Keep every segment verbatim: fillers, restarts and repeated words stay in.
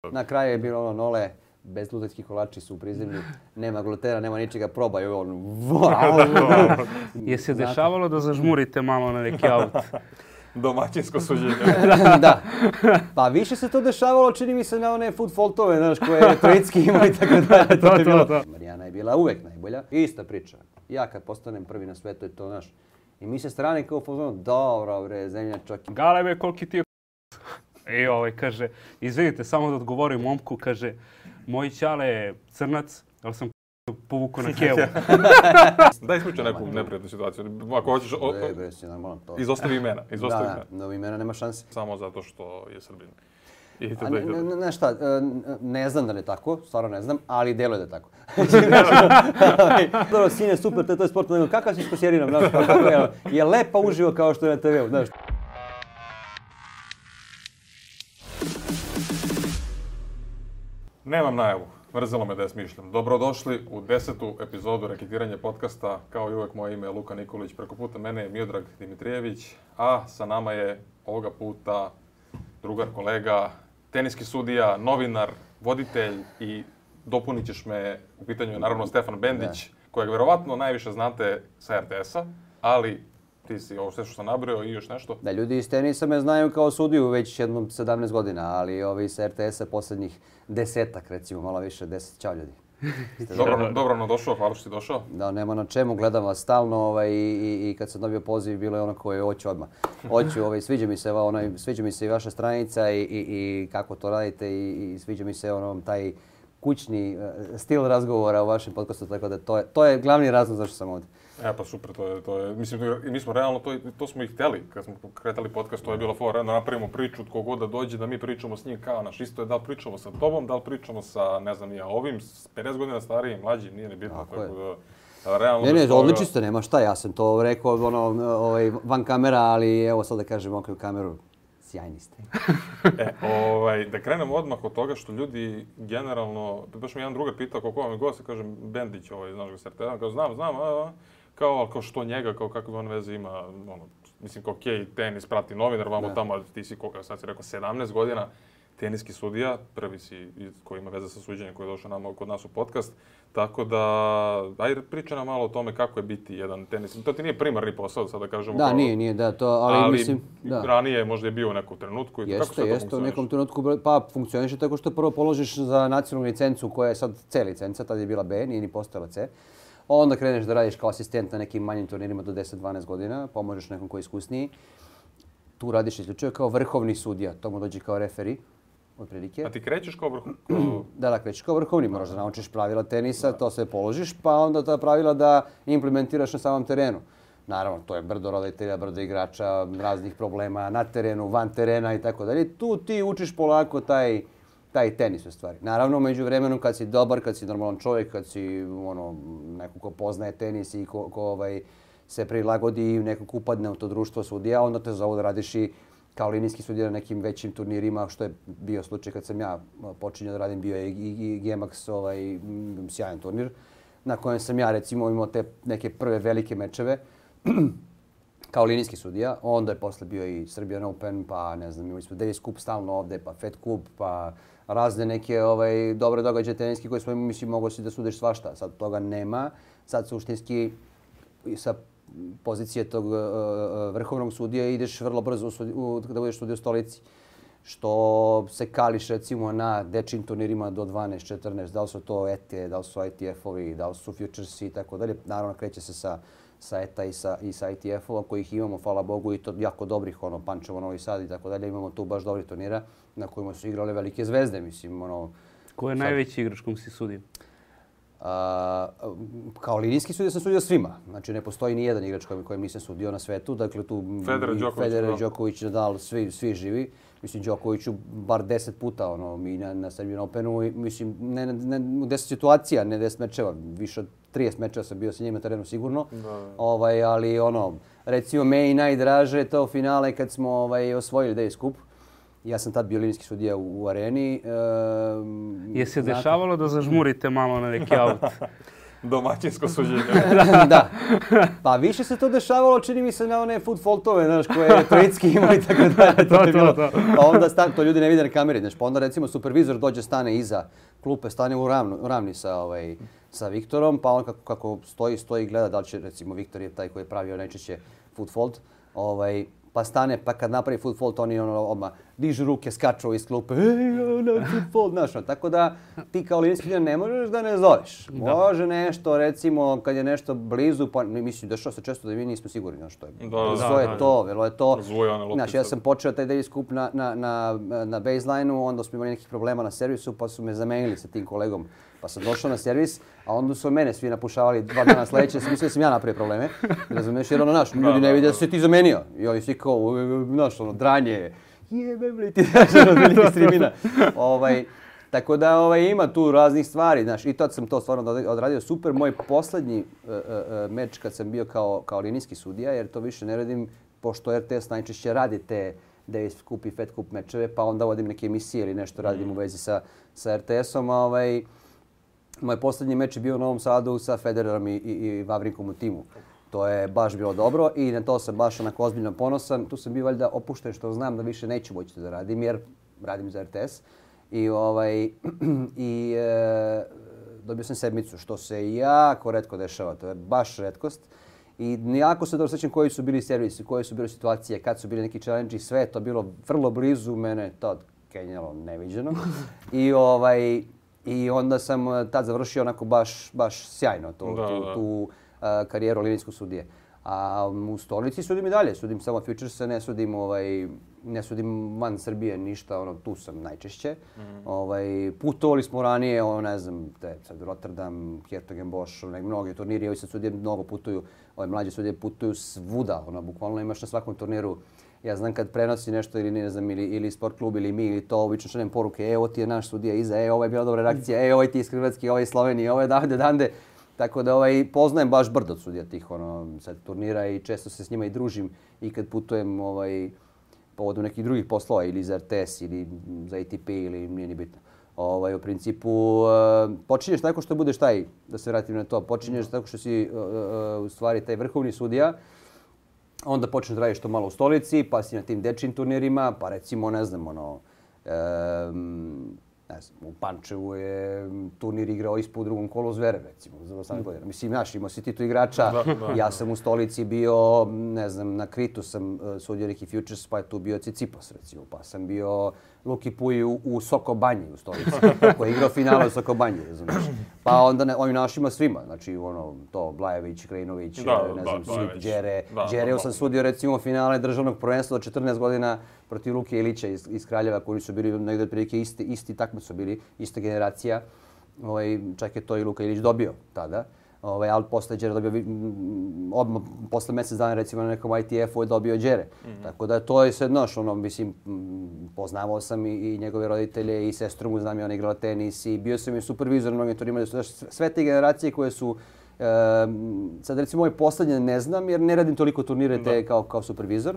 Na kraju je bilo ono nole, bezglutenski kolači su u prizemlju, nema glutena, nema ničega, probaj on. Je se dešavalo da zažmurite malo na neki auto? Domaćinsko suđenje. Da. Pa više se to dešavalo, čini mi se, na one food faultove, znaš, koje je Trojicki imao i tako dalje. To, to, to. Marijana je bila uvek najbolja. Ista priča. Ja kad postanem prvi na svetu je to, znaš. I mi se strane kao fazonu, dobro bre, zemlja čoki. Galebe, koliki ti je I ovaj kaže, izvinite, samo da odgovorim momku, kaže, moj ćale je crnac, ali sam povukao na kevu. Daj ispričaj neku neprijatnu situaciju. Ako hoćeš, o, Ne, bre, si normalno to. izostavi imena. Izostavi Da, imena. da, imena nema šanse. Samo zato što je Srbin. I A ne, ne, ne, šta, ne znam da ne tako, stvarno ne znam, ali deluje da je tako. Dobro, sine, super, to je sport, nego kakav si s kosjerinom, znaš, kako je, je lepa uživo kao što je na te veu, znaš. Nemam najavu. Mrzelo me da je smišljam. Dobrodošli u desetu epizodu Reketiranje podcasta. Kao i uvek, moje ime je Luka Nikolić. Preko puta mene je Miodrag Dimitrijević, a sa nama je ovoga puta drugar, kolega, teniski sudija, novinar, voditelj i dopunit ćeš me, u pitanju je naravno Stefan Bendić, kojeg verovatno najviše znate sa er te esa, ali ti si ovo sve što sam nabrao i još nešto. Da, ljudi iz tenisa me znaju kao sudiju već jednom sedamnaest godina, ali ovi sa er te esa posljednjih desetak, recimo, malo više, deset. Ćao ljudi. Dobro, dobro nam došao, hvala što si došao. Da, nema na čemu, gledam vas stalno ovaj, i, i kad sam dobio poziv bilo je ono koje hoću odmah. Hoću, ovaj, sviđa mi se onaj, sviđa mi se i vaša stranica i, i, i kako to radite i, i sviđa mi se ono taj kućni uh, stil razgovora u vašem podcastu, tako da to je, to je glavni razlog zašto sam ovdje. E pa super, to je, to je, mislim, i mi smo realno, to, to smo i htjeli, kad smo kretali podcast, to je bilo fora, da napravimo priču, tko god da dođe, da mi pričamo s njim kao naš, isto je da li pričamo sa tobom, da li pričamo sa, ne znam, ja ovim, pedeset godina starijim, mlađim, nije ni bitno, tako, tako je. da, realno... Ne, ne, toga... odlično ste, nema šta, ja sam to rekao ono, ovaj, van kamera, ali evo sad da kažem okrev kameru, sjajni ste. e, ovaj, da krenemo odmah od toga što ljudi generalno, baš mi jedan drugar pitao kako vam je gost, kažem, Bendić, ovaj, znaš ga s er te esa, kao znam, znam, a, a, kao, kao što njega, kao kakve on veze ima, ono, mislim, kao okej, okay, tenis, prati novinar, vamo ne. Tamo, ti si, sad si rekao, sedamnaest godina, teniski sudija, prvi si koji ima veze sa suđenjem, koji je došao nama kod nas u podcast, tako da, ajde, priča nam malo o tome kako je biti jedan tenis. To ti nije primarni posao, sad da kažemo. Da, kao, nije, nije, da, to, ali, ali mislim, da. ranije možda je bio u nekom trenutku. I jeste, kako sve jeste, to u nekom trenutku, pa funkcioniše tako što prvo položiš za nacionalnu licencu koja je sad C licenca, tad je bila B, nije ni postala C. Onda kreneš da radiš kao asistent na nekim manjim turnirima do deset dvanaest godina, pomožeš nekom koji je iskusniji. Tu radiš isključivo kao vrhovni sudija, to mu dođe kao referi, otprilike. A ti krećeš kao vrhovni? Da, da, krećeš kao vrhovni, moraš da naučiš pravila tenisa, to sve položiš, pa onda ta pravila da implementiraš na samom terenu. Naravno, to je brdo roditelja, brdo igrača, raznih problema na terenu, van terena i tako dalje. Tu ti učiš polako taj... taj tenis u stvari. Naravno, među vremenu kad si dobar, kad si normalan čovjek, kad si ono, neko ko poznaje tenis i ko, ko ovaj, se prilagodi i nekako upadne u to društvo sudija, onda te zovu da radiš i kao linijski sudija na nekim većim turnirima, što je bio slučaj kad sam ja počinjao da radim, bio je i, i G M A X, ovaj, sjajan turnir, na kojem sam ja recimo imao te neke prve velike mečeve kao linijski sudija. Onda je posle bio i Serbian Open, pa ne znam, imali smo Davis Cup stalno ovde, pa Fed Cup, pa razne neke ovaj, dobre događaje teniski koje smo imali, mislim, mogo si da sudiš svašta. Sad toga nema. Sad suštinski sa pozicije tog uh, vrhovnog sudija ideš vrlo brzo u, u, da budeš sudija u stolici. Što se kališ recimo na dečjim turnirima do dvanaest četrnaest, da li su to E T E, da li su I T F-ovi, da li su Futuresi i tako dalje. Naravno, kreće se sa sa E T A i sa, i sa I T F-ova kojih imamo, hvala Bogu, i to jako dobrih, ono, Pančevo, Novi Sad i tako dalje. Imamo tu baš dobri turnira na kojima su igrale velike zvezde, mislim, ono... Ko je sad... najveći igrač kom si sudio? A, kao linijski sudija sam sudio svima. Znači, ne postoji ni jedan igrač kojem, kojem nisam sudio na svetu. Dakle, tu Federer, Đoković, Federer, Đoković, Nadal, svi, svi živi. Mislim, Đokoviću bar deset puta, ono, mi na, na Serbian Openu, i, mislim, ne, ne, ne, deset situacija, ne deset mečeva, više od trideset mečeva sam bio sa njim na terenu sigurno. Da. Ovaj, ali, ono, recimo, me i najdraže to finale kad smo ovaj, osvojili Davis Cup. Ja sam tad bio linijski sudija u, u areni. E, Je se dešavalo da zažmurite malo na neki auto? domaćinsko suđenje. Da. Pa više se to dešavalo, čini mi se na one food faultove, znaš, koje je Trojicki imao i tako dalje. To, to, to. Pa onda stan, to ljudi ne vide na kameri, znaš, pa onda recimo supervizor dođe, stane iza klupe, stane u, ravnu, u ravni sa, ovaj, sa Viktorom, pa on kako, kako stoji, stoji i gleda da li će, recimo, Viktor je taj koji je pravio najčešće food fault, ovaj, pa stane, pa kad napravi food fault, oni ono odmah dižu ruke, skaču iz klupe, ej, ono, food fault, znaš, no. Tako da ti kao linijski ne možeš da ne zoveš. Da. Može nešto, recimo, kad je nešto blizu, pa mislim, dešava se često da mi nismo sigurni, znaš, što je. Da, da, Zvo je da, to, velo je to. Zvojane loptice. Znaš, ja sam počeo taj daily scoop na, na, na, na baseline-u, onda smo imali nekih problema na servisu, pa su me zamenili sa tim kolegom. Pa sam došao na servis, a onda su mene svi napušavali dva dana sljedeće, sam mislio da sam ja napravio probleme. Razumiješ, jer ono, naš, ljudi ne vide da se ti zamenio. I oni svi kao, znaš, ono, dranje, jebe, bli ti, znaš, ono, veliki streamina. Ovaj, tako da ovaj, ima tu raznih stvari, znaš, i tad sam to stvarno odradio super. Moj poslednji uh, uh, meč kad sam bio kao, kao linijski sudija, jer to više ne radim, pošto R T S najčešće radi te Davis Cup i Fed Cup mečeve, pa onda vodim neke emisije ili nešto radim u vezi sa, sa R T S-om. Ovaj, moj poslednji meč je bio u Novom Sadu sa Federerom i, i, i Vavrinkom u timu. To je baš bilo dobro i na to sam baš onako ozbiljno ponosan. Tu sam bio valjda opušten što znam da više neću moći da radim jer radim za R T S. I, ovaj, i e, dobio sam sedmicu što se jako retko dešava. To je baš retkost. I jako se dobro sjećam koji su bili servisi, koje su bile situacije, kad su bili neki challenge, sve je to bilo vrlo blizu mene, to kenjalo neviđeno. I ovaj I onda sam tad završio onako baš, baš sjajno tu, da, tu, da. tu uh, karijeru linijskog sudije. A u stolici sudim i dalje, sudim samo Futurese, ne sudim, ovaj, ne sudim van Srbije ništa, ono, tu sam najčešće. Mm. Ovaj, putovali smo ranije, ono, ne znam, te, sad Rotterdam, Hertogenbosch, ne, mnogi turniri, ovi sad sudije mnogo putuju, ove mlađe sudije putuju svuda, ono, bukvalno imaš na svakom turniru. Ja znam kad prenosi nešto ili ne znam ili, ili sport klub ili mi ili to obično šaljem poruke, e, ovo ti je naš sudija iza, e, ovo je bila dobra reakcija, e, ovaj ti je iz Hrvatske, ovaj iz Slovenije, ovaj davde, dande. Tako da ovaj, poznajem baš brdo od sudija tih ono, sad, turnira i često se s njima i družim i kad putujem ovaj, povodom nekih drugih poslova ili za R T S ili za A T P ili nije ni bitno. Ovaj, u principu uh, počinješ tako što budeš taj, da se vratim na to, počinješ tako što si uh, uh, u stvari taj vrhovni sudija. Onda počneš da radiš to malo u stolici, pa si na tim dečjim turnirima, pa recimo, ne znam, ono, e, ne znam, u Pančevu je turnir igrao ispod u drugom kolu Zverev, recimo, za osamnaest godina. Mislim, znaš, imao si ti tu igrača, da, da, ja sam u stolici bio, ne znam, na Kritu sam uh, sudio neki Futures, pa je tu bio Cicipos, recimo, pa sam bio Luki Puj u, u Sokobanji u stolici, koji je igrao finale u Sokobanji, razumiješ. Pa onda ne, ovim našima svima, znači ono, to, Blajević, Krajinović, da, ne da, znam, Sip, Đere. Da, Đereu da, sam sudio recimo finale državnog prvenstva od četrnaest godina protiv Luke Ilića iz, iz Kraljeva, koji su bili negdje otprilike isti, isti takmice su bili, ista generacija. Ovaj, čak je to i Luka Ilić dobio tada. Ovaj, ali posle Đere dobio, odmah posle mjesec dana recimo na nekom I T F-u je dobio Đere. Mm-hmm. Tako da to je sve noš, ono, mislim, poznavao sam i, i njegove roditelje i sestru mu znam i ona igrala tenis i bio sam i supervizor na mnogim turnirima. Sve te generacije koje su, e, sad recimo ovaj posljednje ne znam jer ne radim toliko turnire te kao, kao supervizor,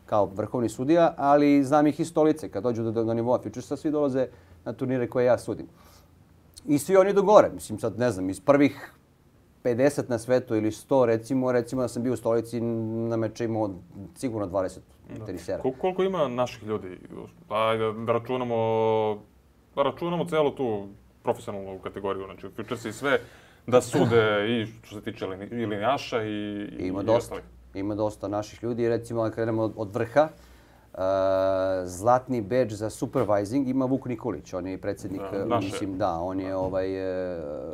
kao vrhovni sudija, ali znam ih iz stolice. Kad dođu do, do nivoa Futuresa, svi dolaze na turnire koje ja sudim. I svi oni do gore, mislim sad ne znam, iz prvih pedeset na svetu ili sto recimo, recimo da sam bio u stolici na meče imao sigurno dvadeset tenisera. Kol koliko ima naših ljudi? Ajde da računamo, da računamo celu tu profesionalnu kategoriju, znači Futures i sve, da sude i što se tiče i linijaša i, ima i dosta. ostalih. Ima dosta naših ljudi, recimo da krenemo od, od vrha. Uh, zlatni bedž za supervising ima Vuk Nikolić, on je predsjednik, da, mislim, da, on je ovaj...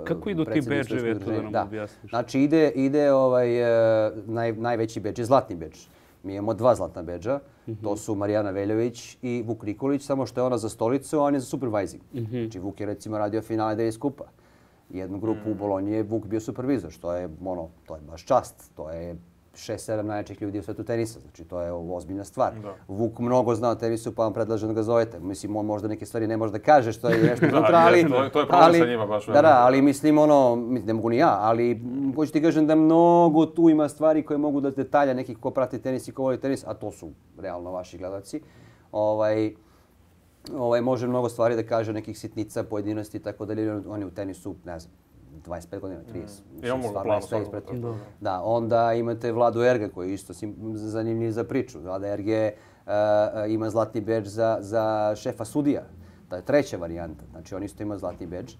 Kako idu ti bedževi, to da nam da. objasniš? Znači ide, ide ovaj, naj, najveći bedž je zlatni bedž. Mi imamo dva zlatna bedža, mm-hmm. to su Marijana Veljović i Vuk Nikolić, samo što je ona za stolicu, a on je za supervising. Mm-hmm. Znači Vuk je recimo radio finale Davis Cupa. Jednu grupu mm-hmm. u Bolonji je Vuk bio supervizor, što je, ono, to je baš čast, to je šest sedam najjačih ljudi u svetu tenisa, znači to je ozbiljna stvar. Da. Vuk mnogo zna o tenisu pa vam predlažem da ga zovete. Mislim, on možda neke stvari ne može da kaže što je nešto unutra, ali... To je, to je problem sa njima baš. Da, da, ali mislim ono, ne mogu ni ja, ali hoću ti kažem da mnogo tu ima stvari koje mogu da detalja nekih ko prati tenis i ko voli tenis, a to su realno vaši gledalci. Ovaj, ovaj, može mnogo stvari da kaže, nekih sitnica, pojedinosti i tako dalje, oni u tenisu, ne znam, dvadeset pet godina, trideset. Mm. Imamo ga plan svakog. Da, onda imate Vladu Erga koji je isto zanimljiv za priču. Vlada Erge uh, ima zlatni bedž za, za šefa sudija. To je treća varijanta. Znači on isto ima zlatni bedž.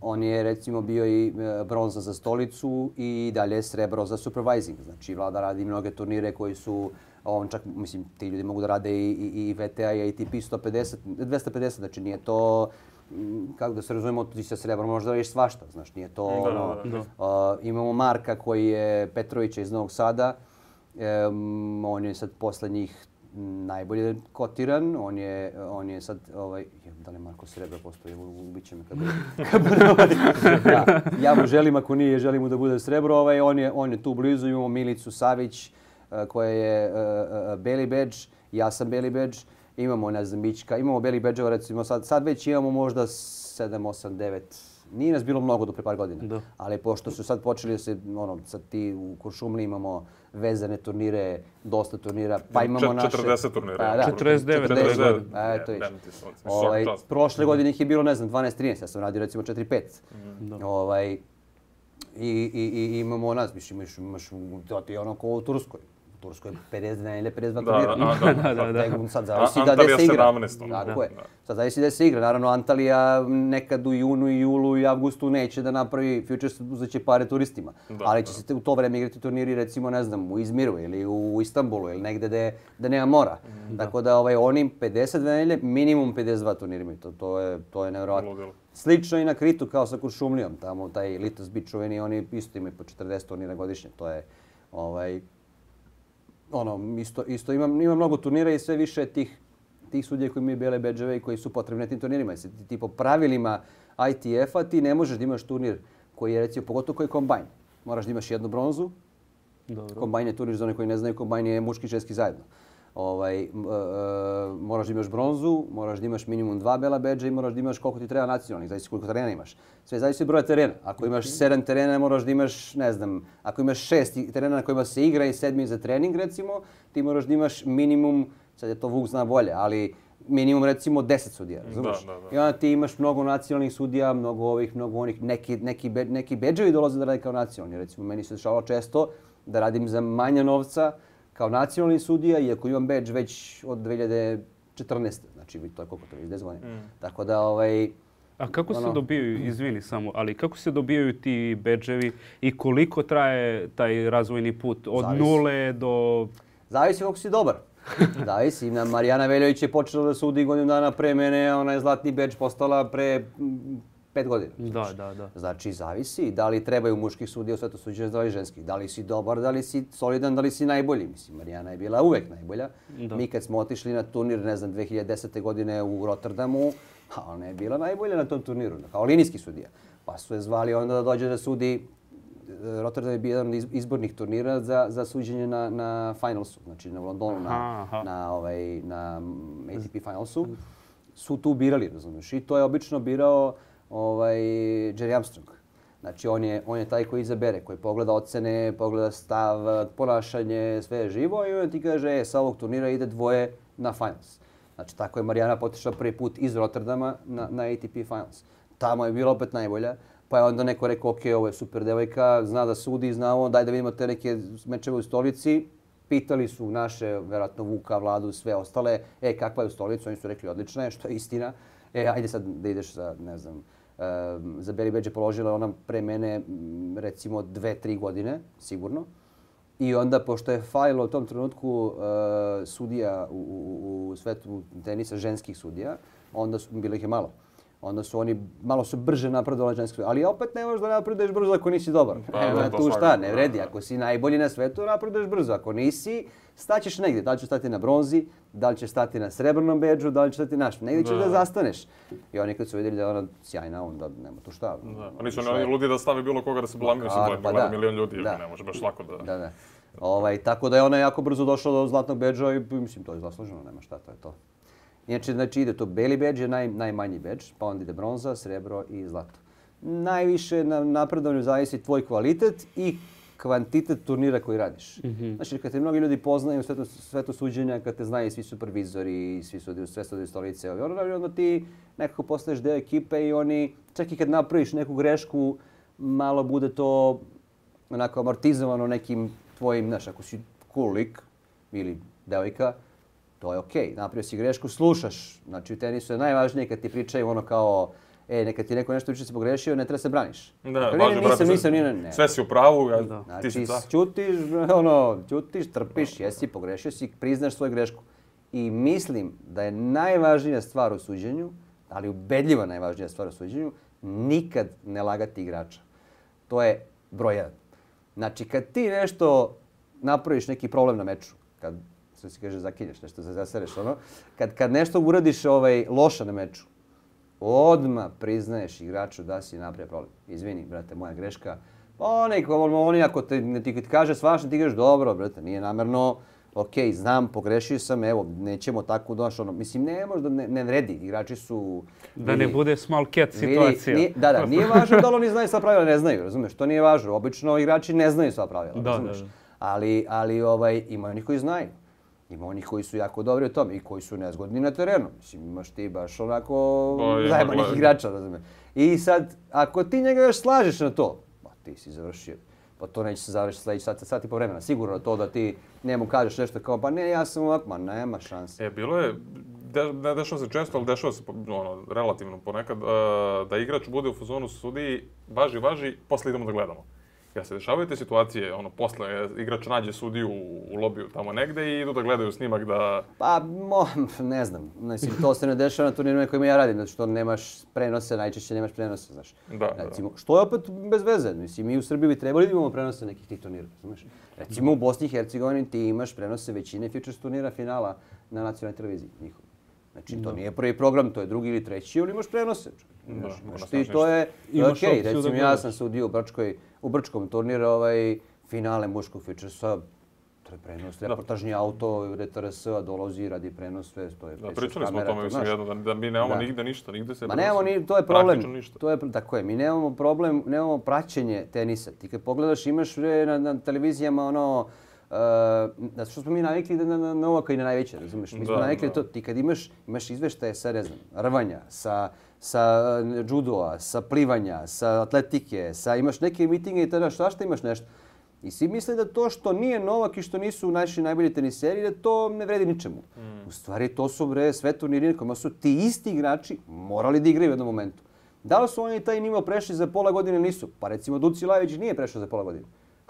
On je recimo bio i bronza za stolicu i dalje srebro za supervising. Znači Vlada radi mnoge turnire koji su, on čak, mislim, ti ljudi mogu da rade i, i, i V T A i A T P sto pedeset, dvesta pedeset, znači nije to, kako da se razumemo, ti sa srebrom možda radiš svašta, znaš, nije to da, ono. da, da. Uh, imamo Marka koji je Petrovića iz Novog Sada, um, on je sad poslednjih najbolje kotiran, on je, on je sad, ovaj, da li Marko Srebra postoji, ubit će me kad bude. Ja, ja mu želim, ako nije, želim mu da bude Srebro, ovaj, on, je, on je tu blizu, imamo Milicu Savić, uh, koja je uh, uh, beli bedž, ja sam beli bedž, imamo, ne znam, Mićka, imamo beli bedževa, recimo sad, sad već imamo možda sedam, osam, devet, nije nas bilo mnogo do pre par godina, da. Ali pošto su sad počeli da se, ono, sad ti u Kuršumliji imamo vezane turnire, dosta turnira, pa imamo naše... četrdeset turnira. Pa, da, četrdeset devet. četrdeset devet. A, eto viš. Ovaj, prošle godine ih je bilo, ne znam, dvanaest trinaest, ja sam radio recimo četiri pet. Mm. Ovaj, i, i, i imamo nas, miš, imaš, imaš, to ti je ono ko u Turskoj. U Turskoj je pedeset dva ili pedeset dva turnira. Da, da, da. da, da. Sad zavisi da gde se igra. sedamnaest. Tako je. Sad zavisi da se igra. Naravno, Antalija nekad u junu, i julu i avgustu neće da napravi Futures, uzeće pare turistima. Da, ali će da. se u to vreme igrati turniri, recimo, ne znam, u Izmiru ili u Istanbulu ili negde da, da nema mora. Da. Tako da ovaj, oni pedeset dva nedelje, minimum pedeset dva turnira imaju. To, to je, to je nevjerovatno. Slično i na Kritu kao sa Kuršumlijom. Tamo taj Litos Beach čuveni, oni isto imaju po četrdeset turnira godišnje. To je, ovaj, ono, isto, isto ima, ima mnogo turnira i sve više tih, tih sudija koji imaju bele bedževe i koji su potrebni na tim turnirima. Ti, ti po pravilima I T F-a ti ne možeš da imaš turnir koji je, recimo, pogotovo koji je kombajn. Moraš da imaš jednu bronzu. Dobro. Kombajn je turnir, za one koji ne znaju, kombajn je muški i ženski zajedno. Ovaj, uh, moraš da imaš bronzu, moraš da imaš minimum dva bela bedža i moraš da imaš koliko ti treba nacionalnih, zavisi koliko terena imaš. Sve zavisi od broja terena. Ako imaš sedam terena, moraš da imaš, ne znam, ako imaš šest terena na kojima se igra i sedmi za trening, recimo, ti moraš da imaš minimum, sad je to Vuk zna bolje, ali minimum recimo deset sudija, razumiješ? Da, da, da. I onda ti imaš mnogo nacionalnih sudija, mnogo ovih, mnogo onih, neki, neki, be, neki bedževi dolaze da rade kao nacionalni. Recimo, meni se dešavalo često da radim za manje novca, kao nacionalni sudija, iako imam bedž već od dve hiljade četrnaeste. Znači, to je koliko to je, deset godina. Mm. Tako da, ovaj... A kako ono, se dobijaju, izvini samo, ali kako se dobijaju ti bedževi i koliko traje taj razvojni put? Od Zavisi. nule do... Zavisi koliko si dobar. Zavisi. Marijana Veljović je počela da sudi godinu dana pre mene, ona je zlatni bedž postala pre pet godina. Da, da, da. Znači, zavisi da li trebaju muških sudija u svetu suđenja, da li ženskih. Da li si dobar, da li si solidan, da li si najbolji. Mislim, Marijana je bila uvek najbolja. Da. Mi kad smo otišli na turnir, ne znam, dve hiljade desete. godine u Rotterdamu, a ona je bila najbolja na tom turniru, kao linijski sudija. Pa su je zvali onda da dođe da sudi. Rotterdam je bio jedan od izbornih turnira za, za suđenje na, na finalsu, znači na Londonu, na, aha. na, ovaj, na A T P finalsu. Su tu birali, razumiješ. I to je obično birao ovaj, Jerry Armstrong. Znači on je, on je taj koji izabere, koji pogleda ocene, pogleda stav, ponašanje, sve je živo i on ti kaže, e, sa ovog turnira ide dvoje na finals. Znači tako je Marijana potišla prvi put iz Rotterdama na, na A T P finals. Tamo je bila opet najbolja. Pa je onda neko rekao, ok, ovo je super devojka, zna da sudi, zna ovo, daj da vidimo te neke mečeve u stolici. Pitali su naše, vjerojatno Vuka, Vladu, sve ostale, e, kakva je u stolici? Oni su rekli, odlična je, što je istina. E, ajde sad da ideš za, ne znam, um, za beli bedž je položila ona pre mene, recimo, dve, tri godine, sigurno. I onda, pošto je falilo u tom trenutku uh, sudija u, u, u svetu tenisa, ženskih sudija, onda su, bilo ih je malo. Onda su oni, malo su brže napredovali ženski sudija. Ali opet ne možeš da napreduješ brzo ako nisi dobar. Pa, Evo, tu šta, ne vredi. Ako si najbolji na svetu, napreduješ brzo. Ako nisi, staćeš negdje. Da li ćeš stati na bronzi, da li ćeš stati na srebrnom bedžu, da li ćeš stati na što. Negdje ćeš da. da zastaneš. I oni kad su vidjeli da je ona sjajna, onda nema tu šta. Da. Pa nisu oni ludi da stavi bilo koga da se blamira, se gleda, pa gleda milion ljudi, da. Ne može baš lako da... Da, da. Ovaj, tako da je ona jako brzo došla do zlatnog bedža i mislim, to je zasluženo, nema šta, to je to. Inače, znači ide to beli bedž je naj, najmanji bedž, pa onda ide bronza, srebro i zlato. Najviše na napredovanju zavisi tvoj kvalitet i kvantitet turnira koji radiš. Mm-hmm. Znači, kad te mnogi ljudi poznaju u svetu, svetu suđenja, kad te znaju svi supervizori, svi su sve sudije stolice, onda ti nekako postaješ deo ekipe i oni, čak i kad napraviš neku grešku, malo bude to onako amortizovano nekim tvojim, znaš, ako si cool lik ili devojka, to je okej. Okay. Napravio si grešku, slušaš. Znači u tenisu je najvažnije kad ti pričaju ono kao, e, neka ti neko nešto uči se pogrešio, ne treba se braniš. Da, dakle, važno, nisam, brate, nisam, nisam, ne. Sve si u pravu, ja, znači, ti si car. ćutiš, ono, ćutiš, trpiš, jesi, pogrešio si, priznaš svoju grešku. I mislim da je najvažnija stvar u suđenju, ali ubedljiva najvažnija stvar u suđenju, nikad ne lagati igrača. To je broj jedan. Znači, kad ti nešto napraviš neki problem na meču, kad što se kaže zakinješ, nešto zasereš, ono, kad, kad nešto uradiš ovaj, loše na meču, odmah priznaješ igraču da si napravio problem. Izvini, brate, moja greška. Oni, oni ako te, ti kaže svašta, ti kažeš dobro, brate, nije namerno, ok, znam, pogrešio sam, evo, nećemo tako doći, ono, mislim, ne možda ne, ne vredi, igrači su... Da ne bude small cat situacija. Nije, da, da, nije važno da li oni znaju sva pravila, ne znaju, razumiješ, to nije važno. Obično igrači ne znaju sva pravila, da, razumiješ. Da, da. Ali, ali ovaj, ima onih koji znaju. Ima onih koji su jako dobri u tome i koji su nezgodni na terenu. Mislim, imaš ti baš onako zajebanih igrača, razumiješ. I sad, ako ti njega još slažeš na to, ba, ti si završio. Pa to neće se završiti sljedeći sat, sat i po vremena. Sigurno to da ti njemu kažeš nešto kao, pa ne, ja sam ovako, ma nema šanse. E, bilo je, de, ne dešava se često, ali dešava se ono, relativno ponekad, uh, da igrač bude u fazonu sudiji, važi, važi, posle idemo da gledamo. Jel se dešavaju te situacije, ono, posle igrač nađe sudiju u lobiju tamo negde i idu da gledaju snimak da... Pa, mo, ne znam. Mislim, to se ne dešava na turnirima kojima ja radim, zato što nemaš prenose, najčešće nemaš prenose, znaš. Da, Recimo, da. što je opet bez veze. Mislim, mi u Srbiji bi trebali da imamo prenose nekih tih turnira, znaš. Recimo, u Bosni i Hercegovini ti imaš prenose većine futures turnira finala na nacionalnoj televiziji njihovi. Znači, to nije prvi program, to je drugi ili treći, ali imaš prenose. Znaš, znaš, ti, to je, to je okej. Recimo, ja sam sudio u Brčkoj, u Brčkom turniru, ovaj, finale muškog futuresa, to je prenos, reportažni auto, R T R S-a dolazi, radi prenos, sve, to je da, pričali smo o tome, mislim, jedno, da, da mi nemamo da. nigde ništa, nigde se... Ma nemamo, ni, to je problem, to je, tako je, mi nemamo problem, nemamo praćenje tenisa. Ti kad pogledaš, imaš na, na televizijama ono, Uh, da što smo mi navikli da na, na Novaka i na najveće, razumiješ? Mi smo da, navikli da. to, ti kad imaš, imaš izveštaje sa, ne znam, rvanja, sa, sa judoa, sa plivanja, sa atletike, sa, imaš neke mitinge i tada svašta imaš nešto. I svi misle da to što nije Novak i što nisu naši najbolji teniseri, da to ne vredi ničemu. Mm. U stvari to su bre sve turniri kojima su ti isti igrači morali da igraju u jednom momentu. Da li su oni taj nivo prešli za pola godine ili nisu? Pa recimo Duci Lajović nije prešao za pola godine.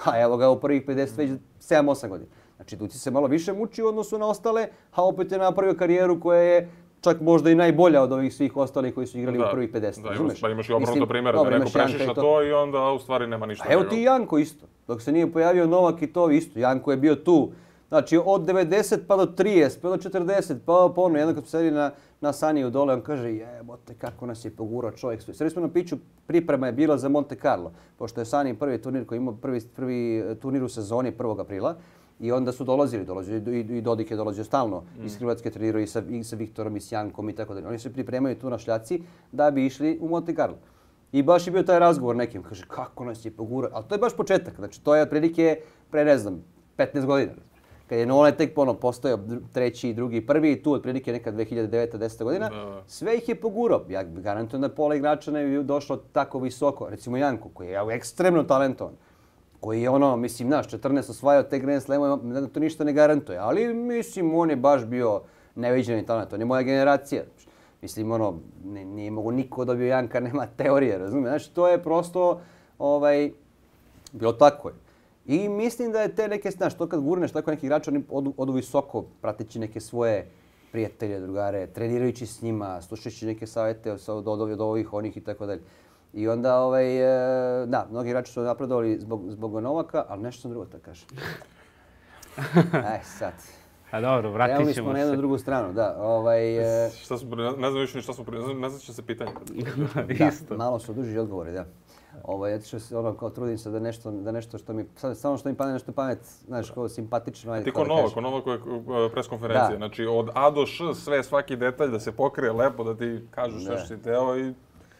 A evo ga u prvih pedeset, već sedam osam godina. Znači, Duci se malo više muči u odnosu na ostale, a opet je napravio karijeru koja je čak možda i najbolja od ovih svih ostalih koji su igrali da, u prvih pedeset. Da, imaš, pa imaš i obrnuto primjera, da neko prešiša to. to i onda u stvari nema ništa. A evo ti Janko isto. Dok se nije pojavio Novak i to isto. Janko je bio tu. Znači, od devedeset pa do trideset, pa do četrdeset, pa ono, jedno kad smo sedili na, na Saniju dole, on kaže, jebote, kako nas je pogurao čovjek. Sredi smo na piću, priprema je bila za Monte Carlo, pošto je Sani prvi turnir koji imao prvi, prvi turnir u sezoni prvog aprila. I onda su dolazili, dolazili i, i Dodik je dolazio stalno mm. iz Hrvatske trenirao i sa, i sa Viktorom i s Jankom i tako dalje. Oni se pripremaju tu na šljaci da bi išli u Monte Carlo. I baš je bio taj razgovor nekim, kaže, kako nas je pogurao. Ali to je baš početak, znači to je otprilike pre, ne znam, petnaest godina. Kad je Nole tek ono postojao treći, drugi, prvi, tu otprilike neka dve hiljade deveta deseta godina, da. Sve ih je pogurao. Ja garantujem da pola igrača ne bi došlo tako visoko. Recimo Janko, koji je ekstremno talentovan, koji je ono, mislim, naš, četrnaest osvajao te Grand Slamove, to ništa ne garantuje. Ali, mislim, on je baš bio neviđeni talent. On je moja generacija. Mislim, ono, ne, nije mogo niko dobio Janka, nema teorije, razumije? Znači, to je prosto, ovaj, bilo tako je. I mislim da je te neke, znaš, to kad gurneš tako neki igrač, oni odu, odu visoko, prateći neke svoje prijatelje, drugare, trenirajući s njima, slušajući neke savjete od, od, od ovih, onih i tako dalje. I onda, ovaj, da, mnogi igrači su napredovali zbog, zbog Novaka, ali nešto sam drugo da kažem. Aj, sad. A dobro, vratit ćemo se. Krenuli smo na jednu drugu stranu, da. Ovaj, šta su, ne znam više ni šta smo, ne znam će se pitanje. Da, malo su duži odgovori, da. Ovo, ja se ono kao trudim se da nešto, da nešto što mi, samo što mi padne nešto pamet, znaš, kao simpatično. Ajde, ti ko Novak, ko Novak je preskonferencije, znači od A do Š sve, svaki detalj da se pokrije lepo, da ti kažeš sve što si teo i...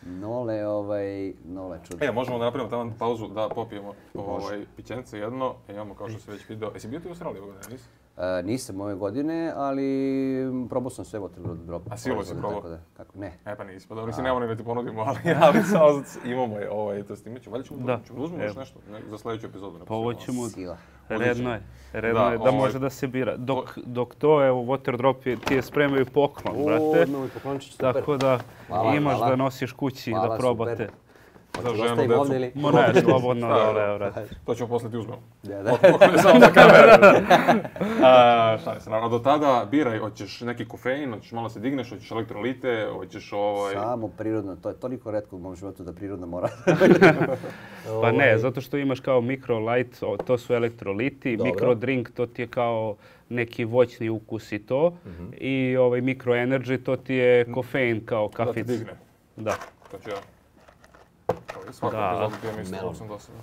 Nole, ovaj, Nole čudno. E, možemo da napravimo tamo pauzu da popijemo ovaj, pićence jedno, e, imamo kao što se već video. Jesi bio ti u Australiji ovog dana, nisi? Uh, nisam ove godine, ali probao sam sve Water Drop. A silo si probao? Da, kako ne? E pa nismo, dobro, mislim, nemamo ni da ti ponudimo, ali, ali samo imamo je, ovaj, to snimit ćemo. Valjda ćemo da, ćemo da uzmemo još nešto ne, za sljedeću epizodu. Pa ovo ćemo, Sila. redno je, redno Da, je da ovaj- može da se bira. Dok, dok to je u Water Drop je- ti je spremaju poklon, brate. O, novi poklončić, super. Tako da Hvala, imaš hvala. da nosiš kući i Hvala, da probate. super. Za Hoću da ženu, ostavim decu. ovdje ili? Ma ne, slobodno Da, dole, da. evo, brate. To ćemo posle ti uzmemo. Da, da. Od poklone samo za kamere. A, šta se, naravno, do tada biraj, hoćeš neki kofein, hoćeš malo se digneš, hoćeš elektrolite, hoćeš ovaj... Samo prirodno, to je toliko retko u mom životu da prirodno mora. Pa ne, zato što imaš kao micro light, o, to su elektroliti, Dobro. micro drink, to ti je kao neki voćni ukus i to. I ovaj micro energy, to ti je kofein kao Da ti kafic. digne. Da, To ću ja. Kao i svaku Da. epizodu pijem isto, Melon. ovo sam dosadno.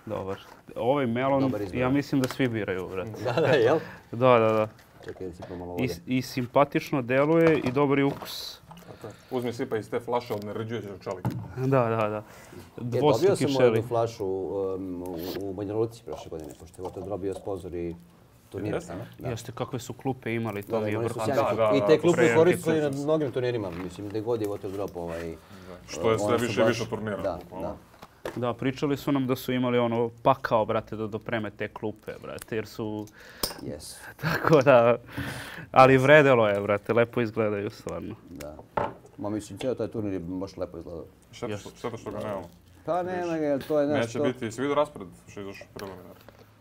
dobar. Ovaj melon, Dobar izbor. ja mislim da svi biraju, brate. Da, da, jel? Da, da, da. Čekaj da si pomalo I, vode. I simpatično deluje i dobar je ukus. Tako je. Uzmi sipa iz te flaše od nerđujećeg čelika. Da, da, da. E, dobio Dvostruki sam šeli. jednu flašu um, u, u Banja Luci prošle godine, pošto je Water Drop bio sponsor i turnira. Jeste? Da. Jeste, kakve su klupe imali, to Da, da, mi je imali su vrhunsko. sjajne Da, klupe. da, I te da, klupe prejaki koristili na klupe. mnogim turnirima, mislim, gde god je Water Drop ovaj... Što je sve one su više i baš- više turnira. Da, bukvalno. da. Da, pričali su nam da su imali ono pakao, brate, da dopreme te klupe, brate, jer su... Yes, Tako da... Ali vredelo je, brate, lepo izgledaju stvarno. da. Ma mislim, cijel taj turnir je baš lepo izgledao. Šteta što, šteta što ga nemamo. Pa nema ga, to je Neće nešto... biti, si vidio raspored što je izašao preliminar?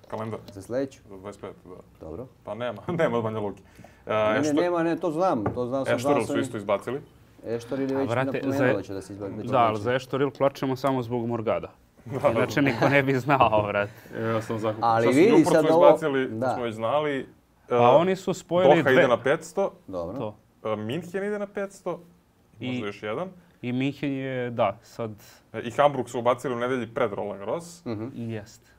Kalendar Za sljedeću? za dvadeset pet, da. Dobro. Pa nema, nema od Banja Luki. E, Ne, ne, Ešto- nema, ne, to znam, to znam sam. Eštoril znao su sam. isto izbacili. Eštoril je A, već brate, napomenuo za- da će da se izbaci. Da, ali za Eštoril plačemo samo zbog Morgada. Inače niko ne bi znao, brate. E, Ja sam zakupan. Ali Šta su vidi Newport sad su ovo- izbacili, to da. smo već znali. E, A oni su spojili Doha dve. ide na petsto, Dobro. To. e, Minhen ide na petsto, I- možda još jedan. I Minhen je, da, sad E, I Hamburg su ubacili u nedelji pred Roland Garros. Mhm. jest.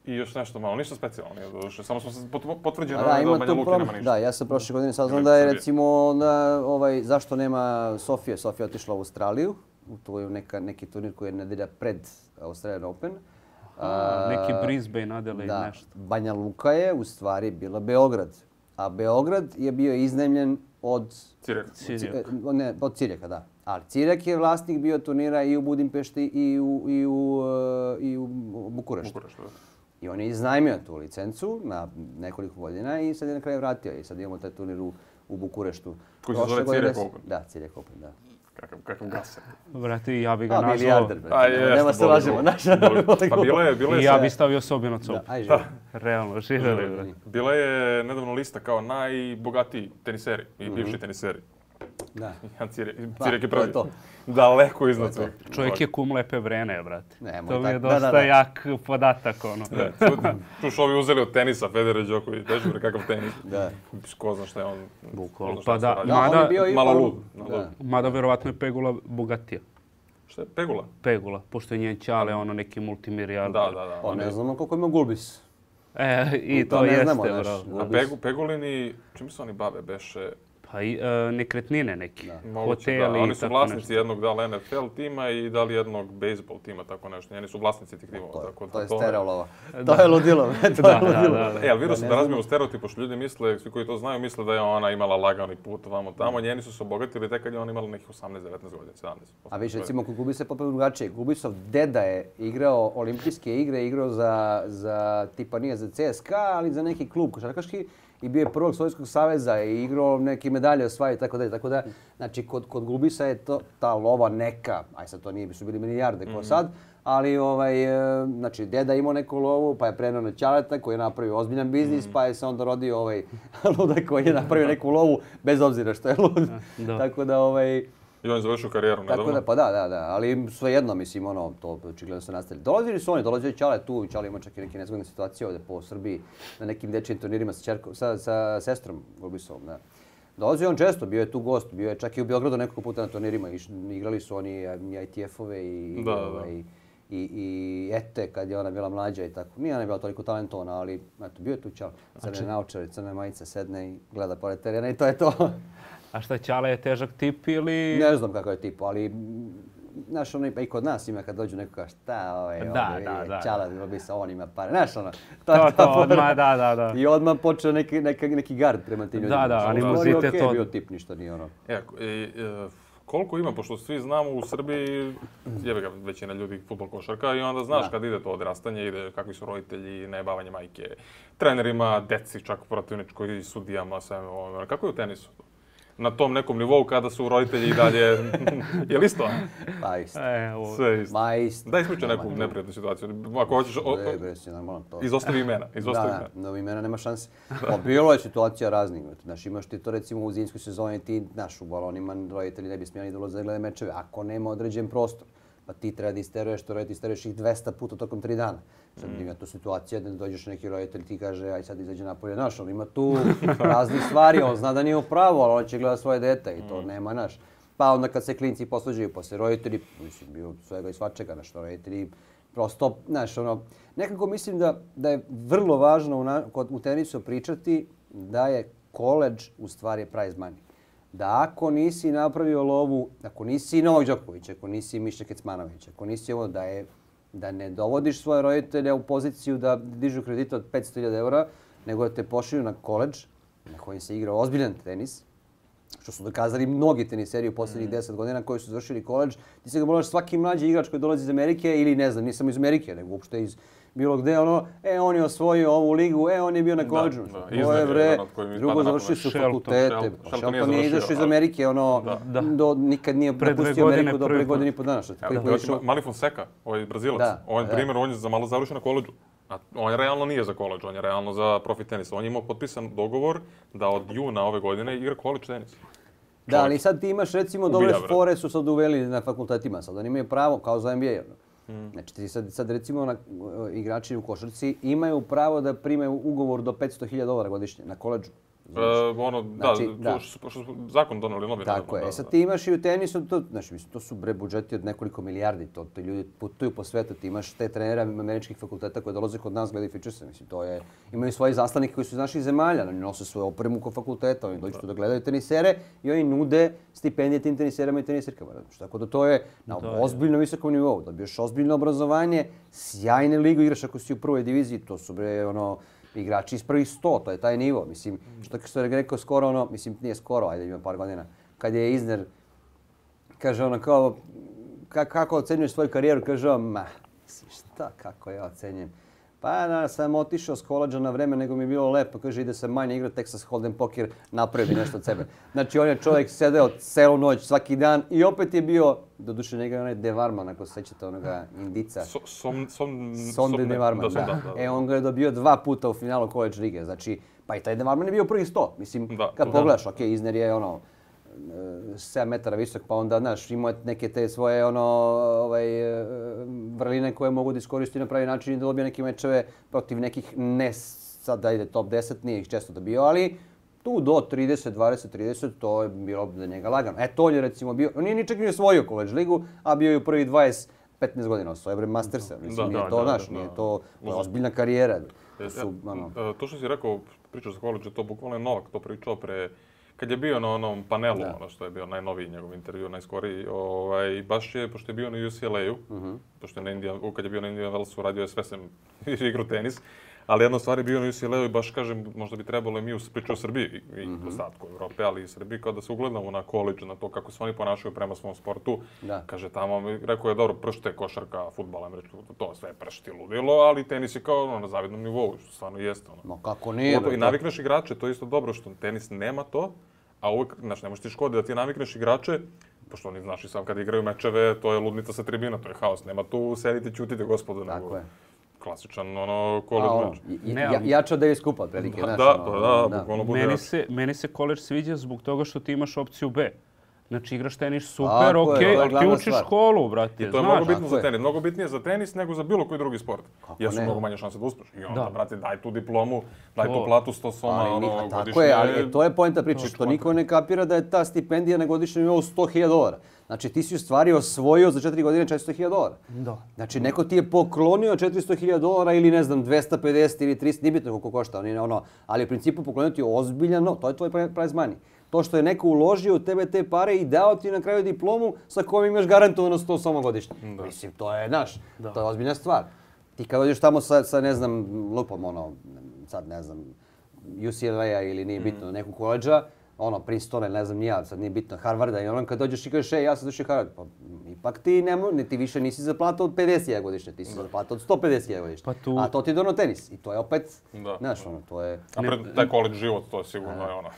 I još nešto malo, ništa specijalno nije doduše. Samo smo se pot- potvrđeno A da, da, da ima Banja tu Luki prom... nema ništa. Da, ja sam prošle godine saznao Ili da je Srbije. recimo onda, ovaj, zašto nema Sofije. Sofija je otišla u Australiju. To je neka, neki turnir koji je nedelja pred Australian Open. A, Neki Brisbane, Adelaide, da, nešto. Banja Luka je u stvari bila Beograd. A Beograd je bio iznajmljen od Cirek. Cirijak. E, Ne, od Cirijeka, da. Ali Cirijek je vlasnik bio turnira i u Budimpešti i u, i u, e, i u Bukureštu. Bukurešt, da. I on je iznajmio tu licencu na nekoliko godina i sad je na kraju vratio. I sad imamo taj turnir u, u Bukureštu. Koji se Prošle zove godine Cirijek s- Open. Da, Cirijek Open, da. Kakav, kakav gaser. Brate, ja bi ga A, nazvao... milijarder, brate. A, nema- jeste, nema se boli lažemo, ga. naša. Boli- Pa bila je, bila je, I ja se- bi stavio sobi na Da, cobu. aj živo. Realno, živjeli, brate. bila je nedavno lista kao najbogatiji teniseri i Mhm. bivši teniseri. Da. Jan Cirek, Pa, Cirek je to je prvi. to. Daleko iznad To je svih. Čovjek je kum lepe vrene, brate. Nemoj To mi je tako. Da, dosta da, da. jak podatak, ono. Da, tu su ovi uzeli od tenisa, Federer, Đoković, beži bre kakav tenis. Da. Ko zna šta je on. Bukvalno. ko zna šta Pa se da, radi. Da, on Mada- je bio i malo on- lud, malo Da. lud. Mada verovatno je Pegula bogatija. Šta je Pegula? Pegula, pošto je njen ćale ono neki multimilijarder. Da, da, da. Pa on je- ne znamo koliko ima Gulbis. E, i To to, ne jeste, znamo, znaš. bravo. A Pegu, Pegulini, čim se oni bave, beše? Pa i e, nekretnine neki, Moguće, hoteli da. i Oni su tako vlasnici nešto. jednog da li N F L tima i da li jednog baseball tima, tako nešto. Njeni su vlasnici tih timova. To je, tako da to je to- stereolova. To je ludilo. To je Da, da, ludilo. da, da. E, ali vidio Da sam ne da znamo. razbijemo stereotip, pošto ljudi misle, svi koji to znaju, misle da je ona imala lagani put vamo tamo. Njeni su se obogatili tek kad je ona imala nekih osamnaest devetnaest godina, sedamnaest. A viš, recimo, kod Gulbisa je potpuno drugačije. Gulbisov deda je igrao olimpijske igre, igrao za, za tipa nije za C S K A, ali za neki klub košarkaški i bio je prvog Sovjetskog saveza i igrao neke medalje osvajao i tako dalje. Tako da, znači, kod, kod Gulbisa je to, ta lova neka, aj sad to nije, su bili milijarde kao sad, ali ovaj, e, znači, deda je imao neku lovu, pa je prenao na ćaleta koji je napravio ozbiljan biznis, pa je se onda rodio ovaj ludak koji je napravio neku lovu, bez obzira što je lud. Da. Tako da, ovaj, I on je završio karijeru tako nedavno. da, pa da, da, da, ali svejedno, mislim, ono, to očigledno se nastavili. Dolazili su oni, dolazio je Ćale tu, i Ćale ima čak i neke nezgodne situacije ovdje po Srbiji, na nekim dečijim turnirima sa, čerkom, sa, sa sestrom Gulbisovom, da. Dolazio je on često, bio je tu gost, bio je čak i u Beogradu nekoliko puta na turnirima, iš, igrali su oni i I T F-ove i, Da, da, da. ovaj, i, i Ete kad je ona bila mlađa i tako. Nije ona bila toliko talentovana, ali eto, bio je tu Ćale. Crne naočare, crne majice, sedne i gleda pored terena i to je to. A šta, Ćale je težak tip ili... Ne znam kakav je tip, ali mm, znaš, ono, pa i kod nas ima kad dođu neko kaže, šta, ovaj, Da, ovdje, da, da, čala, robi sa on ima pare, znaš, ono. To, to, odmah, da, da, da. I odmah počeo neki, neki, neki gard prema tim ljudima. Da, da, Znači, animozitet okej, od- bio tip, ništa nije ono. E, e, e, koliko ima, pošto svi znamo u Srbiji, jebe ga većina ljudi fudbal košarka i onda znaš Da. kad ide to odrastanje, ide kakvi su roditelji, najebavanje majke, trenerima, deci, čak protivničkoj, sudijama, sve ovo. Kako je u tenisu? Na tom nekom nivou kada su roditelji i dalje, je li isto? Pa isto. E, ovo. Sve isto. Ma isto. Daj ispričaj neku neprijatnu situaciju. Ako hoćeš, o, o, Ne, bre, si normalno to. izostavi imena, izostavi Da, imena. da, novi imena nema šanse. Pa bilo je situacija raznih. Znaš, imaš ti to recimo u zimskoj sezoni, ti, znaš, u balonima roditelji ne bi smjeli da ulaze da gledaju mečeve, ako nema određen prostor. Pa ti treba da isteruješ, to roditelj isteruješ ih dvesta puta tokom tri dana. Sad ima tu situacija da dođeš neki roditelj ti kaže aj sad izađe napolje, znaš, on ima tu raznih stvari, on zna da nije u pravu, ali on će gleda svoje dete i to nema, znaš. Pa onda kad se klinci posvađaju, posle roditelji, mislim, bio svega i svačega, znaš, roditelji prosto, znaš, ono, nekako mislim da, da je vrlo važno u, na, kod, u tenisu pričati da je koledž u stvari prize money. Da ako nisi napravio lovu, ako nisi Novak Đoković, ako nisi Miša Kecmanović, ako nisi ovo, da je da ne dovodiš svoje roditelje u poziciju da dižu kredite od petsto hiljada eura, nego da te pošalju na koledž na kojem se igra ozbiljan tenis, što su dokazali mnogi teniseri u posljednjih deset godina koji su završili koledž. Ti se ga moraš svaki mlađi igrač koji dolazi iz Amerike ili ne znam, nisam iz Amerike, nego uopšte iz bilo gde, ono, e, on je osvojio ovu ligu, e, on je bio na koledžu. da, To iznad je, je bre, jedan od kojih mi drugo pada na završili pamet. su Shelton, fakultete. Shelton. Pa Shelton nije Shelton nije završio, izašao iz ali- Amerike, ono, Da. do, nikad nije Pre dve napustio godine Ameriku do prvi pre put. godine i po dana. Što Evo, koji evo ti išao- Mali Fonseca, ovaj Brazilac, Da, on je da. primjer, on je za malo završio na koledžu. A on je realno nije za koledž, on je realno za profi tenis. On je imao potpisan dogovor da od juna ove godine igra koledž tenis. Da, ali sad ti imaš recimo Ubija, dobre bre. fore su sad uveli na fakultetima, sad oni imaju pravo kao za N B A. Hmm. Znači ti sad, sad recimo na, igrači u košarci imaju pravo da primaju ugovor do petsto hiljada dolara godišnje na koledžu. E, ono, Znači, da, da. to što, što su zakon doneli novi. Tako naravno, je. da, E sad da. ti imaš i u tenisu, to, znači, mislim, to su bre budžeti od nekoliko milijardi, to, to ljudi putuju po svetu, ti imaš te trenera američkih fakulteta koji dolaze kod nas gledaju fičerse, mislim, to je, imaju svoje zastavnike koji su iz naših zemalja, oni nose svoju opremu kod fakulteta, oni dođu tu da gledaju tenisere i oni nude stipendije tim teniserama i tenisirkama. Znači, tako da to je na Da, ozbiljno visokom nivou, dobiješ ozbiljno obrazovanje, sjajne ligu igraš ako si u prvoj diviziji, to su bre, ono, igrači iz prvih sto, to je taj nivo. Mislim, što što je rekao skoro ono, mislim nije skoro, ajde ima par godina, kad je Isner, kaže ono kao, ka, kako ocenjuješ svoju karijeru, kaže on, ma, mislim, šta, kako ja ocenjujem. Pa da, sam otišao s koledža na vreme, nego mi je bilo lepo, kaže ide se manje igrati Texas Hold'em poker, napravi nešto od sebe. Znači on je čovjek sedeo celu noć, svaki dan i opet je bio, doduše njega je onaj De Varman, ako se sećate onoga Indica. So, som, som, Sonde som- De Varman, da, som- da. da, da, E, on ga je dobio dva puta u finalu College lige. Znači, pa i taj De Varman je bio prvih sto. Mislim, Da, kad da. pogledaš, okej, Isner je ono, e, sedam metara visok, pa onda, znaš, imao je neke te svoje, ono, ovaj, e, vrline koje mogu da iskoristi na pravi način i da dobije neke mečeve protiv nekih, ne sad da ide top deset, nije ih često dobio, ali tu do trideset, dvadeset, trideset, to je bilo za njega lagano. E, to je recimo bio, on nije ni čak ni osvojio College ligu, a bio je u prvih dvadeset, petnaest godina osvojio bre Mastersa. Mislim, Da, nije da, to, da, znaš, da, nije da. to, to je ozbiljna karijera. To E, su, ono, e, to što si rekao, pričao za koledž, to bukvalno je Novak to pričao pre, kad je bio na onom panelu, Da. ono što je bio najnoviji njegov intervju, najskoriji, ovaj, baš je, pošto je bio na U C L A-u, Mhm. pošto je na Indian, kad je bio na Indian Wellsu, radio je sve sem igru tenis, ali jedna stvar je bio na U C L A-u i baš kažem, možda bi trebalo i mi u priču o Srbiji i, i Mhm. ostatku Evrope, ali i Srbiji, kao da se ugledamo na koledž, na to kako se oni ponašaju prema svom sportu. Da. Kaže tamo, mi- rekao je dobro, pršte, košarka, fudbal, američki, to sve je pršti ludilo, ali tenis je kao ono, na zavidnom nivou, što stvarno jeste. Ono. ma kako nije, Pogotovo bre, I to- navikneš igrače, to je isto dobro što tenis nema to, a uvijek, znaš, ne možeš ti škodi da ti navikneš igrače, pošto oni, znaš, i sam kad igraju mečeve, to je ludnica sa tribina, to je haos, nema tu sedite, ćutite, gospodo, Tako nego je. klasičan, ono, A, college ono, meč. i- Ne, ja, ali- jača Davis Kupa, otprilike, Da, znaš, da, ono, pa da, bukvalno bude Meni jače. se, meni se koledž sviđa zbog toga što ti imaš opciju B. Znači igraš tenis super, Tako je, okej, to je ali ti glavna učiš stvar. školu, brate. I to je znaš. mnogo bitno tako za je. tenis, mnogo bitnije za tenis nego za bilo koji drugi sport. Kako Jer su ne? mnogo manje šanse da uspeš. I onda, Da. brate, daj tu diplomu, daj To. tu platu sto soma, Ali, ni- ono, a tako godišnje. je, ali e, to je poenta priče, što niko ne kapira da je ta stipendija na godišnjem nivou sto hiljada dolara. Znači ti si u stvari osvojio za četiri godine četiristo hiljada dolara. Da. Znači neko ti je poklonio četiristo hiljada dolara ili ne znam dvesta pedeset ili tristo, nije bitno koliko košta, oni, ono, ali u principu poklonio ti je ozbiljan, no, to je tvoj prize money. To što je neko uložio u tebe te pare i dao ti na kraju diplomu sa kojom imaš garantovano sto samo godišnje. Da. Mislim, to je, znaš, da. To je ozbiljna stvar. Ti kad dođeš tamo sa, sa, ne znam, lupom, ono, sad ne znam, U C L A ili nije bitno, mm. neku koleđa, ono, Princetona ili ne znam nija, sad nije bitno, Harvarda i ono, kad dođeš i kažeš, ej, ja sam došao Harvard, pa ipak ti, ne, ti više nisi za platu od pedeset hiljada godišnje, ti si za platu od sto pedeset hiljada godišnje. Pa tu... A to ti je dono tenis i to je opet, da. Znaš, ono, to je... A pred taj koleđ život, to je sigurno je ono...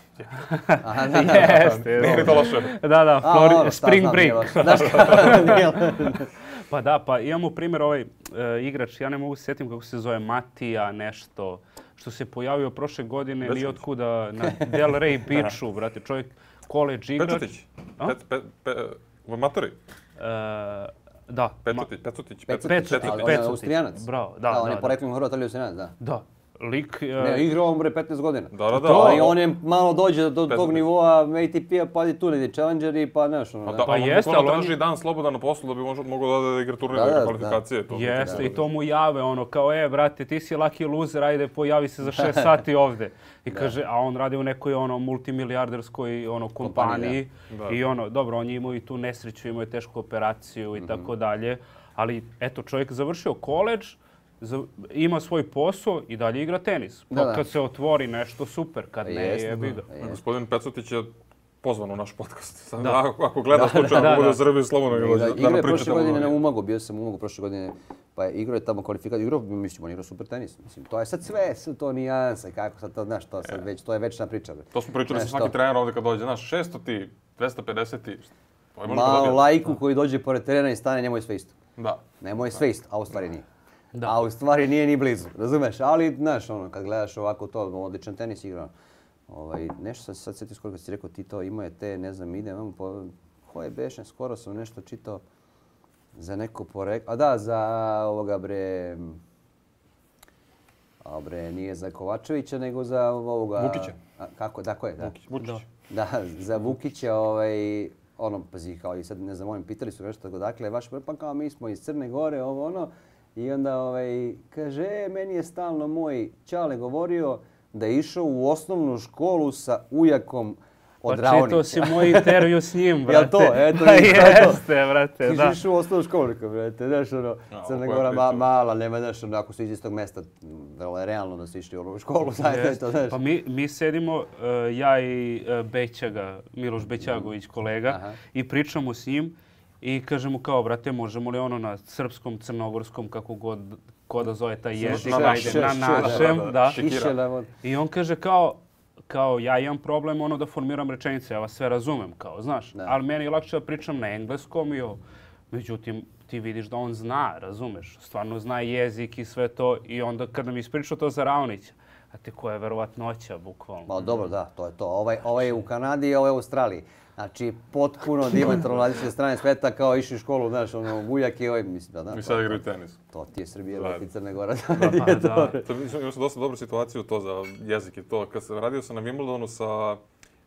Aha, da, da, jeste, nije to loše. Da, da, Flori... A, ono, spring znam, break. Znaš pa da, pa imamo primjer ovaj uh, igrač, ja ne mogu se sjetim kako se zove, Matija nešto, što se pojavio prošle godine, nije otkuda na Del Rey Beachu, brate, čovjek koleđ igrač. Pečutić, pet, pet, pet, u matori? Uh, da. Pecutić, Pecutić, Pecutić. On je Austrijanac. Bravo, da, da. da, on je poreklom Hrvat, ali Austrijanac, da. Da. Lik... Uh... Ne, igrao on bre petnaest godina. Da, da, da. To, i on je malo dođe do tog nivoa A T P-a, pa i tu negdje challengeri, pa znaš ono. Da, pa jeste, ali on traži dan slobodan na poslu da bi možda mogao da igra turnir da kvalifikacije. Da. Jeste, i to mu jave ono kao, e, brate, ti si lucky loser, ajde, pojavi se za šest sati ovde. I kaže, a on radi u nekoj ono multimilijarderskoj ono kompaniji i ono, dobro, on je imao i tu nesreću, imao je tešku operaciju i tako dalje, ali eto, čovjek završio koleđ, ima svoj posao i dalje igra tenis. Pa da, da. Kad se otvori nešto, super. Kad ne, je biga. Gospodin Pecutić je pozvan u naš podcast. Sad, da. Ako, ako gleda slučajno, ako bude u Srbiji, slobodno ga dođe. Igra je prošle godine na Umagu, bio sam u Umagu prošle godine, pa je igrao je tamo kvalifikaciju. Igrao, mislim, on igrao super tenis. Mislim, to je sad sve, sve to nijanse, kako sad to, znaš, to, sad već, to je večna priča. Bre. To smo pričali sa svaki trener ovdje kad dođe. Znaš, šesto ti, dvesta pedeset ti, malo laiku koji dođe pored terena i stane, njemu je sve isto. Da. Njemu je sve isto, a u stvari nije. Da. A u stvari nije ni blizu, razumeš? Ali, znaš, ono, kad gledaš ovako to, odličan tenis igra. Ovaj, nešto sam se sad sjetio skoro kad si rekao ti to, imao je te, ne znam, ide, imamo po... Koje beše, skoro sam nešto čitao za neko poreklo. A da, za ovoga bre... A bre, nije za Kovačevića, nego za ovoga... Vukića. A, kako, da, ko je, da. Vukić, Vukić. Da, za Vukića, ovaj... Ono, pazi, kao i sad, ne znam, oni pitali su nešto tako, dakle, vaš pa kao mi smo iz Crne Gore, ovo ono. I onda ovaj, kaže, e, meni je stalno moj čale govorio da je išao u osnovnu školu sa ujakom od Raonića. Pa čitao si moj intervju s njim, brate. Jel to? Eto, pa jeste, brate, da. Ti si išao u osnovnu školu, brate, znaš, ono, Crna Gora ma, mala, nema, znaš, ono, ako su iz istog mesta, vrlo je realno da si išli u školu, znaš, to, znaš. Pa mi, mi sedimo, uh, ja i uh, Bećaga, Miloš Bećagović, kolega, aha, i pričamo s njim. I kaže mu kao, brate, možemo li ono na srpskom, crnogorskom, kako god ko da zove taj jezik, na, naše, na našem, da. da. I on kaže kao, kao ja imam problem ono da formiram rečenice, ja vas sve razumem, kao, znaš. Da. Ali meni je lakše da pričam na engleskom i o... Međutim, ti vidiš da on zna, razumeš, stvarno zna jezik i sve to. I onda kad nam ispričao to za Raonića, a te koja je verovatnoća, bukvalno. Ma dobro, da, to je to. Ovaj, ovaj je u Kanadi, ovaj je u Australiji. Znači, potpuno diametralno različite strane sveta, kao išli u školu, znaš, ono, Vujak i ovaj, mislim da, da. I sad igraju tenis. To ti je Srbija, ti Crne Gora. Da, da, da. To, imao sam dosta dobru situaciju to za jezik i to. Kad sam radio sam na Wimbledonu sa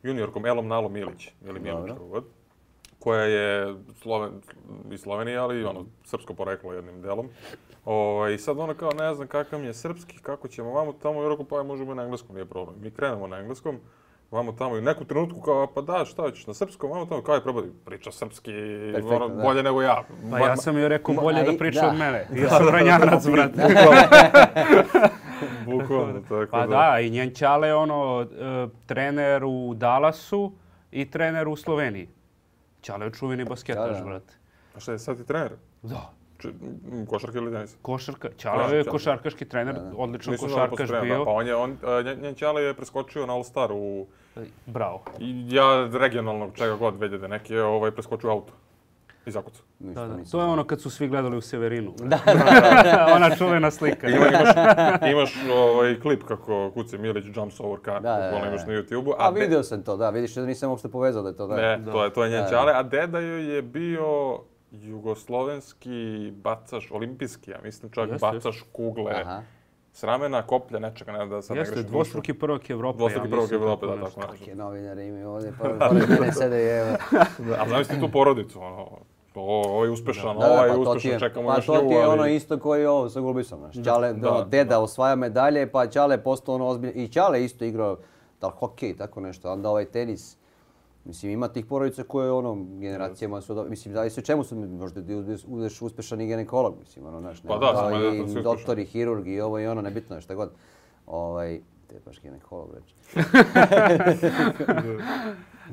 juniorkom Elom Nalom Milić, ili Milić, god, koja je Sloven, iz Slovenije, ali ono, srpsko poreklo jednim delom. O, I sad ona kao, ne znam kakav mi je srpski, kako ćemo vamo tamo, i rekao, pa možemo na engleskom, nije problem. Mi krenemo na engleskom. Vamo tamo i u neku trenutku kao, pa da, šta ćeš na srpskom, vamo tamo, kao je probadi, priča srpski, ono, bolje nego ja. Pa ja sam joj rekao bolje da priča od mene. Ja sam ranjanac, brate. Bukvalno, tako da. Pa da, i njen čale je ono, trener u Dallasu i trener u Sloveniji. Čale je čuveni basketaš, brate. A šta je sad i trener? Da. Košarka ili tenis? Košarka. Čale je košarkaški trener, odličan košarkaš bio. Pa on je, on, njen Čale je preskočio na All-Star u... Bravo. Ja regionalnog čega god veljede neki je ovaj preskočio auto. Iz Akuca. Da, da. To je ono kad su svi gledali u Severinu. Da. Ona čuvena slika. Ima, imaš imaš ovaj klip kako Kuce Milić jumps over car, kako imaš na YouTube-u. A, a vidio de... sam to, da, vidiš da nisam uopšte povezao da je to. Da. Ne, da. to je, to je njen Čale, a deda joj je bio jugoslovenski bacaš, olimpijski, ja mislim čak jeste, bacaš jeste. Kugle. Aha. S ramena, koplja, nečega, ne da sad ne grešim. Jeste, dvostruki prvak Evrope. Dvostruki ja prvak Evrope, da, tako nešto. Kakve novinare imaju ovdje, pored mene sede i evo. A zamisli tu porodicu, ono, ovo je uspešan, ovo je uspešan, čekamo još nju. Pa to ti je ono isto koji je ovo sa Gulbisom, znaš. Čale, deda osvaja medalje, pa Čale je postao ono ozbiljno. I Čale isto igrao, da li hokej, tako nešto, onda ovaj tenis. Mislim, ima tih porodica koje, ono, generacijama su... Mislim, da li se čemu su, možda da budeš uspešan i ginekolog, mislim, ono, znaš, Pa da, samo je i da svi doktor i hirurg i ovo i ono, nebitno je šta god. Ovaj, te je baš ginekolog reći.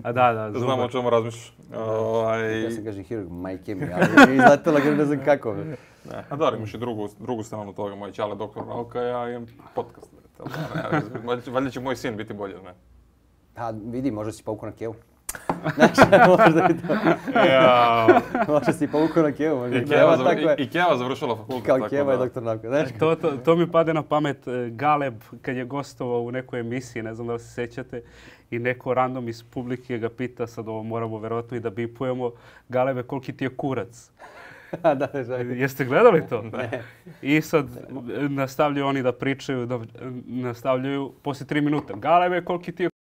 A da, da, zubar. Znamo o čemu razmišljaš. Ovaj... Ja sam kažem hirurg, majke mi, ali izletela ga ne znam kako. A da, imaš i drugu, drugu stranu toga, moj ćale doktor nauka, ja imam podcast. Valjda će moj sin biti bolji od mene. A vidi, možda si povukao na kevu. Znači, možda i to. Ja. Možda si povukao na kevu. Možda I Keva, zavr... I, i Keva završila fakultet. Kao tako Keva da. je doktor nauka, znaš? To, to, to mi pade na pamet e, Galeb kad je gostovao u nekoj emisiji, ne znam da li se sećate, i neko random iz publike ga pita, sad ovo moramo verovatno i da bipujemo, Galebe, koliki ti je kurac? da, da, želim. Jeste gledali to? Ne. I sad e, nastavljaju oni da pričaju, da nastavljaju poslije tri minuta. Galebe, koliki ti je kurac?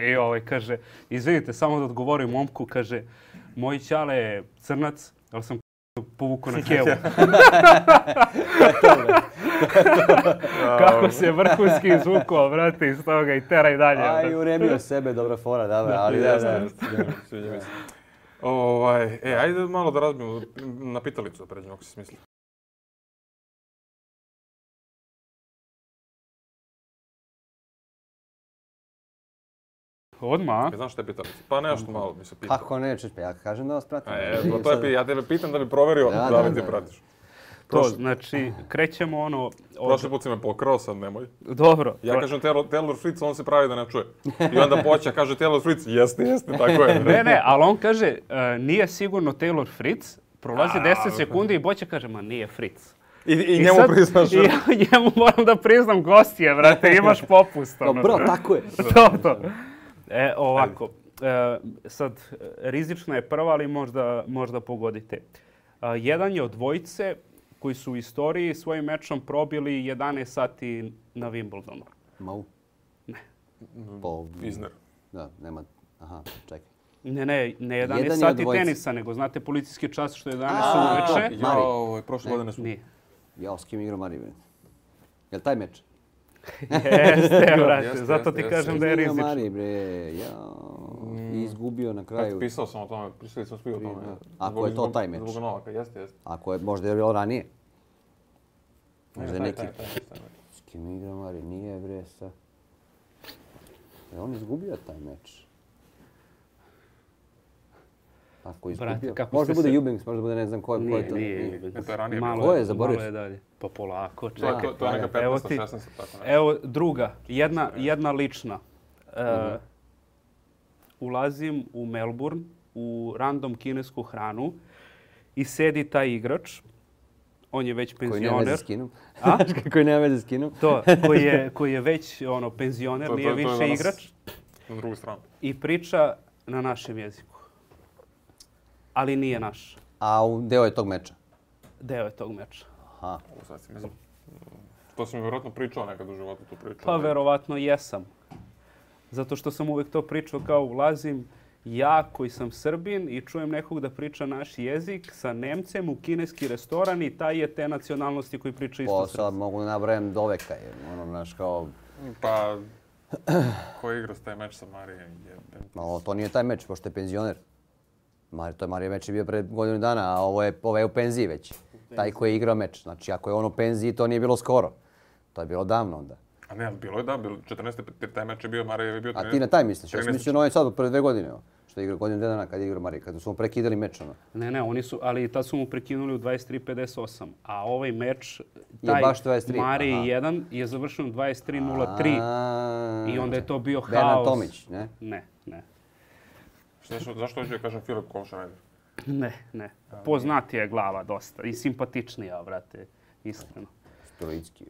I ovaj kaže, izvinite, samo da odgovorim momku, kaže, moj ćale je crnac, ali sam povukao na kevu. Kako se vrhunski izvukao, brate, iz toga i teraj dalje. Aj, uremio sebe, dobra fora, dobra, ali da, da. Sviđa mi se. Ovaj, e, ajde malo da razbijemo na pitalicu da pređemo, ako si smisli. Odmah? E, znaš šta je pitalica? Pa nešto malo mi se pita. Kako nećeš, pa ja kažem da vas pratim. A je, to je, ja tebe pitam da bi proverio Da, da da, li ti da. pratiš. To, znači, krećemo ono... Od... Prošli put si me pokrao, sad nemoj. Dobro. Ja pro- kažem Taylor, Taylor Fritz, on se pravi da ne čuje. I onda Poća kaže Taylor Fritz, jeste, jeste, tako je. Ne, ne, ali on kaže, e, nije sigurno Taylor Fritz, prolazi A, deset sekundi i Boća kaže, ma nije Fritz. I, i, I njemu sad- priznaš. I ja njemu moram da priznam gostije, brate, imaš popust. Kao, ono. bro, tako je. to, to. E, ovako, e, sad, rizična je prva, ali možda, možda pogodite. E, jedan je od dvojice koji su u istoriji svojim mečom probili jedanaest sati na Wimbledonu. Mau. Ne. Po, Izner. da, nema, aha, čekaj. Ne, ne, ne Jedan je jedanaest od sati dvojice. tenisa, nego znate policijski čas što je jedanaest A, uveče. Mari. Ja, ovo, prošle godine smo. Nije. Ja s kim igrao Mari, bre? Jel taj meč? Jeste, brate, Jeste, zato ti jeste, kažem jeste. da je Igrao rizično. Mari, bre, ja. I izgubio na Kako kraju. pisao sam o tome, pisali smo svi o tome. Ako Zbog- je to zbog- taj meč. Zbog Novaka, jeste, jeste. Ako je možda je bilo ranije. Možda taj, neki... taj, taj, taj, taj. S kim igra Mari? Nije, bre, sa... Je on izgubio taj meč? Ako je Brate, izgubio... kako Možda ste bude se- Eubanks, možda bude ne znam ko je, ko Nije, je to. nije. E, to je ranije Malo, bilo. Ko je, zaboravio malo je sam. dalje. Pa polako, To, je- čekaj. to, to je neka Evo petnaesta, ti- šesnaesta, tako nešto. Evo druga, jedna, jedna lična. E, ulazim u Melbourne, u random kinesku hranu i sedi taj igrač. On je već Koji nema veze penzioner. s kinom. A? Koji nema veze s kinom. To, koji je, koji je već ono, penzioner, To- to- nije to je više danas- igrač. Na drugu stranu. I priča na našem jeziku. Ali nije naš. A u deo je tog meča. Deo je tog meča. Aha. Ovo sad si mi znam. To si mi vjerojatno pričao nekad u životu, tu priču. Pa verovatno jesam. Zato što sam uvijek to pričao kao ulazim ja koji sam Srbin i čujem nekog da priča naš jezik sa Nemcem u kineski restoran i taj je te nacionalnosti koji priča isto Po sad srpski. mogu da nabrajam do veka. Jer, ono, znaš, kao... Pa, ko je igrao s taj meč sa Marijem? Jebem. Ma, ovo, to nije taj meč, pošto je penzioner. Mari, to je Marija meč je bio pred godinu dana, a ovo je, ovo je u penziji već. Taj koji je igrao meč. Znači, ako je on u penziji, to nije bilo skoro. To je bilo davno onda. A ne, ali bilo je da, bilo četrnaeste. taj meč je bio, Marijev je bio A ti na taj misliš? Ja sam trinaeste. mislio na ovaj sad, pre dve godine. Evo, što je igrao godinu dana kad je igrao Marija, kada su mu prekidali meč. Ono. Ne, ne, oni su, ali tad su mu prekinuli u dvadeset tri pedeset osam. A ovaj meč, Je taj baš dvadeset tri, Mariji aha. jedan je završen u dvadeset tri nula tri. A, I onda je to bio haos. Bernard Tomić, ne? Ne, ne. Zašto, zašto hoću da kažem Filip Kolšarajder? Ne, ne. Poznatija je glava dosta i simpatičnija, brate, iskreno. Stolicki.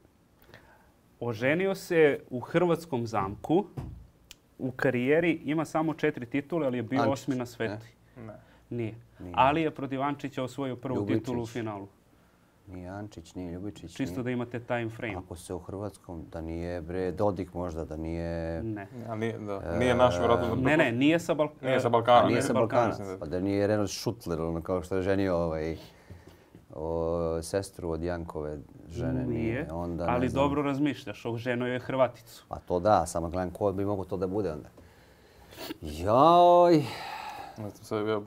Oženio se u hrvatskom zamku. U karijeri ima samo četiri titule, ali je bio Ančić, osmi na svetu. Ne. Nije. Ali je protiv Ančića osvojio prvu Ljubičić. titulu u finalu. Nije Ančić, nije Ljubičić. Čisto nije... da imate time frame. Ako se u Hrvatskom, da nije bre Dodik možda, da nije... Ne. A nije, da, nije naš, vjerojatno. Ne, ne, nije sa, Balk Nije sa Balkana. A nije ne. sa Balkana, Balkana, pa da nije Renat Šutler, ono kao što je ženio ovaj, o, sestru od Jankove žene. Nije, Onda, ne ali znam. dobro razmišljaš, oženio je Hrvaticu. Pa to da, samo gledam ko bi mogo to da bude onda. Joj. Sad, ja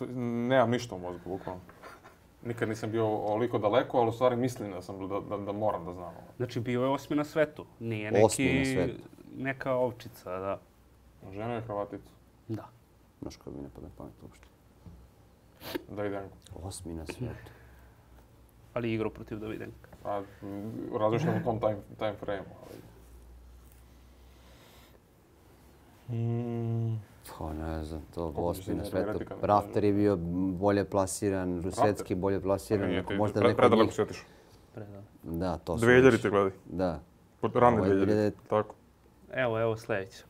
nemam ništa u mozgu, bukvalno. Nikad nisam bio oliko daleko, ali u stvari mislim da, sam, da, da, da moram da znam. Znači, bio je osmi na svetu. Nije neki, Osmi na svetu. neka ovčica, da. Žena je Hrvatica. Da. Znaš kako mi ne pada pamet uopšte. Davidenko. Osmi na svijetu. Ali igrao protiv Davidenka. A razmišljam u tom time, time frame-u, ali... Mm. Pa ne znam, to Koliko osmi si na ne svetu. teoretika ne Rafter je bio bolje plasiran, Rusecki bolje plasiran. Nije, ako ti, možda pre, neko od predaleko njih- si otišao. Predano. Da, to su dvije hiljadite više. gledaj. Da. Rane Ovo je dvije hiljadite, dvije- tako. Evo, evo sljedeće.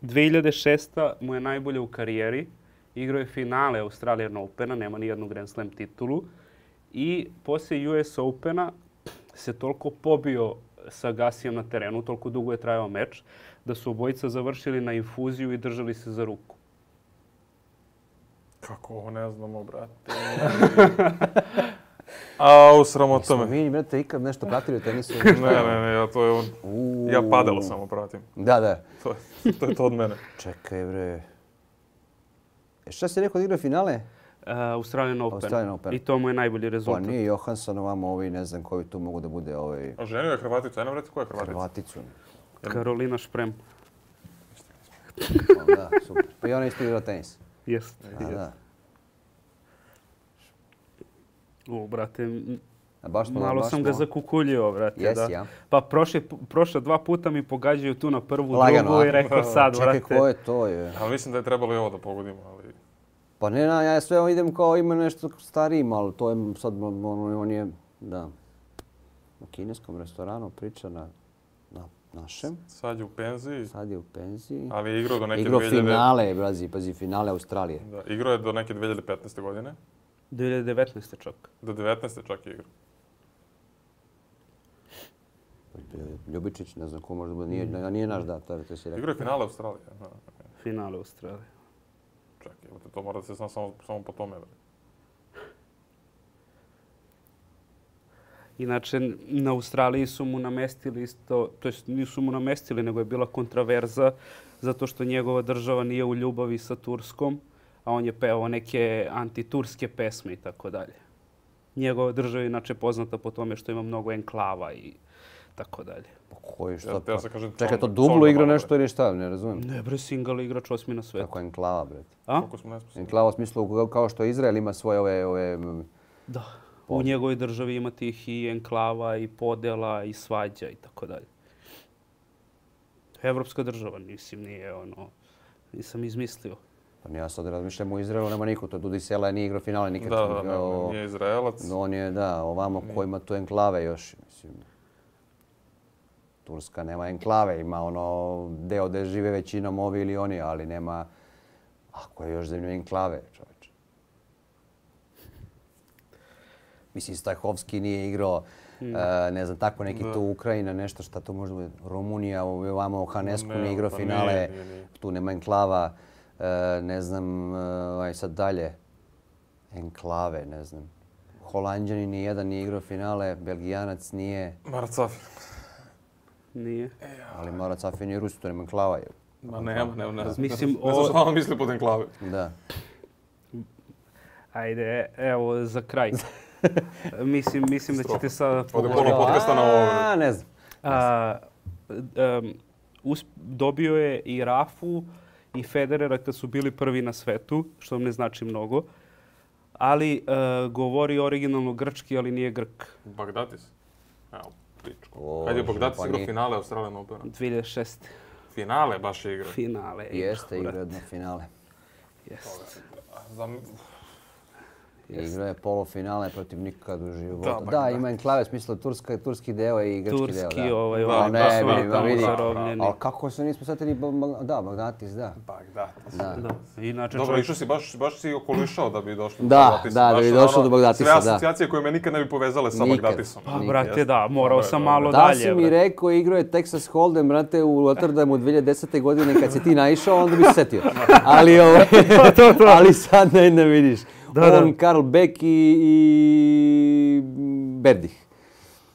dvije hiljade šesta mu je najbolje u karijeri. Igrao je finale Australian Opena, nema ni jednu Grand Slam titulu. I poslije U S Opena se toliko pobio sa Gasijem na terenu, toliko dugo je trajao meč, da su obojica završili na infuziju i držali se za ruku. Kako ovo ne znamo, brate. Au, sramota Smo me. mi, brate, ikad nešto pratili u tenisu? Ne, ne, ne, ja to je on. Uuu. Ja padelo samo pratim. Da, da. To, je- to je to od mene. Čekaj, bre. E, šta si rekao da igra finale? Uh, Australian Open. Australian Open. I to mu je najbolji Pa rezultat. nije Johansson, ovamo ovi, ne znam koji tu mogu da bude ovaj... A ženio je Hrvatica, ajde nam reci koja je Hrvatica? Hrvaticu. Karolina Šprem. Pa, da, super. Pa i ona isto igra tenis. Jest. A, da. O, brate, m- A baš smo, malo baš sam ga smo- zakukuljio, brate. Jesi, da. ja? Pa prošle, prošla dva puta mi pogađaju tu na prvu, Lagano, drugu a? i rekao sad, Čekaj, brate. ko je to je? Ali mislim da je trebalo i ovo da pogodimo, ali... Pa ne, na, ja sve idem kao ima nešto stariji, ali to je sad, on, on je, da, u kineskom restoranu priča na, na našem. Sad je u penziji, Sad je u penziji. ali je igrao do neke Igro dvije hiljade... finale, brazi, pazi, finale Australije. Da, igrao je do neke dvije hiljade petnaeste godine. dvije hiljade devetnaeste čak. Do devetnaeste čak je igrao. Ljubičić, ne znam ko možda bude, nije, nije naš da, to je to si rekao. Igrao je finale Australije. Da, Finale Australije. čak, evo te, to mora da se zna samo, samo po tome. bre. Inače, na Australiji su mu namestili isto, to jest nisu mu namestili, nego je bila kontraverza zato što njegova država nije u ljubavi sa Turskom, a on je pevao neke antiturske pesme i tako dalje. Njegova država je inače poznata po tome što ima mnogo enklava i tako dalje. Pa koji šta? Ja, Pa, ja se kažem, čekaj, to Sonda- dublo Sonda igra malo, nešto bre. ili šta, ne razumijem. Ne bre, single igrač osmi na svetu. Kako je enklava, bre. A? Koliko smo nesposobni. Enklava u smislu kao što Izrael ima svoje ove, ove mm, Da. U njegovoj državi ima tih i enklava, i podela, i svađa i tako dalje. Evropska država, mislim, nije ono, nisam izmislio. Pa ja sad razmišljam u Izraelu, nema niko, to Dudi Sela nije igrao finale nikad. Da, da, ne, O, nije Izraelac. on je, da, ovamo ko ima tu enklave još, mislim. Turska nema enklave, ima ono deo gde žive većinom ovi ili oni, ali nema, ako je još zemlju enklave, čoveče. Mislim, Stajhovski nije igrao, e, ne znam, tako neki Da. tu Ukrajina, nešto šta to može biti, Rumunija, ovamo Hanesku Ne, nije igrao pa finale, nije, nije, nije. tu nema enklava, e, ne znam, e, aj sad dalje, enklave, ne znam. Holanđani ni jedan nije igrao finale, Belgijanac nije, Marat Safin. Nije. ali Marat Safin je Rus, to nema enklava. je. Ma nema, nema, ne znam. Mislim, ne znam o- šta on misli pod enklave. Da. Ajde, evo, za kraj. mislim, mislim da ćete sada Ode pogoditi. pola podcasta na ovo. A, ne znam. A, em, us- dobio je i Rafu i Federera kad su bili prvi na svetu, što vam ne znači mnogo. Ali e, govori originalno grčki, ali nije Grk. Bagdatis. Evo, pričko. O, Kad je Bagdatis pa igrao nije. finale Australian Opena? dvije hiljade šeste. Finale baš je igrao. Finale. je Jeste igrao, igrao brate. jedno finale. Jest. Zam... Igrao je polufinale protiv nikad u životu. Da, Da, Bagdad. ima enklave, smisla turska, turski deo i grčki deo. Turski, Da. ovaj, Da, ovaj, A da, ne, da, vidi, da, ma vidi. da, zarobljeni. Ali kako se nismo setili, Ba- Ba- da, Bagdatis, da. Bagdatis. Da. Da. Inače, Dobro, čovjek- išao si, baš, baš si okolišao da bi došlo do Da, Bagdatisa. da, da Baš bi ono, došlo do Bagdatisa, Sve da. asocijacije koje me nikad ne bi povezale sa Nikad. Bagdatisom. Pa, Nikad. brate, da, morao Dobro, sam dobro. malo Da dalje. si mi brate. rekao, igrao je Texas Hold'em, brate, u Rotterdamu dvije hiljade desete. godine kad si ti naišao, onda bi se setio. Ali, ovaj, ali sad ne, ne vidiš. Da, da. On, Karl Beck i, i Berdih.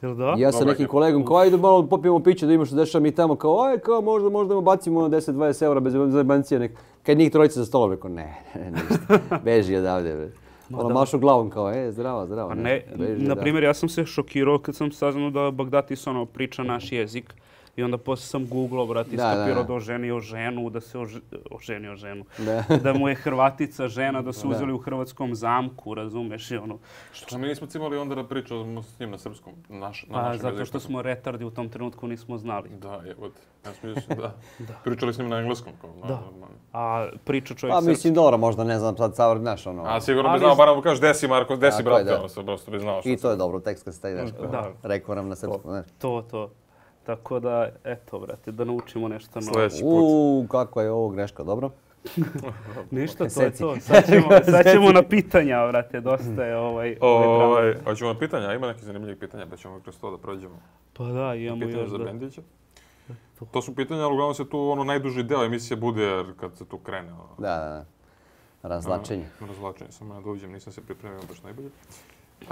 Jel da? Ja sa nekim kolegom, kao ajde malo popijemo piće da imamo što dešava mi tamo, kao aj, kao možda, možda mu bacimo deset do dvadeset eura bez zajebancije nek. Kad njih trojica za stolom, rekao ne, ne, ništa, beži odavde. Bre. Ono mašu glavom kao, e, zdravo, zdravo. Pa ne, na primjer, ja sam se šokirao kad sam saznao da Bagdatis ono priča naš jezik. I onda poslije sam googlao, brati, skapirao da oženio ženu, da se ože, oženio ženu. Da. da mu je Hrvatica žena, da su uzeli u hrvatskom zamku, razumeš i ono. Što mi nismo cimali onda da pričamo s njim na srpskom, naš, na pa, našem zato što smo retardi u tom trenutku nismo znali. Da, evo te. Ja sam mislim, da. da. Pričali s njim na engleskom. Kao, da. Na, a priča čovjek pa, srpski. Pa mislim, dobro, možda ne znam sad savr, znaš ono. A sigurno bi znao, barem kažeš desi Marko, desi brate, ono se prosto bi znao što. I to je dobro, tekst kad ste, znaš, da. rekao nam na srpskom, znaš. To, to. Tako da, eto, brate, da naučimo nešto novo. Sljedeći put. Uuu, kako je ovo greška, dobro? Ništa, to je to. Sad ćemo, sad ćemo na pitanja, brate, dosta je ovaj... ovaj hoćemo na pitanja, ima neki zanimljivih pitanja, pa ćemo kroz to da prođemo. Pa da, imamo pitanja još za da... Bendića. To. to su pitanja, ali uglavnom se tu ono najduži deo emisije bude kad se tu krene. Ono. Da, da, da. Razlačenje. A, razlačenje, samo ja dođem, nisam se pripremio baš najbolje. Uh,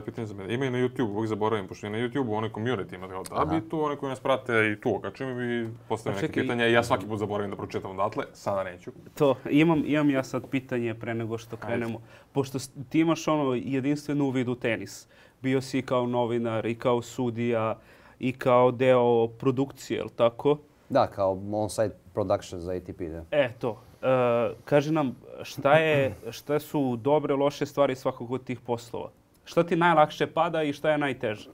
pitanje za mene. Ima i na YouTube, uvijek zaboravim, pošto i na YouTube onaj community ima tako da bi tu oni koji nas prate i tu. Kad čim mi postavim neke pitanja i ja svaki put zaboravim da pročitam odatle, sada neću. To, imam, imam ja sad pitanje pre nego što krenemo. Ajde. Pošto ti imaš ono jedinstven uvid u tenis. Bio si kao novinar i kao sudija i kao deo produkcije, jel tako? Da, kao on-site production za A T P, da. E, to. Uh, kaži nam, šta, je, šta su dobre, loše stvari svakog od tih poslova? Šta ti najlakše pada i šta je najteže?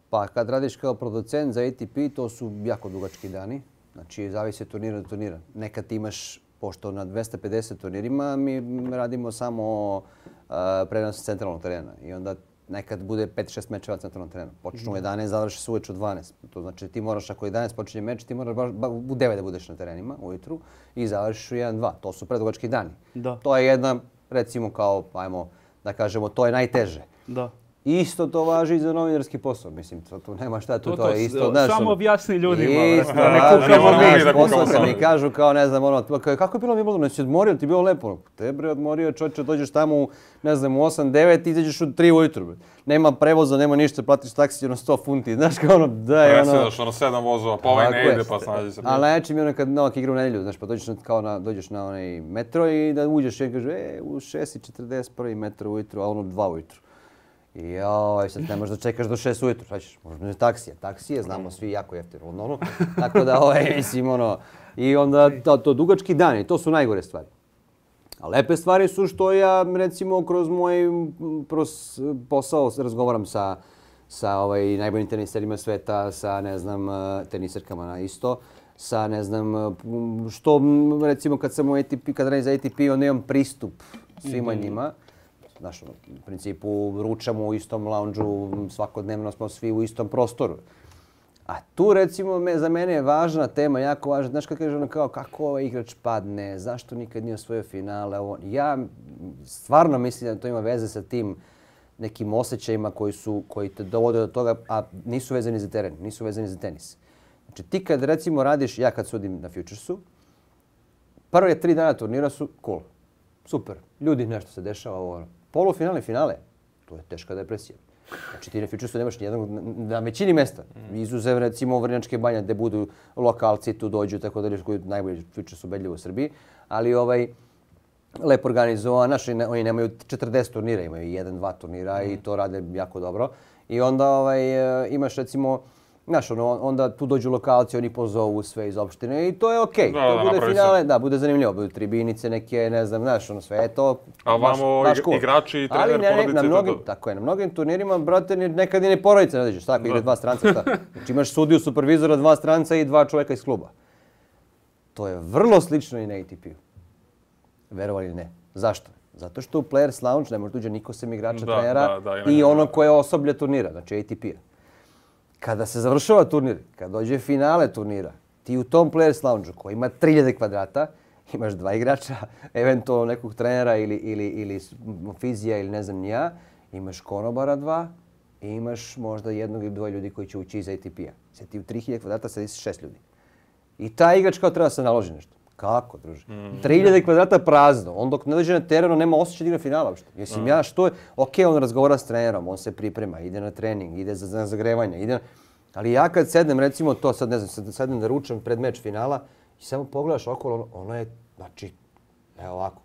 Pa kad radiš kao producent za A T P, to su jako dugački dani. Znači, zavisi od turnira do turnira. Nekad imaš, pošto na dvesta pedeset turnirima, mi radimo samo uh, prenos centralnog terena. I onda nekad bude pet šest mečeva centralnog terena. Počnu u jedanaest, završi se uveče u dvanaest. To znači ti moraš, ako jedanaest počinje meč, ti moraš baš, baš u devet da budeš na terenima ujutru i završiš u jedan dva. To su predugački dani. Da. To je jedna, recimo kao, ajmo da kažemo, to je najteže. Da. Isto to važi i za novinarski posao. Mislim, to, tu nema šta, tu to, to je isto. Znaš, samo objasni ljudima. Isto, da ne kukamo mi. Posao kad mi kažu kao, ne znam, ono, kako je bilo Wimbledon, ne si odmorio, ti bilo lepo. Te bre odmorio, čovječe, dođeš tamo u, ne znam, u osam devet i izađeš u tri ujutru. Nema prevoza, nema ništa, platiš taksi, ono sto funti, znaš kao ono, daj, ono... Presedaš, ono, sedam vozova, pa ovaj ne ide, pa snađi se. Ali najjače mi je ono kad Novak igra u nedjelju, znaš, pa dođeš na, kao na, dođeš na onaj metro i da uđeš i kaže, e, u šest i četrdeset prvi metro ujutru, a ono dva ujutru. I joj, sad ne možeš da čekaš do šest ujutru, šta ćeš, možda ne taksija. Taksije, znamo svi, jako jeftino, ono, tako da, ovaj, mislim, ono, i onda to, to dugački dani, to su najgore stvari. A lepe stvari su što ja, recimo, kroz moj pros, posao razgovaram sa, sa ovaj, najboljim teniserima sveta, sa, ne znam, teniserkama na isto, sa, ne znam, što, recimo, kad sam u A T P, kad radim za A T P, onda imam pristup svima mm-hmm. njima. Znaš, u principu ručamo u istom lounge-u, svakodnevno smo svi u istom prostoru. A tu recimo me, za mene je važna tema, jako važna. Znaš kako kaže ono kao kako ovaj igrač padne, zašto nikad nije osvojio finale. Ovo. Ja stvarno mislim da to ima veze sa tim nekim osjećajima koji, su, koji te dovode do toga, a nisu vezani za teren, nisu vezani za tenis. Znači ti kad recimo radiš, ja kad sudim na Futuresu, prve tri dana turnira su cool, super, ljudi nešto se dešava ovo. Polufinale, finale, to je teška depresija. Znači ti na Futuresu nemaš nijednog, na većini mesta, izuzev recimo Vrnjačke Banje gdje budu lokalci, tu dođu, tako da koji najbolji Futures ubedljivo u Srbiji, ali ovaj, lepo organizovan, naši oni nemaju četrdeset turnira, imaju jedan, dva turnira i to rade jako dobro. I onda ovaj, imaš recimo, znaš, ono, onda tu dođu lokalci, oni pozovu sve iz opštine i to je okej. Okay. To da, bude finale, se. Da, bude zanimljivo, budu tribinice neke, ne znam, znaš, ono sve je to. A vamo baš, baš igrači i trener, ne, porodice na mnogim, to. Tako je, na mnogim turnirima, brate, nekad i ne porodice ne dođeš, tako, igra dva stranca, tako. Znači imaš sudiju, supervizora, dva stranca i dva čovjeka iz kluba. To je vrlo slično i na A T P-u. Verovali ili ne. Zašto? Zato što u Players Lounge ne može tuđe niko sem igrača, da, trenera da, da, i ono koje osoblje turnira, znači A T P-a. Kada se završava turnir, kad dođe finale turnira, ti u tom Players Lounge koji ima tri hiljade kvadrata, imaš dva igrača, eventualno nekog trenera ili, ili, ili fizija ili ne znam ni ja, imaš konobara dva i imaš možda jednog ili dvoje ljudi koji će ući iz A T P-a. Sad ti u tri hiljade kvadrata sedi šest ljudi. I taj igrač kao treba se naloži nešto. Kako, druže? tri hiljade kvadrata prazno. On dok ne dođe na terenu nema osjećaj da igra finala uopšte. Mislim, ja što je... Okej, on razgovara s trenerom, on se priprema, ide na trening, ide za, za zagrevanje, ide... Ali ja kad sednem, recimo to, sad ne znam, sad sednem da ručam pred meč finala i samo pogledaš okolo, ono, ono je, znači, evo ovako.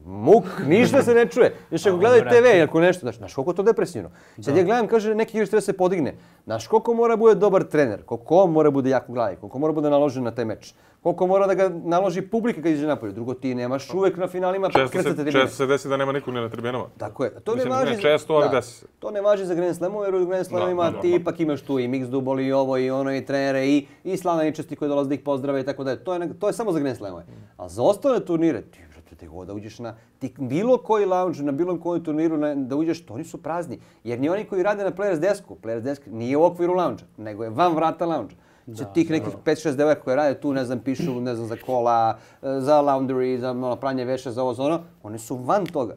Muk, ništa se ne čuje. Još ako gledaju te ve, ako nešto, znaš, znaš koliko je to depresivno. Sad ja gledam, kaže, neki igrač treba se podigne. Znaš koliko mora bude dobar trener, koliko on mora bude jak u glavi, koliko mora bude naložen na taj meč. Koliko mora da ga naloži publika kad iđe napolje. Drugo, ti nemaš uvek na finalima krcate tribine. Često se desi da nema nikog ni na tribinama. Tako je. To Mislim, ne važi ne često, ali desi se. To ne važi za Grand Slamove, jer u Grand Slamovima ti ipak imaš tu i mix dubol i ovo i ono i trenere i, i slavljeničasti koji dolaze da ih pozdrave i tako dalje. To je, to je samo za Grand Slamove. A za ostale turnire, ti brate, god da uđeš na ti bilo koji lounge, na bilo koji turniru na, da uđeš, to oni su prazni. Jer ni oni koji rade na Players Desku, Players Desk nije u okviru lounge, nego je van vrata lounge. Da, tih nekih pet šest devojaka koje rade tu, ne znam, pišu, ne znam, za kola, za laundry, za ono, pranje veša, za ovo, za ono, oni su van toga.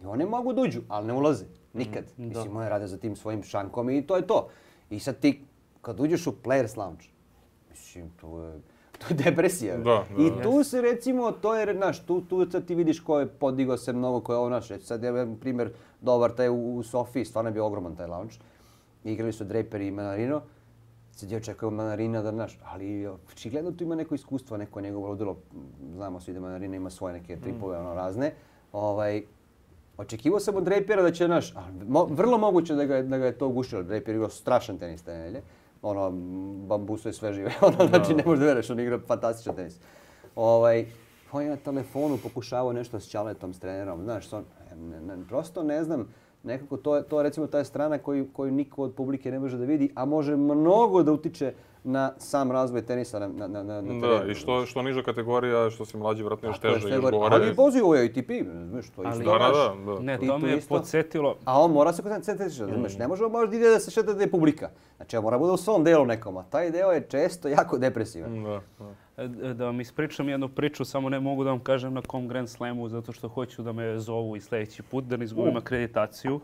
I oni mogu da uđu, ali ne ulaze. Nikad. Mm, Mislim, oni rade za tim svojim šankom i to je to. I sad ti, kad uđeš u Players Lounge, mislim, to je, to je depresija. Da, da, I tu se, recimo, to je, znaš, tu, tu sad ti vidiš ko je podigao se mnogo, ko je ovo, znaš, sad je primjer dobar taj u, u Sofiji, stvarno je bio ogroman taj lounge. Igrali su Draper i Manarino. Sad je očekao Manarina da, znaš, ali očigledno tu ima neko iskustvo, neko njegovo ludilo. Znamo svi da Manarina ima svoje neke tripove, ono, razne. Ovaj, očekivao sam od Drapera da će, znaš, mo, vrlo moguće da ga, da ga je to ugušilo. Draper je igrao strašan tenis te nedelje. Ono, bambuso je sve žive, ono, znači ne možeš da veruješ, on igra fantastičan tenis. Ovaj, on je na telefonu pokušavao nešto s Ćaletom, s trenerom, znaš, on, ne, ne, prosto ne znam. Nekako to je, to je recimo ta strana koju, koju niko od publike ne može da vidi, a može mnogo da utiče na sam razvoj tenisa na, na, na, na terenu. Da, i što, što niža kategorija, što si mlađi, vratno još teže, još gore. Ali poziv ovo je A T P, znaš, to isto. Da, da, da. Ne, to me je podsjetilo. A on mora se koncentrati, znaš, ne može možda ide da se šeta da je publika. Znači, on mora bude u svom delu nekom, a taj deo je često jako depresivan. Da, da. Da vam ispričam jednu priču, samo ne mogu da vam kažem na kom Grand Slamu, zato što hoću da me zovu i sljedeći put, da ne izgubim akreditaciju.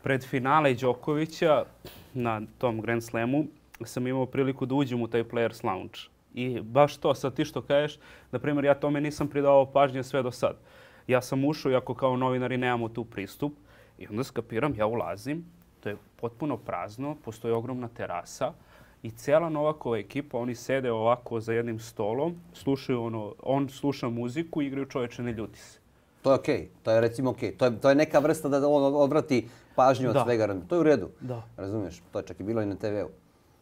Pred finale Đokovića na tom Grand Slamu sam imao priliku da uđem u taj Players Lounge. I baš to, sad ti što kažeš, na primjer, ja tome nisam pridavao pažnje sve do sad. Ja sam ušao, iako kao novinari nemamo tu pristup, i onda skapiram, ja ulazim, to je potpuno prazno, postoji ogromna terasa, i cijela Novakova ekipa, oni sede ovako za jednim stolom, slušaju ono, on sluša muziku i igraju Čovječe ne ljuti se. To je okej, okay. To je recimo okej. Okay. To, je, to je neka vrsta da on odvrati pažnju od da. svega. To je u redu. Da. Razumiješ? To je čak i bilo i na te veu.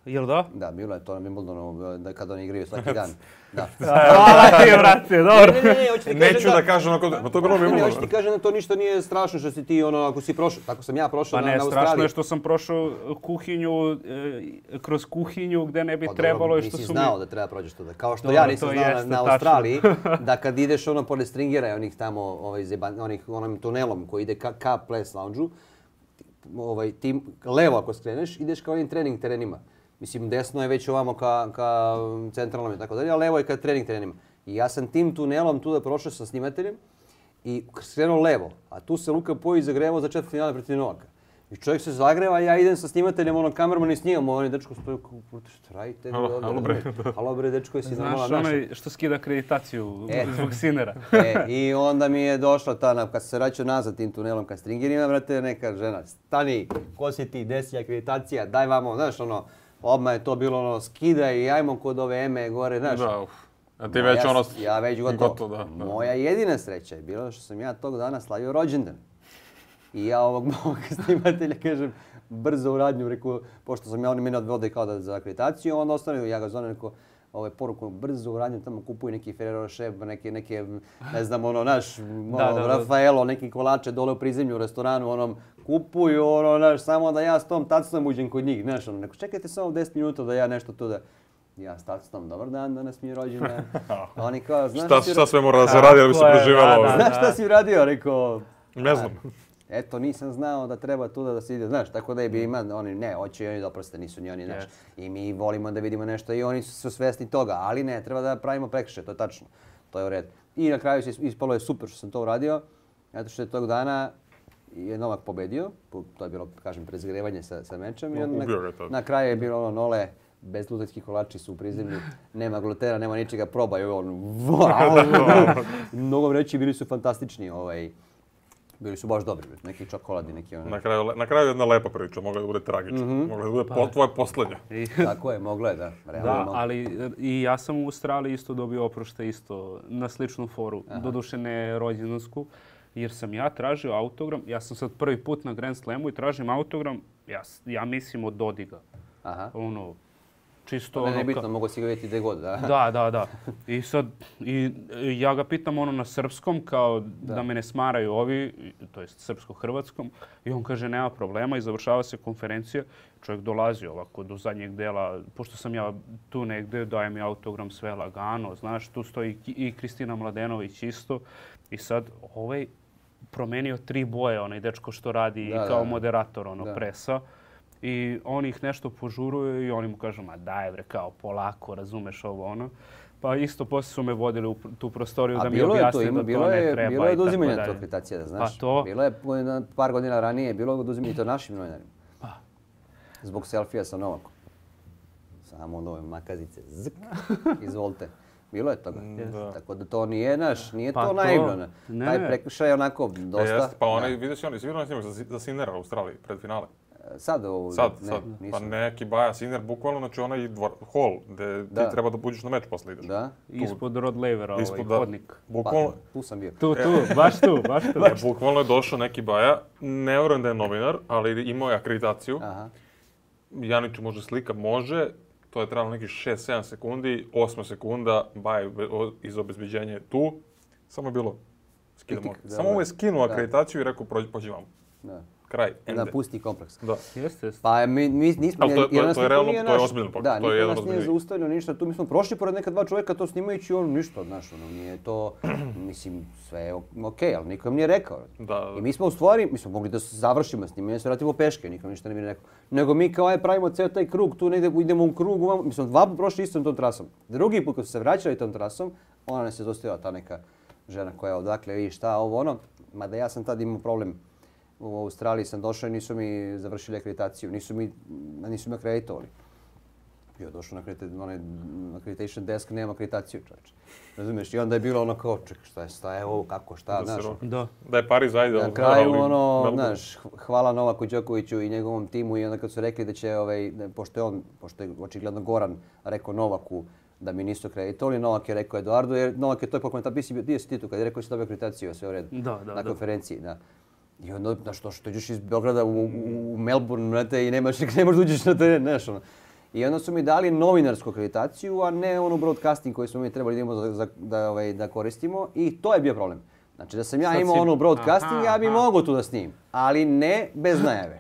Jel da? Da, bilo je to na Wimbledonu da kada oni igraju svaki dan. Da. Hvala ti, brate, dobro. Ne, ne, ne, hoću ti Neću da, da kažem ako ma to bilo Wimbledonu. Ne, hoću ti kažem da to ništa nije strašno što si ti ono ako si prošao. Tako sam ja prošao pa na, ne, na Australiji. Pa ne, strašno je što sam prošao kuhinju, e, kroz kuhinju gdje ne bi pa, trebalo dobro, i što su mi... nisi znao da treba prođeš tuda. Kao što dobro, ja nisam znao na, na Australiji da kad ideš ono pored Stringera i onih tamo ovaj, zeban, onih, onim tunelom koji ide ka, ka Players Lounge-u, ovaj, ti levo ako skreneš ideš ka onim trening terenima. Mislim, desno je već ovamo ka, ka centralnom i tako dalje, a levo je ka trening terenima. I ja sam tim tunelom tu da prošao sa snimateljem i skrenuo levo, a tu se Luka Pojić zagrevao za četvrt finale protiv Novaka. I čovjek se zagreva, ja idem sa snimateljem, onom kamerman i snimamo, oni dečko stoju kao, šta radite? Halo, halo bre. Halo bre, dečko, jesi normalan naš. Znaš, onaj što skida akreditaciju e. zbog Sinera. E, I onda mi je došla ta, kad se vraćao nazad tim tunelom ka Stringerima, brate, neka žena, stani, ko si ti, desi akreditacija, daj vamo, znaš, ono, odmah je to bilo ono, skidaj i ajmo kod ove Eme gore, znaš. Da, uf. A ti već ja, ono... Ja već gotovo. gotovo da, da. Moja jedina sreća je bila što sam ja tog dana slavio rođendan. I ja ovog mog snimatelja kažem, brzo u radnju, reku, pošto sam ja, oni mene odvode kao da za akreditaciju, onda ostavio, ja ga zovem, rekao, ovaj poruku, brzo u radnju, tamo kupuju neki Ferrero Rocher, neke, neke, ne znam, ono, naš, ono, da, da, Rafaelo, neki kolače dole u prizemlju u restoranu, onom, kupuju, ono, naš, samo da ja s tom tacnom uđem kod njih, znaš, ono, neko, čekajte samo deset minuta da ja nešto tu da... Ja s tacnom, dobar dan, danas mi je rođendan. Oni kao, znaš šta, šta sve mora da se radi da bi se preživjelo ovo? Znaš šta si radio? Rekao... Ne znam. Eto, nisam znao da treba tuda da se ide, znaš, tako da je bi ima, oni, ne, hoće i oni da oproste, nisu ni oni, znaš. Yes. I mi volimo da vidimo nešto i oni su svjesni toga, ali ne, treba da pravimo prekršaj, to je tačno, to je u redu. I na kraju se ispalo je super što sam to uradio, zato što je tog dana je Novak pobedio, to je bilo, kažem, prezgrevanje sa, sa mečem. I on na, na kraju je bilo ono, Nole, bezglutenski kolači su u prizemlju, nema glutena, nema ničega, probaj. On, mnogo reći, bili su fantastični. Ovaj, bili su baš dobri, neki čokoladi, neki ono. Na kraju, na kraju jedna lepa priča, mogla da bude tragična. Mm-hmm. Mogla da bude po, tvoje poslednje. Tako je, mogla je, da. Realno da, mogla. ali i ja sam u Australiji isto dobio oprošte isto na sličnu foru. Aha. Doduše ne rođendansku, jer sam ja tražio autogram. Ja sam sad prvi put na Grand Slamu i tražim autogram, ja, ja mislim od Dodiga. Aha. Ono, čisto ne, ono... Ne, bitno, mogu si ga vidjeti gdje god, da. Da, da, da. I sad, i, ja ga pitam ono na srpskom, kao da, da me ne smaraju ovi, to jest srpsko-hrvatskom, i on kaže nema problema i završava se konferencija. Čovjek dolazi ovako do zadnjeg dela, pošto sam ja tu negdje, daje mi autogram sve lagano, znaš, tu stoji i Kristina Mladenović isto. I sad ovaj promenio tri boje, onaj dečko što radi da, kao da, moderator ono, da. presa. I on ih nešto požuruje i oni mu kažu, ma daj bre, kao polako, razumeš ovo ono. Pa isto poslije su me vodili u tu prostoriju a da mi objasne da to bilo ne je, treba. Bilo je oduzimanje to akreditacija, da znaš. Pa to? Bilo je par godina ranije, bilo je oduzimanje to našim novinarima. Pa. Zbog selfija sa Novakom. Samo nove makazice, zk, izvolite. Bilo je toga. Da. Tako da to nije naš, nije pa to naivno. Ne. Taj prekršaj je onako dosta... E, jest, pa onaj, vidiš onaj, svi onaj snimak za, za Sinera u Australiji, pred finale. Sad ovo... Sad, ne, sad. Nisam. Pa neki Baja Siner, bukvalno, znači onaj dvor, hol, gdje da. ti treba da buđeš na meč posle ideš. Da. Tu. Ispod Rod Lavera, ovaj Ispod, hodnik. Bukvalno... Pa, tu sam bio. Tu, tu, baš tu, baš tu. Ne, bukvalno je došao neki Baja, ne vjerujem da je novinar, ali imao je akreditaciju. Aha. Janiću može slika, može. To je trebalo nekih šest sedam sekundi, osma sekunda, Baja iz obezbeđenja je tu. Samo je bilo skidamo. Samo mu je skinuo akreditaciju i rekao pođi vam. Da. Kraj. Da, pusti kompleks. Da. Jeste, jeste. Pa mi, mi nismo... Ali to, to, to, to je realno, to je ozbiljno pokaz. Da, to je niko nas nije zaustavljeno ništa. Tu mi smo prošli pored neka dva čovjeka to snimajući on ništa, znaš, ono, nije to, mislim, sve je okej, okay, ali niko im nije rekao. Da. I mi smo u stvari, mi smo mogli da završimo snimanje, se vratimo peške, nikom ništa ne bi rekao. Nego mi kao aj pravimo ceo taj krug, tu negdje idemo u krug, mi smo dva put prošli istom tom trasom. Drugi put kad su se vraćali tom trasom, ona nas je zaustavila, ta neka žena koja je odakle, vidi šta, ovo ono, mada ja sam tad imao problem. U Australiji sam došao i nisu mi završili akreditaciju, nisu mi, nisu mi akreditovali. Ja došao na onaj accreditation desk, nema akreditaciju, čovječe. Razumiješ? I onda je bilo ono kao, čekaj, šta je, šta je ovo, kako, šta, znaš. Da. Da je Pariz, ajde. Na kraju, ono, znaš, hvala Novaku Đokoviću i njegovom timu i onda kad su rekli da će, ovaj, pošto je on, pošto je očigledno Goran rekao Novaku da mi nisu akreditovali, Novak je rekao Eduardu, jer Novak je to pokomentar, bio si ti tu kad je rekao da će dobiti akreditaciju, sve u redu, da, da, na da. konferenciji. Da. I onda, znaš, to što ideš iz Beograda u, u, u Melbourne, vrate, i nemaš, ne možeš da uđeš na teren, znaš, ono. I onda su mi dali novinarsku akreditaciju, a ne onu broadcasting koju smo mi trebali da, imamo za, da, ovaj, da koristimo. I to je bio problem. Znači, da sam ja imao onu broadcasting, aha, ja bi mogao tu da snimim, ali ne bez najave.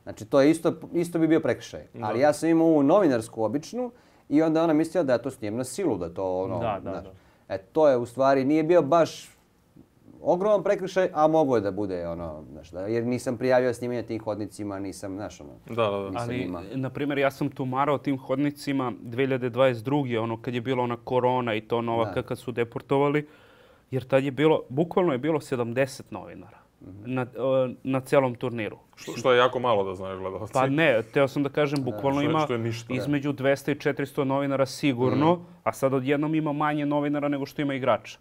Znači, to je isto, isto bi bio prekršaj. Ali ja sam imao ovu novinarsku običnu i onda ona mislila da ja to snijem na silu, da to ono, da, da, znaš. da. E, to je u stvari, nije bio baš ogroman prekršaj, a mogo je da bude ono, znaš, da, jer nisam prijavio snimanje tim hodnicima, nisam, znaš, ono, da, da, da. Ali, ima. na primjer, ja sam tumarao tim hodnicima dvije hiljade dvadeset druge ono, kad je bila ona korona i to Novaka kad su deportovali, jer tad je bilo, bukvalno je bilo sedamdeset novinara mm-hmm. na, na celom turniru. Što, što je jako malo da znaju gledalci. Pa ne, teo sam da kažem, bukvalno što, ima što ništa, između dvesta i četiristo novinara sigurno, mm. a sad odjednom ima manje novinara nego što ima igrača.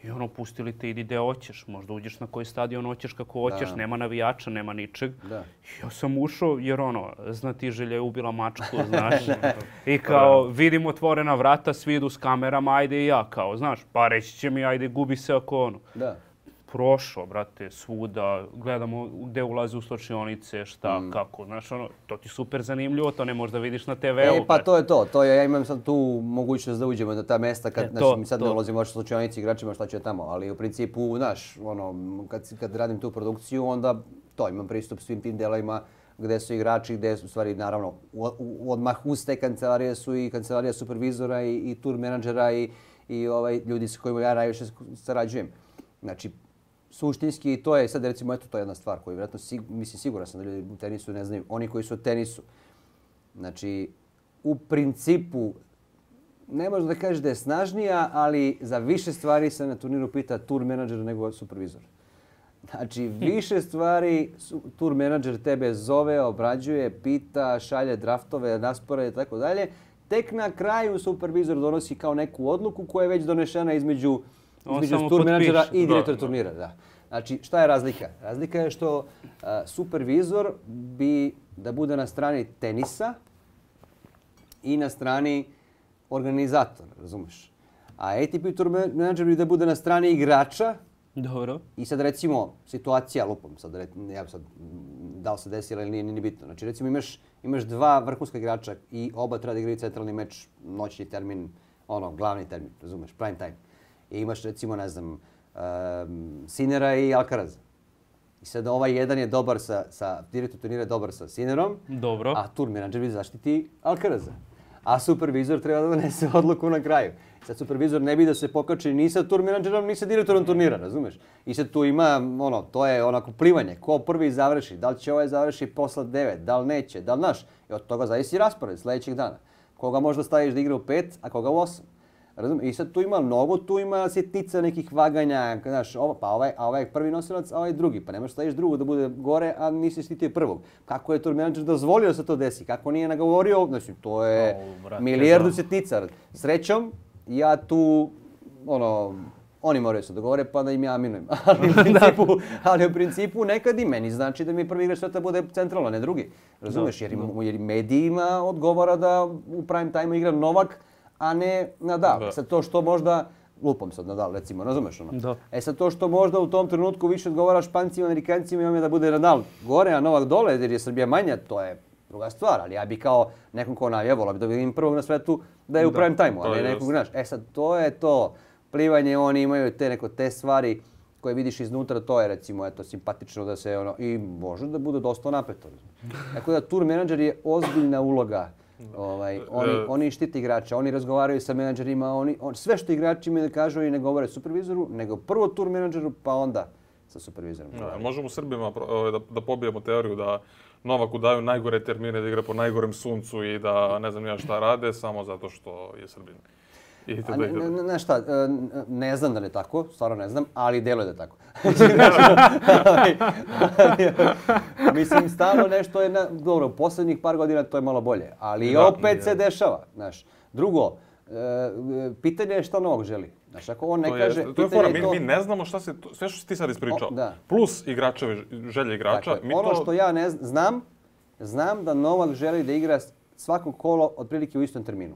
I ono, pustili te, idi gde hoćeš, možda uđeš na koji stadion hoćeš kako hoćeš, da. Nema navijača, nema ničeg. Da. Ja sam ušao jer ono, znatiželja je ubila mačku, znaš. I kao, vidim otvorena vrata, svi idu s kamerama, ajde i ja, kao, znaš, pa reći će mi, ajde, gubi se ako ono. Da. Prošao, brate, svuda, gledamo gde ulazi u slačionice, šta, mm. kako, znaš, ono, to ti super zanimljivo, to ne možeš da vidiš na te veu. E, pa to je to, to je, ja imam sad tu mogućnost da uđemo na ta mesta, kad, e, to, znači, mi sad to. Ne ulazimo u slačionici igračima, šta će tamo, ali u principu, znaš, ono, kad, kad radim tu produkciju, onda to, imam pristup svim tim delovima gde su igrači, gde su, u stvari, naravno, u, u, odmah uz te kancelarije su i kancelarija supervizora i, i tour menadžera i, i ovaj, ljudi sa kojima ja najviše sarađujem. Znači, suštinski, to je sad recimo eto to je jedna stvar koju vjerojatno mislim siguran sam da ljudi u tenisu ne znaju, oni koji su u tenisu. Znači u principu ne možeš da kažeš da je snažnija, ali za više stvari se na turniru pita tour menadžer nego supervizor. Znači više stvari tour menadžer tebe zove, obrađuje, pita, šalje draftove, rasporede i tako dalje. tek na kraju supervizor donosi kao neku odluku koja je već donešena između, između tur menadžera i direktora turnira. Da. Znači, šta je razlika? Razlika je što uh, supervizor bi da bude na strani tenisa i na strani organizatora, razumeš? A A T P tur menadžer bi da bude na strani igrača. Dobro. I sad recimo, situacija, lupom, sad, ja sad, da li se desila ili nije, nije bitno. Znači recimo imaš, imaš dva vrhunska igrača i oba treba da igraju centralni meč, noćni termin, ono, glavni termin, razumeš, prime time. I imaš recimo, ne znam, um, Sinera i Alcaraza. I sad ovaj jedan je dobar sa, sa direktor turnira je dobar sa Sinerom, Dobro. A tur menadžer bi zaštiti Alcaraza. A supervizor treba da donese odluku na kraju. Sad supervizor ne bi da se pokači ni sa tur menadžerom, ni sa direktorom turnira, razumeš? I sad tu ima, ono, to je onako plivanje. Ko prvi završi, da li će ovaj završi posle devet, da li neće, da li naš. I od toga zavisi raspored sljedećeg dana. Koga možda staviš da igra u pet, a koga u osam. Razumiješ? I sad tu ima mnogo, tu ima sitnica nekih vaganja, znaš, ovo, pa ovaj, a ovaj prvi nosilac, a ovaj drugi. Pa ne možeš staviš drugu da bude gore, a nisi štitio prvog. Kako je tur menadžer dozvolio da se to desi? Kako nije nagovorio? Znači, to je oh, brate, milijardu da. sitnica. Srećom, ja tu, ono, oni moraju se dogovore pa da im ja minujem. Ali u principu, ali u principu nekad i meni znači da mi prvi igrač sveta bude centralno, ne drugi. Razumeš? Jer, jer medijima odgovara da u prime time igra Novak, a ne Nadal. Da. Sad to što možda, lupom sad Nadal recimo, razumeš ono? Da. E sad to što možda u tom trenutku više odgovara Špancima, Amerikancima i on je da bude Nadal gore, a Novak dole jer je Srbija manja, to je druga stvar. Ali ja bi kao nekom ko navija, volao bi da vidim prvog na svetu da je u da, prime time-u, a ne nekog, znaš. E sad to je to plivanje, oni imaju te neko te stvari koje vidiš iznutra, to je recimo eto simpatično da se ono i može da bude dosta napeto. Tako da tur menadžer je ozbiljna uloga. Ovaj, oni, oni štite igrača, oni razgovaraju sa menadžerima, oni, on, sve što igrači imaju da kažu i ne govore supervizoru, nego prvo tur menadžeru pa onda sa supervizorom. Ja, možemo Srbima da, da pobijemo teoriju da Novaku daju najgore termine da igra po najgorem suncu i da ne znam ja šta rade samo zato što je Srbin. I tada, ne, ne, ne, šta, ne znam da ne tako, stvarno ne znam, ali deluje da je tako. Mislim, stalno nešto je, na, dobro, u posljednjih par godina to je malo bolje, ali da, opet je. se dešava, znaš. Drugo, pitanje je šta Novak želi. Znaš, ako on ne to kaže... Je, to je fora, mi, to... mi ne znamo šta se, sve što si ti sad ispričao, o, da. plus igračevi, želje igrača. Dakle, mi ono to... što ja ne znam, znam da Novak želi da igra svako kolo otprilike u istom terminu.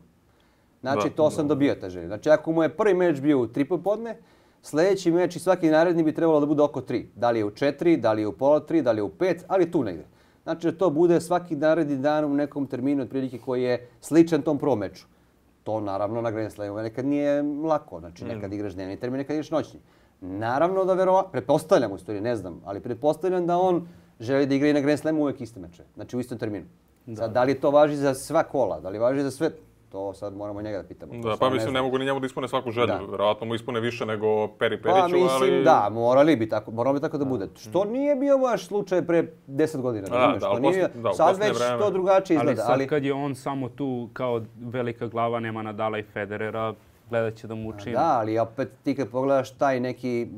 Znači, da, to sam da. dobio ta želja. Znači, ako mu je prvi meč bio u tri popodne, sljedeći meč i svaki naredni bi trebalo da bude oko tri. Da li je u četiri, da li je u pola tri, da li je u pet, ali tu negdje. Znači, da to bude svaki naredni dan u nekom terminu otprilike koji je sličan tom prvom meču. To naravno na Grand Slamu nekad nije lako. Znači, nekad igraš dnevni termin, nekad igraš noćni. Naravno da verovatno, pretpostavljam u stvari, ne znam, ali pretpostavljam da on želi da igra i na Grand Slamu uvijek iste meče. Znači, u istom terminu. Da. Sad, da li to važi za sva kola, da li važi za sve... To sad moramo njega da pitamo. Da, pa mislim ne, ne mogu ni njemu da ispune svaku želju. Da. Vjerojatno mu ispune više nego Peri Periću, pa, mislim, ali... da, morali bi tako, moralo bi tako da bude. Što nije bio baš slučaj pre deset godina, da, razumiješ? Da, to nije, da, sad već vreme. to drugačije izgleda. Ali sad ali... kad je on samo tu kao velika glava, nema Nadala i Federera, gledat će da mu učini. Da, ali opet ti kad pogledaš taj neki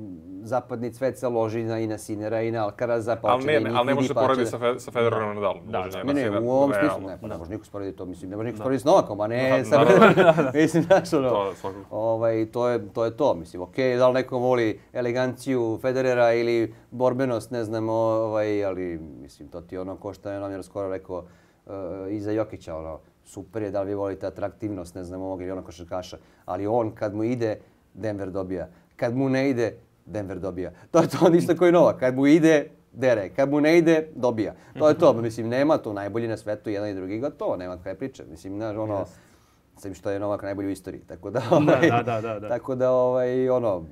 zapadni cvet se loži na, i na Sinera i na Alcaraza, pa ali ne, ne, ali ne može se porediti sa, fe, sa Federerom i Nadalom. Da, da, ne, ne, u ovom smislu ne, pa ne može niko sporediti to, mislim, ne može niko sporediti s Novakom, a ne sa Federerom. Mislim, znaš, ono, ovaj, to, je, to je to, mislim, okej, okay, da li neko voli eleganciju Federera ili borbenost, ne znam, ovaj, ali, mislim, to ti ono ko što je nam skoro rekao uh, iza Jokića, ono, super je da li vi volite atraktivnost, ne znam, ovog ili onog košarkaša, ali on kad mu ide, Denver dobija. Kad mu ne ide, Denver dobija. To je to ništa koji Novak. Kad mu ide, dere. Kad mu ne ide, dobija. To je to. Mislim, nema tu najbolji na svetu, jedan i drugi gotovo. Nema kaj priče. Mislim, znaš, ono, sam što je Novak najbolji u istoriji. Tako da, ovaj, da, da, da, da. Tako da, ovaj, ono,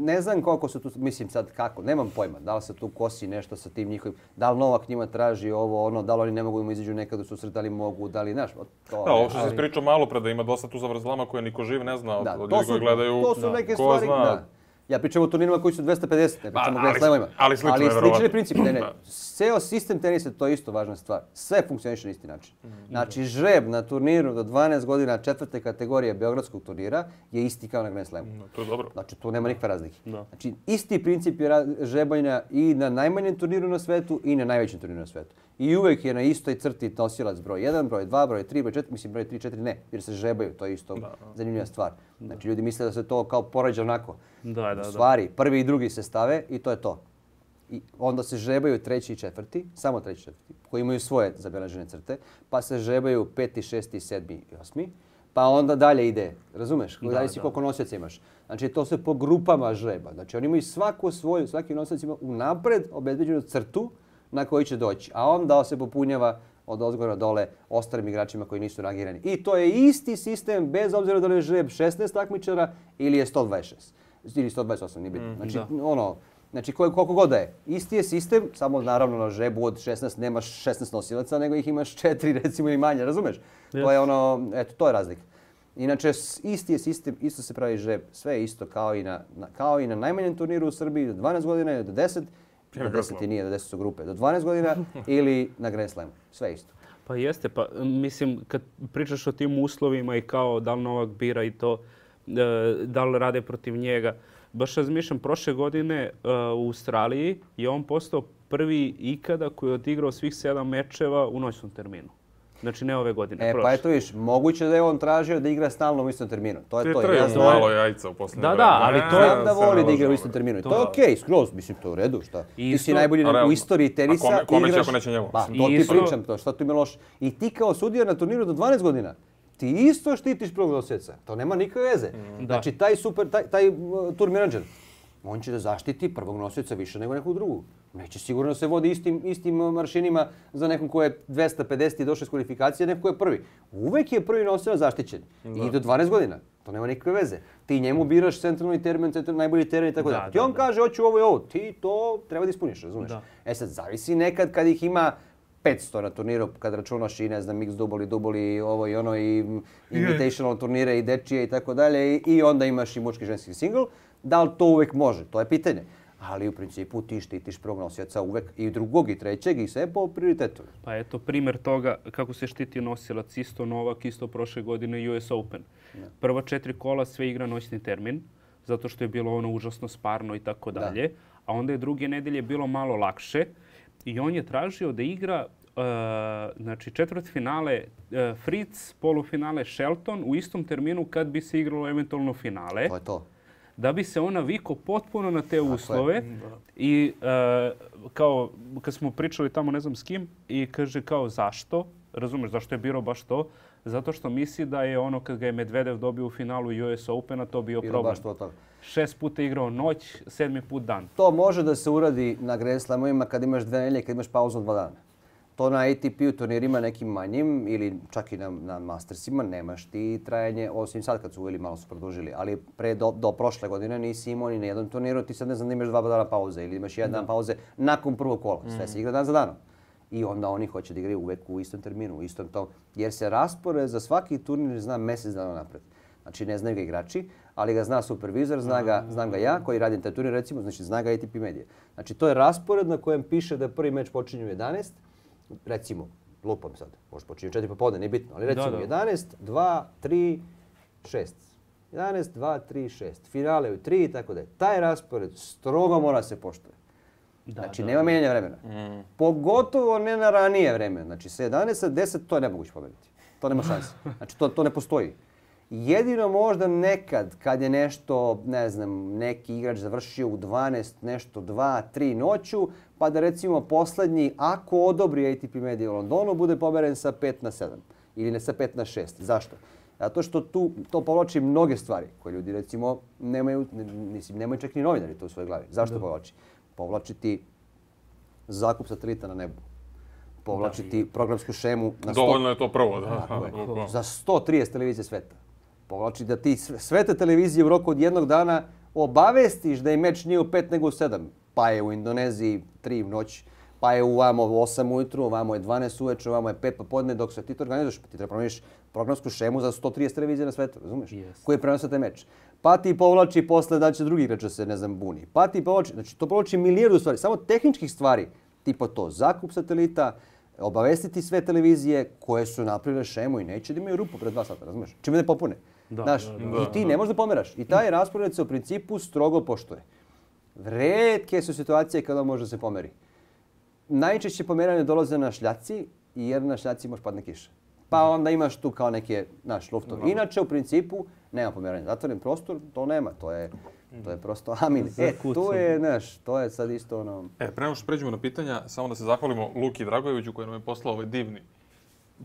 ne znam koliko se tu, mislim sad kako, nemam pojma, da li se tu kosi nešto sa tim njihovim, da li Novak njima traži ovo, ono, da li oni ne mogu im izađu nekad u susret, da li mogu, da li, znaš, to... Da, ovo što se ispričao malo pre da ima dosta tu zavrzlama koje niko živ ne zna, da, od ljudi koji gledaju, to su neke ko stvari, zna. Da. Ja pričam o turnirima koji su dvesta pedeset, ne pričam o Grand Slamovima. Ali slično ali je verovatno. slični princip, ne, ne. Ceo sistem tenisa, to je isto važna stvar. Sve funkcioniše na isti način. Znači, žreb na turniru do dvanaest godina četvrte kategorije beogradskog turnira je isti kao na Grand Slamu. No, to je dobro. Znači, tu nema nikakve razlike. Da. Znači, isti princip je žrebanja i na najmanjem turniru na svetu i na najvećem turniru na svetu. i uvek je na istoj crti nosilac broj jedan, broj dva, broj tri, broj četiri, mislim broj tri, četiri ne, jer se žebaju, to je isto da, da. zanimljiva stvar. Znači ljudi misle da se to kao poređa onako. Da, da, U stvari, prvi i drugi se stave i to je to. I onda se žebaju treći i četvrti, samo treći i četvrti, koji imaju svoje zabeležene crte, pa se žebaju peti, šesti, sedmi i osmi, pa onda dalje ide, razumeš? Da, dalje si koliko nosioca imaš. Znači to se po grupama žreba. Znači oni imaju svaku svoju, svaki nosilac ima unapred obezbeđenu crtu na koji će doći, a onda se popunjava od ozgora dole ostalim igračima koji nisu rangirani. I to je isti sistem bez obzira da li je žreb šesnaest takmičara ili je sto dvadeset šest. Ili sto dvadeset osam, nije bitno. Znači, mm, ono, znači koliko god da je. Isti je sistem, samo naravno na žrebu od šesnaest nemaš šesnaest nosilaca, nego ih imaš četiri recimo ili manje, razumeš? Yes. To je ono, eto, to je razlika. Inače, isti je sistem, isto se pravi žreb, sve je isto kao i na, na, kao i na najmanjem turniru u Srbiji, do dvanaest godina, do deset, do deset i nije, do deset su grupe, do dvanaest godina ili na Grand Slamu, sve isto. Pa jeste, pa mislim, kad pričaš o tim uslovima i kao da li Novak bira i to, da li rade protiv njega, baš razmišljam, prošle godine uh, u Australiji je on postao prvi ikada koji je odigrao svih sedam mečeva u noćnom terminu. Znači ne ove godine, e, prošle. Pa eto viš, moguće da je on tražio da igra stalno u istom terminu. To je to. Ti je malo jajca u posljednje Da, da, ali to je... da voli da igra u istom terminu. To je okej, okay, skroz, mislim, to je u redu, šta. Ti si najbolji u istoriji tenisa. A kome će ako neće njemu? Pa, to ti pričam, to, šta tu ima loše. I ti kao sudija na turniru do dvanaest godina, ti isto štitiš prvog nosioca. To nema nikakve veze. Mm. Znači, taj super, taj, taj uh, tour menadžer, on će da zaštiti prvog nosioca više nego nekog drugog. Neće sigurno se vodi istim, istim maršinima za nekom ko je dvesta pedeset i došao iz kvalifikacije, neko ko je prvi. Uvek je prvi nosilac zaštićen. Da. I do dvanaest godina. To nema nikakve veze. Ti njemu biraš centralni termin, centralni najbolji termin i tako da. Ti on da. kaže, hoću ovo i ovo. Ti to treba da ispuniš, razumiješ? Da. E sad, zavisi nekad kad ih ima petsto na turniru, kad računaš i ne znam, mix duboli, duboli, ovo i ono, i invitational turnire i dečije i tako dalje, i onda imaš i muški ženski single. Da li to uvek može? To je pitanje. Ali u principu ti štitiš prvog nosioca uvek i drugog i trećeg i sve po prioritetu. Pa eto primjer toga kako se štiti nosilac, isto Novak, isto prošle godine U S Open. Ne. Prva četiri kola sve igra noćni termin, zato što je bilo ono užasno sparno i tako dalje. A onda je druge nedelje bilo malo lakše i on je tražio da igra uh, znači četvrtfinale uh, Fritz, polufinale Shelton u istom terminu kad bi se igralo eventualno finale. To je to. Da bi se ona navikao potpuno na te uslove i uh, kao kad smo pričali tamo ne znam s kim i kaže kao zašto, razumeš zašto je birao baš to, zato što misli da je ono kad ga je Medvedev dobio u finalu U S Opena to bio Bilo problem. Baš to, to. Šest puta igrao noć, sedmi put dan. To može da se uradi na Grand Slamovima kad imaš dve nedelje, kad imaš pauzu od dva dana. To na A T P-u turnirima nekim manjim ili čak i na, na Mastersima nemaš ti trajanje, osim sad kad su uveli malo su produžili, ali pre do, do prošle godine nisi imao ni na jednom turniru, ti sad ne znam da imaš dva dana pauze ili imaš jedan dan pauze nakon prvog kola. Sve se igra dan za danom. I onda oni hoće da igraju uvek u istom terminu, u istom tom, jer se raspored za svaki turnir zna mjesec dana napred. Znači ne znaju ga igrači, ali ga zna supervizor, zna ga, znam ga ja koji radim taj turnir recimo, znači zna ga A T P Media. Znači to je raspored na kojem piše da prvi meč počinje u jedanaest, recimo, lupam sad, možda počinje u četiri popodne, nije bitno, ali recimo da, da. jedanaest, dva, tri, šest. jedanaest, dva, tri, šest. Finale u tri i tako da je. Taj raspored strogo mora se poštuje. Da, znači, da, nema mijenjanja vremena. Mm. Pogotovo ne na ranije vreme. Znači, sa jedanaest, sa deset, to je nemoguće pomeriti. To nema šanse. Znači, to, to ne postoji. Jedino možda nekad, kad je nešto, ne znam, neki igrač završio u dvanaest, nešto dva, tri noću, pa da recimo poslednji, ako odobri A T P Media u Londonu, bude pomeren sa pet na sedam ili ne sa pet na šest. Zašto? Zato što tu to povlači mnoge stvari koje ljudi recimo nemaju, mislim, nemaju čak ni novinari to u svojoj glavi. Zašto da. povlači? Povlači ti zakup satelita na nebu. Povlači ti programsku šemu na sto... Dovoljno je to prvo, da. Je, za sto trideset televizije sveta. Povlači da ti sve te televizije u roku od jednog dana obavestiš da je meč nije u pet nego u sedam. Pa je u Indoneziji tri u noć, pa je u vamo osam ujutru, vamo je dvanaest uveče, vamo je pet popodne, dok se ti to organizuješ, ti treba promijeniš programsku šemu za sto trideset televizije na svetu, razumiješ? Yes. Koji prenose taj meč. Pa ti povlači posle da će drugi igrač se, ne znam, buni. Pa ti povlači, znači to povlači milijardu stvari, samo tehničkih stvari, tipa to, zakup satelita, obavestiti sve televizije koje su napravile šemu i neće da imaju rupu pred dva sata, razumiješ? Čime ne popune. Da, Znaš, da, da, i ti da. ne možeš da pomeraš. I taj raspored se u principu strogo poštuje. Retke su situacije kada može da se pomeri. najčešće pomeranje dolaze na šljaci, jer na šljaci može padne kiša. Pa onda imaš tu kao neke, naš, luftovi. Inače, u principu, nema pomeranja. Zatvoren prostor, to nema, to je, to je prosto amin. E, tu je, znaš, to je sad isto ono... E, prema što pređemo na pitanja, samo da se zahvalimo Luki Dragojeviću koji nam je poslao ovaj divni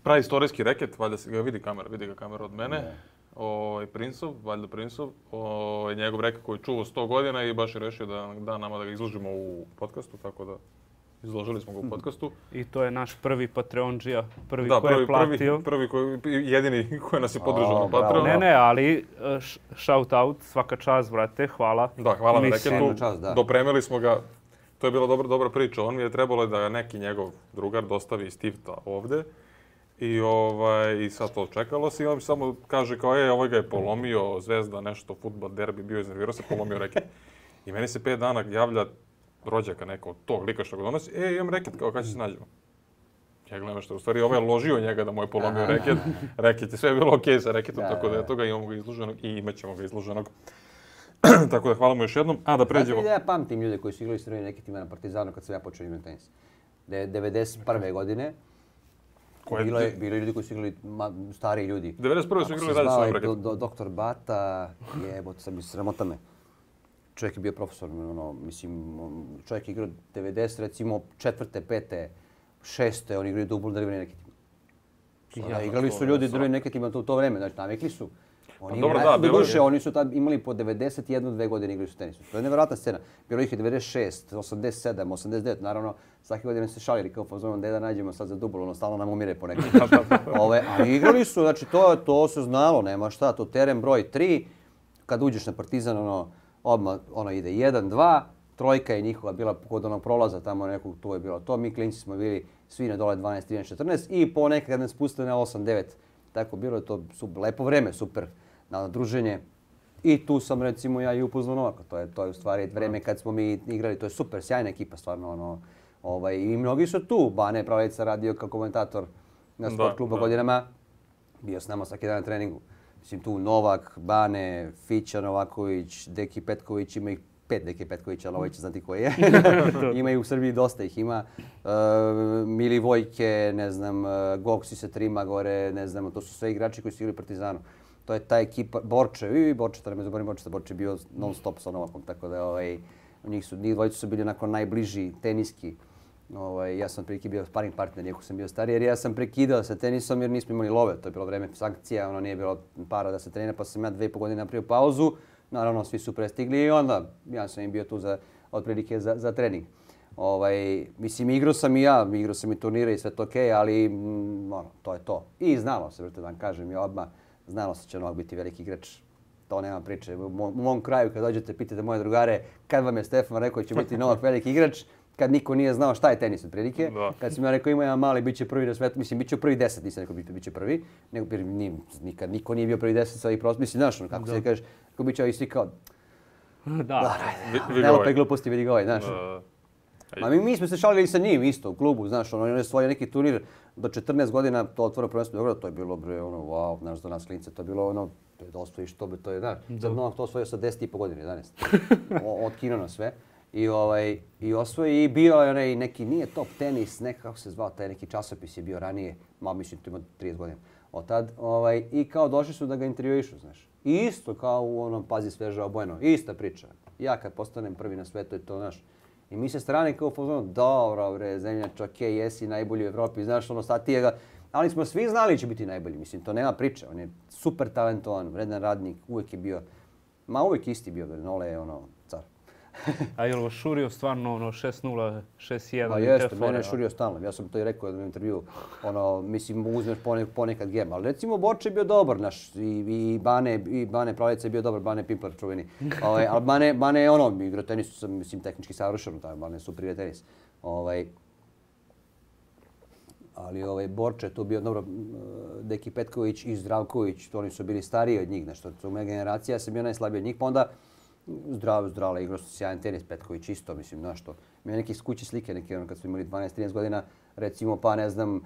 praistorijski reket, valjda se ga vidi kamera, vidi ga kamera od mene. Ne. Ovaj Princov, valjda Princov, ovaj njegov reket koji čuva sto godina i baš je rešio da da nama da ga izložimo u podcastu, tako da izložili smo ga u podcastu. I to je naš prvi Patreondžija, prvi da, koji je platio. Prvi, prvi koji, jedini koji nas je podržao na Patreonu. Ne, ne, ali shout out, svaka čast, brate, hvala. Da, hvala na reketu. Da. Dopremili smo ga. To je bila dobra, dobra priča. On mi je trebalo da neki njegov drugar dostavi iz Tifta ovde. I, ovaj, I sad to čekalo se i on samo kaže kao, e, ovaj ga je polomio, Zvezda, nešto, fudbal, derbi, bio iznervirao se, polomio reket. I meni se pet dana javlja rođaka neko od tog lika što ga donosi, e, imam reket, kao kada će se nađemo. Ja gledam što, u stvari ovaj je ložio njega da mu je polomio reket. Reket je sve bilo okej sa reketom, tako da je toga imamo ga izloženog i imat ćemo ga izloženog. Tako da hvala mu još jednom. A da pređemo... Znači, ja pamtim ljude koji su igrali s Crvenim reketima na Partizanu kad sam ja počeo igrati tenis. devedeset prve godine. Koje... Bilo je, bilo je ljudi koji su igrali, stariji ljudi. devedeset prve su igrali dalje s ovim reketom. Do, doktor Bata, jebote, sam mi sramota me. Čovjek je bio profesor, ono, mislim, čovjek je igrao devedeset, recimo četvrte, pete, šeste, oni igraju dubl drvenim reketima. Ja, igrali su ljudi drvenim reketima u to vreme, znači navikli su. Oni dobro, da, bilo je. Oni su tad imali po devedeset jednu dve godine igrali su tenisu. To je nevjerojatna scena. Bilo ih je devedeset šest, osamdeset sedam, osamdeset devet, naravno, svake godine se šalili kao fazon da nađemo sad za dubl, ono stalno nam umire po nekom. Ove, ali igrali su, znači to, to se znalo, nema šta, to teren broj tri, kad uđeš na Partizan, ono, odmah ono ide jedan, dva, trojka je njihova bila kod onog prolaza, tamo nekog, tu je bilo to, mi klinci smo bili svi na dole dvanaest, trinaest, četrnaest i ponekad kad nas spustili na osam, devet, tako bilo je to su, lepo vreme, super. Na druženje. I tu sam recimo ja i upoznao Novaka. To je to je u stvari vreme kad smo mi igrali, to je super, sjajna ekipa stvarno ono. Ovaj i mnogi su tu. Bane Pravlica radio kao komentator na Sport klubu godinama. Bio s nama svaki dan na treningu. Mislim tu Novak, Bane, Fića Novaković, Deki Petković, ima ih pet Deki Petkovića, ali ovaj će znati ko je. Ima i u Srbiji dosta ih ima. Uh, Mili Vojke, ne znam, uh, Goksi se trima gore, ne znam, to su sve igrači koji su igrali Partizanu. To je ta ekipa, Borče, i Borče, tada me zaborim Borče, Borče je bio non stop sa Novakom, tako da ovaj, njih su, njih dvojicu su bili onako najbliži teniski. Ovaj, ja sam prilike bio sparing partner, iako sam bio stariji, jer ja sam prekidao sa tenisom jer nismo imali love, to je bilo vreme sankcija, ono nije bilo para da se trenira, pa sam ja dve i po godine napravio pauzu. Naravno, svi su prestigli i onda ja sam im bio tu za, otprilike za, za trening. Ovaj, mislim, igrao sam i ja, igrao sam i turnire i sve to okej, okay, ali mm, ono, to je to. I znalo se, vrte, da vam kažem, i odmah. Znalo se će Novak biti veliki igrač, to nema priče. U mom, u mom kraju kad dođete, pitate moje drugare kad vam je Stefan rekao će biti Novak veliki igrač, kad niko nije znao šta je tenis otprilike. Kad sam ja rekao ima jedan mali, bit će prvi na svetu, mislim bit će prvi deset, nisam rekao bit će prvi, nego nije, nikad niko nije bio prvi deset sa ovih prosto, mislim znaš ono kako da. Se kažeš, kako bit će ovi svi kao... Da, da. Nema pe gluposti, vidi ga ovaj, znaš. Ma mi, mi smo se šalili sa njim isto u klubu, znaš, ono, on je svoj neki turnir do četrnaest godina, to otvoreno prvenstvo Beograda, to je bilo, bre, ono, wow, znaš, za nas klince, to je bilo, ono, da osvojiš to, to je, znaš, za Novak to osvojio sa deset i po godine, jedanaest. Otkino na sve. I, ovaj, i osvoji i bio je onaj neki, nije top tenis, nekako kako se zvao, taj neki časopis je bio ranije, malo mislim, to ima trideset godina. Od tad, ovaj, i kao došli su da ga intervjuišu, znaš. I isto kao u onom Pazi sveža obojeno, ista priča. Ja kad postanem prvi na svetu je to, znaš. I mi se strane kao fazonu, dobro bre, zemljač, okej, okay, jesi najbolji u Evropi, znaš, ono, sad ti je ga... Ali smo svi znali će biti najbolji, mislim, to nema priče. On je super talentovan, vredan radnik, uvijek je bio, ma uvijek isti bio, Nole je ono, car. A je li vas šurio stvarno ono šest nula, šest jedan? Pa jeste, mene je šurio stalno. Ja sam to i rekao u intervju. Ono, mislim, uzmeš ponekad gem. Ali recimo, Borče je bio dobar, naš, i, i Bane, i Bane Pravlica je bio dobar, Bane Pimpler čuveni. Ovaj, ali Bane, Bane je ono, igrao tenis, sam, mislim, tehnički savršen, taj Bane je super igra tenis. Ovaj, ali ovaj, Borče je tu bio, dobro, Deki Petković i Zdravković, to oni su bili stariji od njih, nešto, to je moja generacija, ja sam bio najslabiji od njih, pa onda Zdravo, zdravo, igrao su sjajan tenis, Petković isto, mislim, znaš što. Ima neke skuće slike, neke ono kad smo imali dvanaest trinaest godina, recimo, pa ne znam, uh,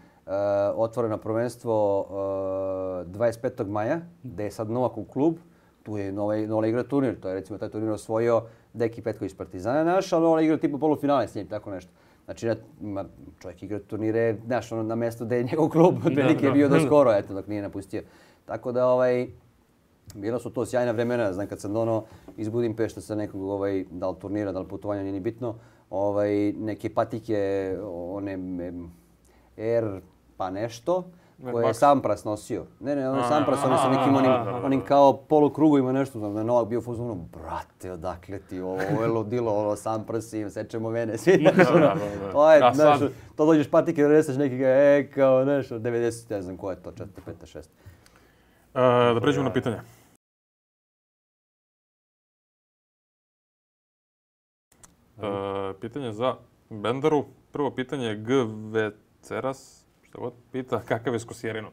otvoreno prvenstvo uh, dvadeset petog maja, gde je sad Novak u klub, tu je Nova, Nova igra turnir, to je recimo taj turnir osvojio Deki Petković Partizana naš, ali Nova igra tipa polufinale s njim, tako nešto. Znači, ma, čovjek igra turnire, znaš, ono, na mjesto da je njegov klub, otprilike je bio do skoro, eto, dok nije napustio. Tako da, ovaj, bila su to sjajna vremena, znam kad sam dono iz Budimpešta sa nekog, ovaj, da li turnira, da li putovanja, nije ni bitno, ovaj, neke patike, one, Air, pa nešto, koje je Sampras nosio. Ne, ne, ono Sampras, ono sa nekim onim, onim kao polukrugovima nešto, znam da je Novak bio u fazonu, brate, odakle ti ovo, ovo je ludilo, ono Sampras im, sečemo mene, svi, znaš, ono, to je, znaš, to dođeš patike, doneseš nekih, e, kao, nešto, devedeset, ne znam ko je to, četiri, pet, šest. Da pređemo na pitanje. Pitanje za Bendaru. Prvo pitanje je G Večeras, što god pita, kakav je s Kosjerinom?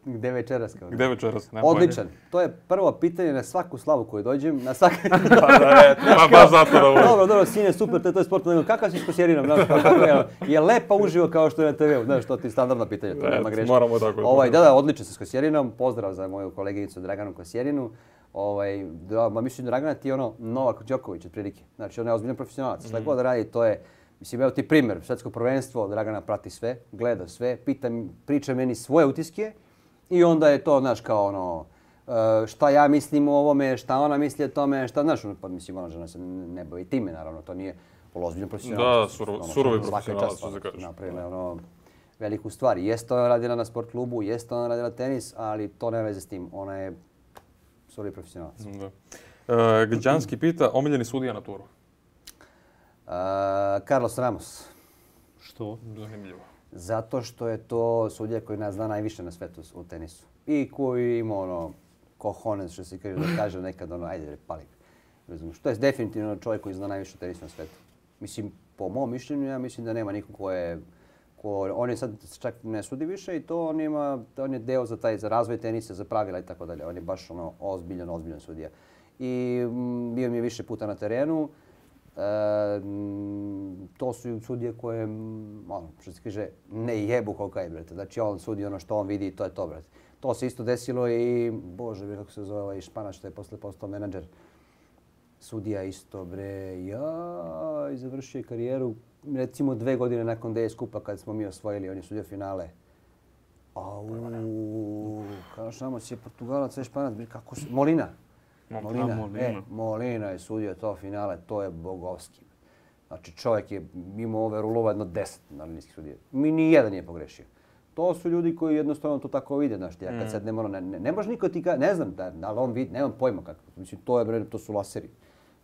Gde večeras? Kao Gde večeras? Odličan. To je prvo pitanje na svaku slavu koju dođem. Na svak... Pa baš zato da volim. Dobro, dobro, sine, super, to je sportno. Kakav si s Kosjerinom? Je lepa uživo kao što je na te veu? Znaš, to ti je standardno pitanje, to nema greške. Moramo tako. Ovaj, da, da, odličan se s Kosjerinom. Pozdrav za moju koleginicu Draganu Kosjerinu. Ovaj, da, ma mislim, Dragana ti je ono Novak Đoković otprilike. Znači, ona je ozbiljan profesionalac. Šta god radi, to je... Mislim, evo ti primjer, svjetsko prvenstvo, Dragana prati sve, gleda sve, pita, priča meni svoje utiske i onda je to, znaš, kao ono, šta ja mislim o ovome, šta ona misli o tome, šta, znaš, pa mislim, ona žena se ne bavi time, naravno, to nije ozbiljno profesionalac. Da, surov, surovi profesionalac, što se kažeš. Napravila je ono veliku stvar. Jeste ona radila na sport klubu, jeste ona radila tenis, ali to nema veze s tim, ona je surovi profesionalac. Da. Uh, Gađanski pita, omiljeni sudija na turu? Uh, Carlos Ramos. Što? Zanimljivo. Zato što je to sudija koji nas zna najviše na svetu u tenisu. I koji ima ono, cojones, što se kaže, da kaže nekad ono, ajde, pali. Razumiješ, to je definitivno čovjek koji zna najviše tenisu na svetu. Mislim, po mom mišljenju, ja mislim da nema niko ko je... Ko, on je sad čak ne sudi više i to on ima, on je deo za taj, za razvoj tenisa, za pravila i tako dalje. On je baš ono ozbiljan, ozbiljan sudija. I m, bio mi je više puta na terenu. E, to su sudije koje, ono, što se kaže, ne jebu koliko je, brate. Znači, on sudi ono što on vidi i to je to, brate. To se isto desilo i, bože, kako se zove ovaj Španac što je posle postao menadžer. Sudija isto, bre, ja, i završio karijeru, recimo dve godine nakon D S Kupa kad smo mi osvojili, on je sudio finale. Au, kao šamo si je Portugalac, sve Španac, kako su, Molina. Molina, Molina. E, Molina je sudio to finale, to je bogovski. Znači čovjek je imao ove rulova jedno deset nalinijskih sudija. Mi ni jedan nije pogrešio. To su ljudi koji jednostavno to tako vide, znaš ti, ja kad sad ne mora, ne, ne, ne može niko ti ka, ne znam, da, da li on vidi, nemam pojma kako. Mislim, to je, bre, to su laseri.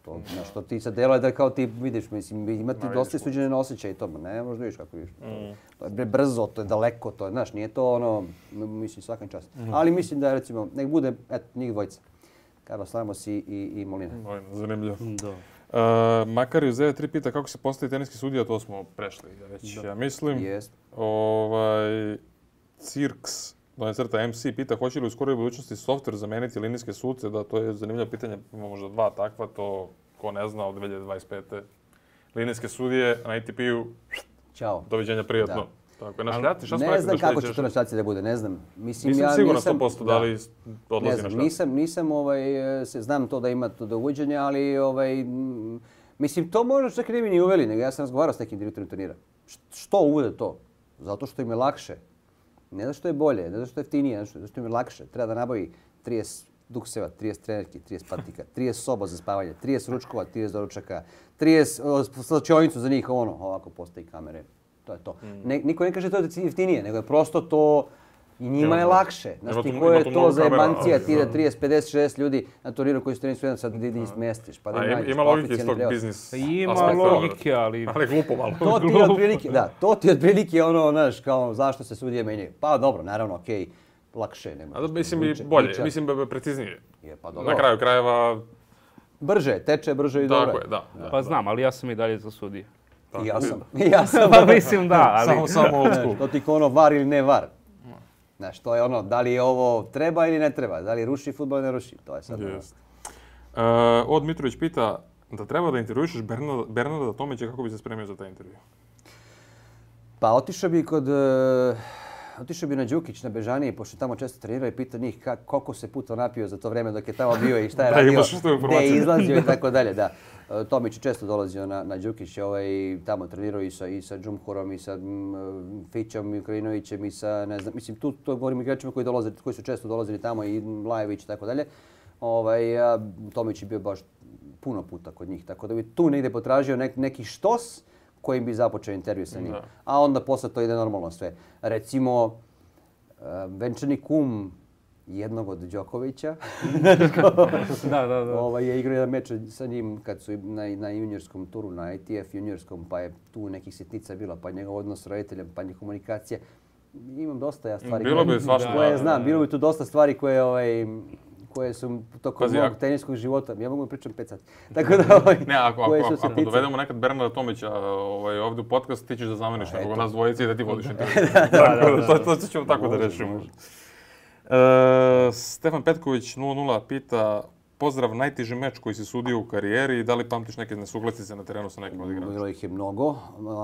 To, znaš, to ti sad deluje da kao ti vidiš, mislim, imati dosta suđene osjećaja i to, ne možeš da vidiš kako vidiš. Mm. To je bre, brzo, to je daleko, to je, znaš, nije to ono, mislim, svakim čast. Mm. Ali mislim da, recimo, nek bude, eto, njih dvojica. Carlos Ramos i, i, i Molina. Molina, zanimljivo. Da. Uh, Makar iz devet tri pita kako se postaje teniski sudija, to smo prešli već, da. Ja mislim. Jest. Ovaj, Cirks, donje crta M C, pita hoće li u skoroj budućnosti softver zameniti linijske suce, da to je zanimljivo pitanje, ima možda dva takva, to ko ne zna od dvije hiljade dvadeset pete. Linijske sudije na A T P-u, Ćao. Doviđenja, prijatno. Da. Tako je, na šljati, šta smo ne znam kako će to na šljaci da bude, ne znam. Mislim, nisam ja, siguran sto posto da li odlazi na šljati. Nisam, nisam ovaj, se, znam to da ima to do uvođenja, ali ovaj, m, mislim, to možda čak ne bi ni uveli, nego ja sam razgovarao s nekim direktorom turnira. Što uvode to? Zato što im je lakše. Ne zato što je bolje, ne zato što je jeftinije, zato što im je lakše. Treba da nabavi trideset dukseva, trideset trenerki, trideset patika, trideset soba za spavanje, trideset ručkova, trideset doručaka, trideset slačionicu za njih, ono, ovako postoji kamere. To je to. Mm. Ne, niko ne kaže to da je jeftinije, nego je prosto to i njima je lakše. Znaš ti ko je to za jebancija, ti da trideset, pedeset, šezdeset ljudi na turniru koji su tenisu jedan sad idi smestiš. Pa da A, nađeš, ima logike iz tog biznis. Ima logike, ali... Ali glupo malo. To ti je otprilike, da, to ti je otprilike ono, znaš, kao zašto se sudije menjaju. Pa dobro, naravno, okej, okay, lakše nema. A da mislim i bolje, liča. Mislim preciznije. Je, pa dobro. Na kraju krajeva... Brže, teče brže i dobro. Tako je, da. da. Pa znam, ali ja sam i dalje za sudije. I ja sam. I ja sam. Pa mislim da, ali... Samo, samo old school. To ti ko ono var ili ne var. Znaš, to je ono, da li ovo treba ili ne treba, da li ruši fudbal ili ne ruši, to je sad. Yes. Uh, Od Mitrović pita da treba da intervjušeš Bernarda, Bernarda Tomića kako bi se spremio za taj intervju. Pa otišao bi kod uh, otišao bi na Đukić, na Bežaniji, pošto tamo često trenirao i pitao njih kak, koliko se puta napio za to vreme dok je tamo bio i šta je Da, radio, imaš što gde je izlazio i tako dalje. Da. Tomić je često dolazio na, na Đukić, ovaj, tamo trenirao i sa, i sa Džumhurom, i sa mm, Fićom, i Ukrajinovićem, i sa, ne znam, mislim, tu to govorim igračima koji, dolaze, koji su često dolazili tamo, i Lajević i tako dalje. Ovaj, a Tomić je bio baš puno puta kod njih, tako da bi tu negdje potražio nek, neki štos kojim bi započeo intervju sa njim. Da. A onda posle to ide normalno sve. Recimo, uh, venčani kum jednog od Đokovića da, da, da. Ovaj, je igrao jedan meč sa njim kad su na, na juniorskom turu, na I T F juniorskom, pa je tu nekih sitnica bilo, pa njegov odnos s roditeljem, pa njih komunikacija. Imam dosta ja stvari bilo koje, bi svašta, koje da, znam, da, bilo bi tu dosta stvari koje ovaj, koje su tokom Pazi, mog ako... teniskog života, ja mogu da pričam pet sati. Tako da, ovaj, ne, ako, ako, ako, ako dovedemo nekad Bernarda Tomića ovaj, ovdje u podcast, ti ćeš da zameniš nekog nas dvojici i da ti vodiš intervju. da, da, da, to, to ćemo tako da rešimo. E, Stefan Petković nula nula pita, pozdrav, najteži meč koji si sudio u karijeri i da li pamtiš neke nesuglasice na terenu sa nekim od igrača? Bilo ih je mnogo.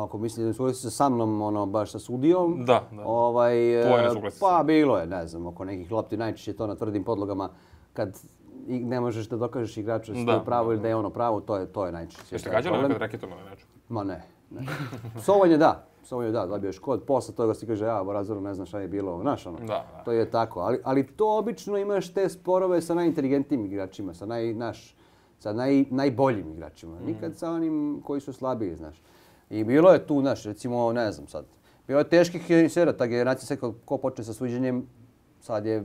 Ako misli da nesuglasice sa mnom, ono, baš sa sudijom. Da, da. Ovaj, tvoje nesuglasice? Pa bilo je, ne znam, oko nekih lopti, najčešće to na tvrdim podlogama. Kad ne možeš da dokažeš igraču da je pravo ili da je ono pravo, to je, to je najčešće. Jeste gađali nekad reketom ili nečem? Ma ne. ne. Psovanje da. Psovanje da, dobio je škod. Posle toga si kaže, ja, Borazoru, ne znam šta je bilo. Znaš, ono, da, da. To je tako. Ali, ali to obično imaš te sporove sa najinteligentnijim igračima, sa, naj, naš, sa naj, najboljim igračima. Mm. Nikad sa onim koji su slabiji, znaš. I bilo je tu, znaš, recimo, ne znam sad, bilo je teških tenisera, ta generacija se ko, ko počne sa suđenjem, sad je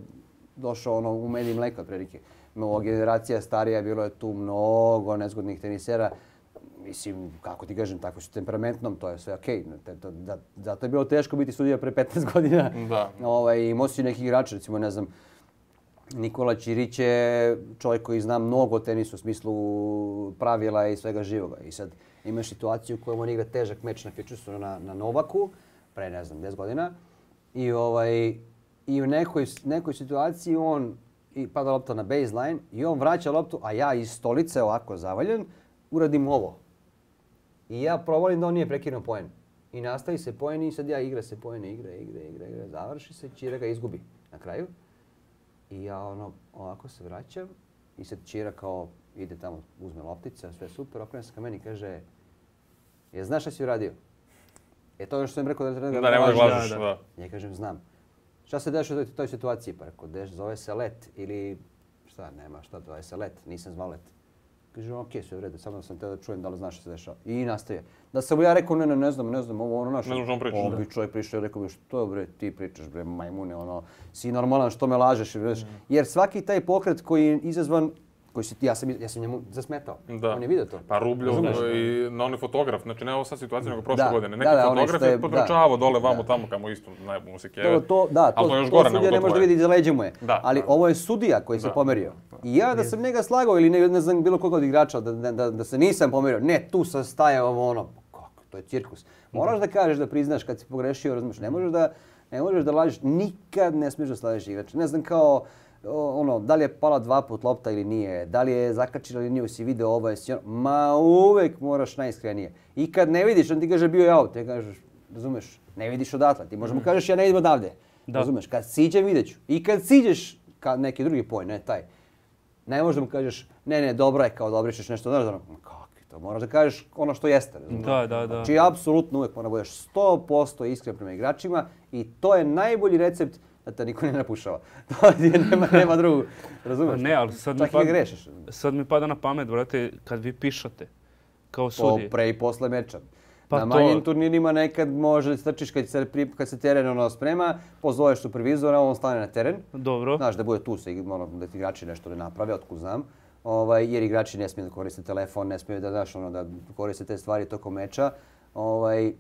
došao ono u med i mleka otprilike. Ova generacija starija, bilo je tu mnogo nezgodnih tenisera. Mislim, kako ti kažem, tako su temperamentnom, to je sve okej. Okay. Zato je bilo teško biti sudija pre petnaest godina. Da. Ovaj, imao si neki igrači, recimo, ne znam, Nikola Ćirić je čovjek koji zna mnogo o tenisu u smislu pravila i svega živoga. I sad imaš situaciju u kojoj on igra težak meč na Fitchesu na, na Novaku, pre, ne znam, deset godina. I, ovaj, i u nekoj, nekoj situaciji on i pada lopta na baseline i on vraća loptu, a ja iz stolice ovako zavaljen uradim ovo. I ja provalim da on nije prekinuo poen. I nastavi se poen i sad ja igra se poen, igra, igra, igra, igra, završi se, Ćira ga izgubi na kraju. I ja ono, ovako se vraćam i sad Ćira kao ide tamo, uzme loptice, sve super, okrene se ka meni i kaže, je znaš šta si uradio? E to je što sam rekao da treba da ne možeš lažeš, da. da. Ja kažem, znam. Šta se dešava u toj situaciji? Pa rekao, deš, zove se let ili šta, nema šta, zove se let, nisam zvao let. Kaže, okej, sve u redu, samo sam te da čujem da li znaš šta se dešava. I nastaje. Da sam ja rekao, ne, ne, ne znam, ne znam, ovo ono naše. Ne znam što on priča. On bi čovjek prišao i rekao bi, što bre, ti pričaš, bre, majmune, ono, si normalan, što me lažeš, mm. Jer svaki taj pokret koji je izazvan, koji si ti, ja sam, ja sam njemu zasmetao. Da. On je vidio to. Pa Rubljov i na onaj fotograf, znači ne ovo sad situacija nego prošle da. godine. Neki da, da, fotograf je potrčavao dole vamo da. Tamo kamo isto najbolje se keve. To, to, da, to, to, još to gore sudija ne može da vidi iza leđa mu je. Da, ali da. Ovo je sudija koji se pomerio. I ja da sam njega slagao ili ne, ne znam bilo koga od igrača da, da, da, da se nisam pomerio, ne, tu sam stajao ono, kako, to je cirkus. Moraš da kažeš da priznaš kad si pogrešio, razumiješ, ne možeš da, ne možeš da lažeš, nikad ne smiješ da slažeš igrača. Ne znam kao, ono, da li je pala dva put lopta ili nije, da li je zakačila ili nije, si video ovo, jesi ono, ma uvek moraš najiskrenije. I kad ne vidiš, on ti kaže bio je out, ti kažeš, razumeš, ne vidiš odatle, ti možemo kažeš ja ne idem odavde, da. Razumeš, kad siđem vidjet ću. I kad siđeš ka neki drugi poen, ne taj, ne možeš da mu kažeš, ne, ne, dobro je kao da obrišeš nešto, znaš, ono, kakvi to, moraš da kažeš ono što jeste, razumeš. Da, da, da. Znači, apsolutno uvek mora budeš sto posto iskren prema igračima i to je najbolji recept da te niko ne napušava. To je, nema, nema drugu, razumeš? Ne, ali sad čak mi, pada, i grešiš. Sad mi pada na pamet, brate, kad vi pišate kao sudije. Po pre i posle meča. Pa na manjim to... turnirima nekad može strčiš kad se, kad se teren ono sprema, pozoveš supervizora, on stane na teren. Dobro. Znaš da bude tu, se, ono, da ti igrači nešto ne naprave, otkud znam. Ovaj, jer igrači ne smiju da koriste telefon, ne smiju da, znaš, ono, da koriste te stvari tokom meča. Ovaj,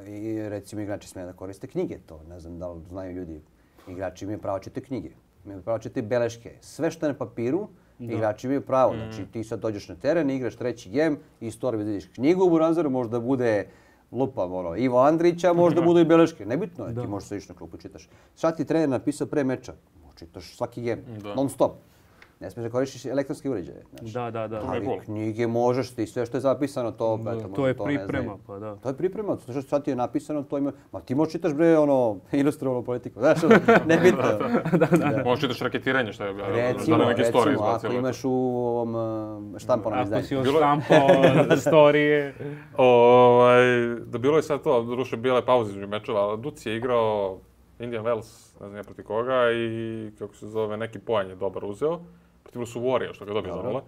I recimo igrači smije da koriste knjige, to ne znam da li znaju ljudi. Igrači imaju pravo čitati knjige, imaju pravo čitati beleške. Sve što je na papiru, da. Igrači imaju pravo. Mm. Znači ti sad dođeš na teren, igraš treći gem, iz torbe vidiš knjigu u buranzeru, možda bude lupam ono, Ivo Andrića, možda budu i beleške. Nebitno je, da. Ti možeš se ići na klupu čitaš. Šta ti trener napisao pre meča? Čitaš svaki gem, da. Non stop. Ne smiješ da koristiš elektronske uređaje. Znači. Da, da, da. Ali knjige možeš ti, sve što je zapisano, to... Da, eto, to je to priprema, pa da. To je priprema, to što sad ti je napisano, to ima... Ma ti možeš čitaš, bre, ono, ilustrovanu politiku, znaš, nebitno. da, da, da. Možeš čitaš raketiranje, što je... Recimo, da neke recimo, izbacilo. Ako imaš u ovom štampanom izdanju. Ako si štampao storije... Ovaj, da bilo je sad to, doduše bila je pauza između mečeva, ali Duci je igrao Indian Wells, ne znam ja protiv koga, i kako se zove, neki poen je dobar uzeo. Protiv Rusuvorija, što ga dobio za nula.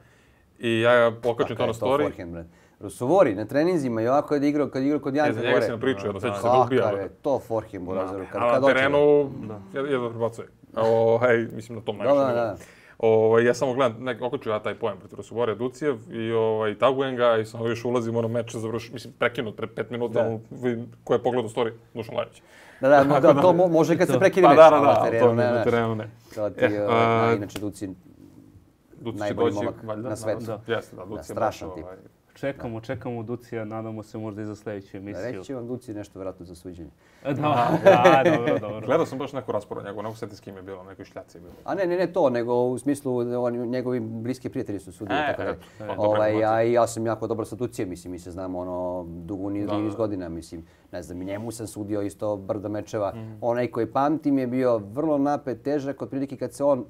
I ja pokačem to na story. Rusuvori na treninzima i ovako kad je igrao, kad je igrao kod Janka gore. Ne, za njega si nam pričao, jedno sveća se da ubija. Kakav je to forehand burazeru, kad dođe. A na terenu jedno prebacuje. Mislim na tom najviše. Da, da. Ovaj, ja samo gledam, nek, okaču ja taj pojem protiv Rusuvorija Ducijev i ovaj, tagujem ga i samo još ulazim ono meč završi, mislim prekinut pre pet minuta, ono, ko je pogledao story, Dušan Lajović. Da, da, da, da, to može kad se prekine pa, meč, da, da, na terenu, ne, na terenu ne. To ti, eh, uh, inače Duci, Duci najbolji doći, momak valjda, na svetu. Da, jeste, da, Duci da, strašan tip. Ovaj, Čekamo, čekamo Ducija, nadamo se možda i za sljedeću emisiju. Reći će vam Duci nešto vjerojatno za suđenje. Da, da, dobro, dobro. Gledao sam baš neku rasporu njegov, neko seti s kim je bilo, nekoj šljaci je bilo. A ne, ne, ne to, nego u smislu oni, njegovi bliski prijatelji su sudili, e, tako da. E, ovaj, ja, ja sam jako dobro sa Ducijem, mislim, mi se znamo ono dugo niz, niz godina, mislim. Ne znam, i njemu sam sudio isto brdo mečeva. Mm. Onaj koji pamtim je bio vrlo napet, težak, otprilike kad se on,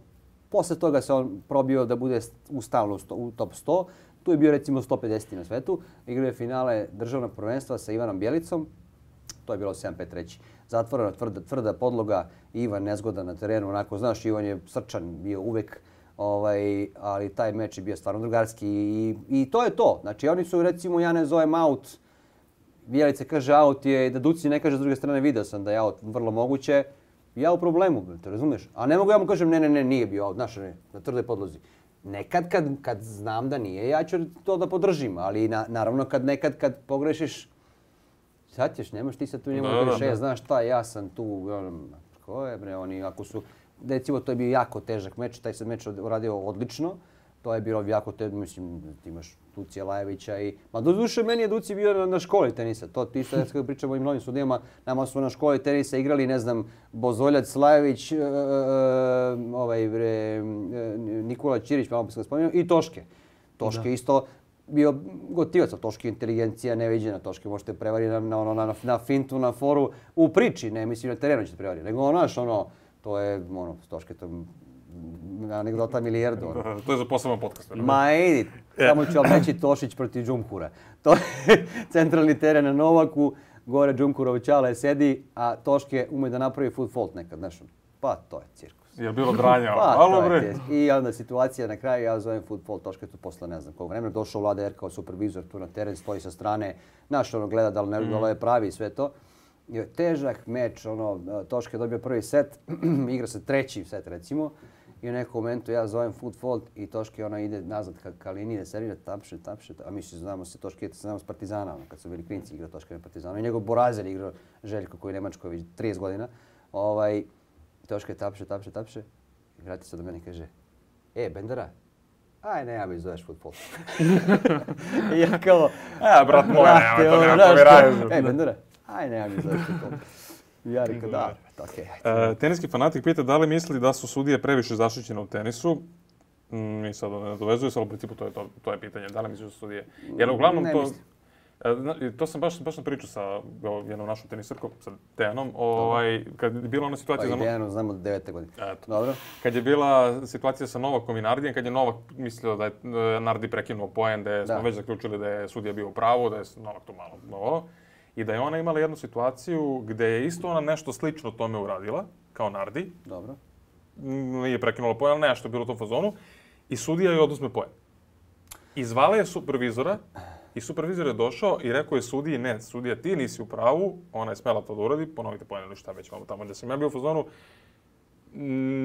posle toga se on probio da bude u stalno u top sto. Tu je bio recimo sto pedeset na svetu. Igrao je finale državnog prvenstva sa Ivanom Bjelicom. To je bilo sedam pet treći. Zatvorena tvrda, tvrda podloga. Ivan nezgodan na terenu. Onako, znaš, Ivan je srčan bio uvek. Ovaj, ali taj meč je bio stvarno drugarski. I, i to je to. Znači, oni su recimo, ja ne zovem out. Bjelica kaže out je, da Duci ne kaže s druge strane, video sam da je out vrlo moguće. Ja u problemu, te razumiješ? A ne mogu ja mu kažem ne, ne, ne, nije bio out, znaš, ne, na tvrdoj podlozi. Nekad kad, kad znam da nije, ja ću to da podržim, ali na, naravno kad nekad kad pogrešiš, sad ćeš, nemaš ti sad tu njemu kažeš, e, znaš šta, ja sam tu, ko je bre, oni ako su, recimo to je bio jako težak meč, taj se meč uradio odlično, to je bilo jako težak, mislim, ti imaš Ducija Lajevića i, ma do duše meni je Duci bio na, na školi tenisa, to ti isto kada pričamo o ovim novim sudijama, nama su na školi tenisa igrali, ne znam, Bozoljac, Lajević, e, e, ovaj bre, e, Nikola Ćirić, malo bi se ga spomenuo, i Toške. Toške da. Isto bio gotivac, Toške inteligencija neviđena, Toške možete prevariti na, na, na, na fintu, na foru, u priči, ne mislim na terenu ćete prevariti, nego ono, znaš, ono, to je, ono, Toške to anegdota milijardu. To je za poseban podcast. Ma idi, samo ću vam reći Tošić protiv Džumhura. To je centralni teren na Novaku, gore Džumhurov Čale sedi, a Toške ume da napravi foot fault nekad, znaš. Pa to je cirkus. Je bilo dranja, pa, malo bre. I onda situacija na kraju, ja zovem foot fault Toške tu posle ne znam koliko vremena. Došao Vlada R kao supervizor tu na teren, stoji sa strane, znaš ono gleda da li ne, mm. da li je pravi i sve to. Je težak meč, ono, Toške je dobio prvi set, igra se treći set recimo. I u nekom momentu ja zovem foot fault i Toške ona ide nazad ka, ka liniji da servira, tapše, tapše, a mi se znamo se Toške, znamo s Partizana, ono, kad su bili klinci igrao Toške na Partizanu. I njegov Borazer igrao Željko koji je Nemačković, trideset godina. Ovaj, Toške tapše, tapše, tapše i vrati se do mene i kaže, e, Bendera, aj ne, ja mi zoveš foot fault. I ja kao, a, brat moj, nema to, nema povjeraju. E, Bendera, aj ne, ja mi zoveš foot fault. Ja rekao da, okay. uh, Teniski fanatik pita da li misli da su sudije previše zaštićene u tenisu. Mm, I sad ne dovezuje se, ali u principu to je, to, to je pitanje. Da li misliš da su sudije? Jer uglavnom ne to... Mislim. To sam baš, baš na priču sa jednom našom tenisarkom, sa Dejanom, ovaj, kad je bila ona situacija... Pa i Dejanu znamo od devete godine. Eto. Dobro. Kad je bila situacija sa Novakom i Nardijem, kad je Novak mislio da je Nardi prekinuo poen, da smo već zaključili da je sudija bio u pravu, da je Novak to malo novo. I da je ona imala jednu situaciju gdje je isto ona nešto slično tome uradila, kao Nardi. Dobro. Nije prekinula poen, ali nešto je bilo u tom fazonu. I sudija joj oduzme poen. I zvala je supervizora i supervizor je došao i rekao je sudiji, ne, sudija ti nisi u pravu, ona je smela to da uradi, ponovite poen ili šta već malo tamo gdje sam ja bio u fazonu.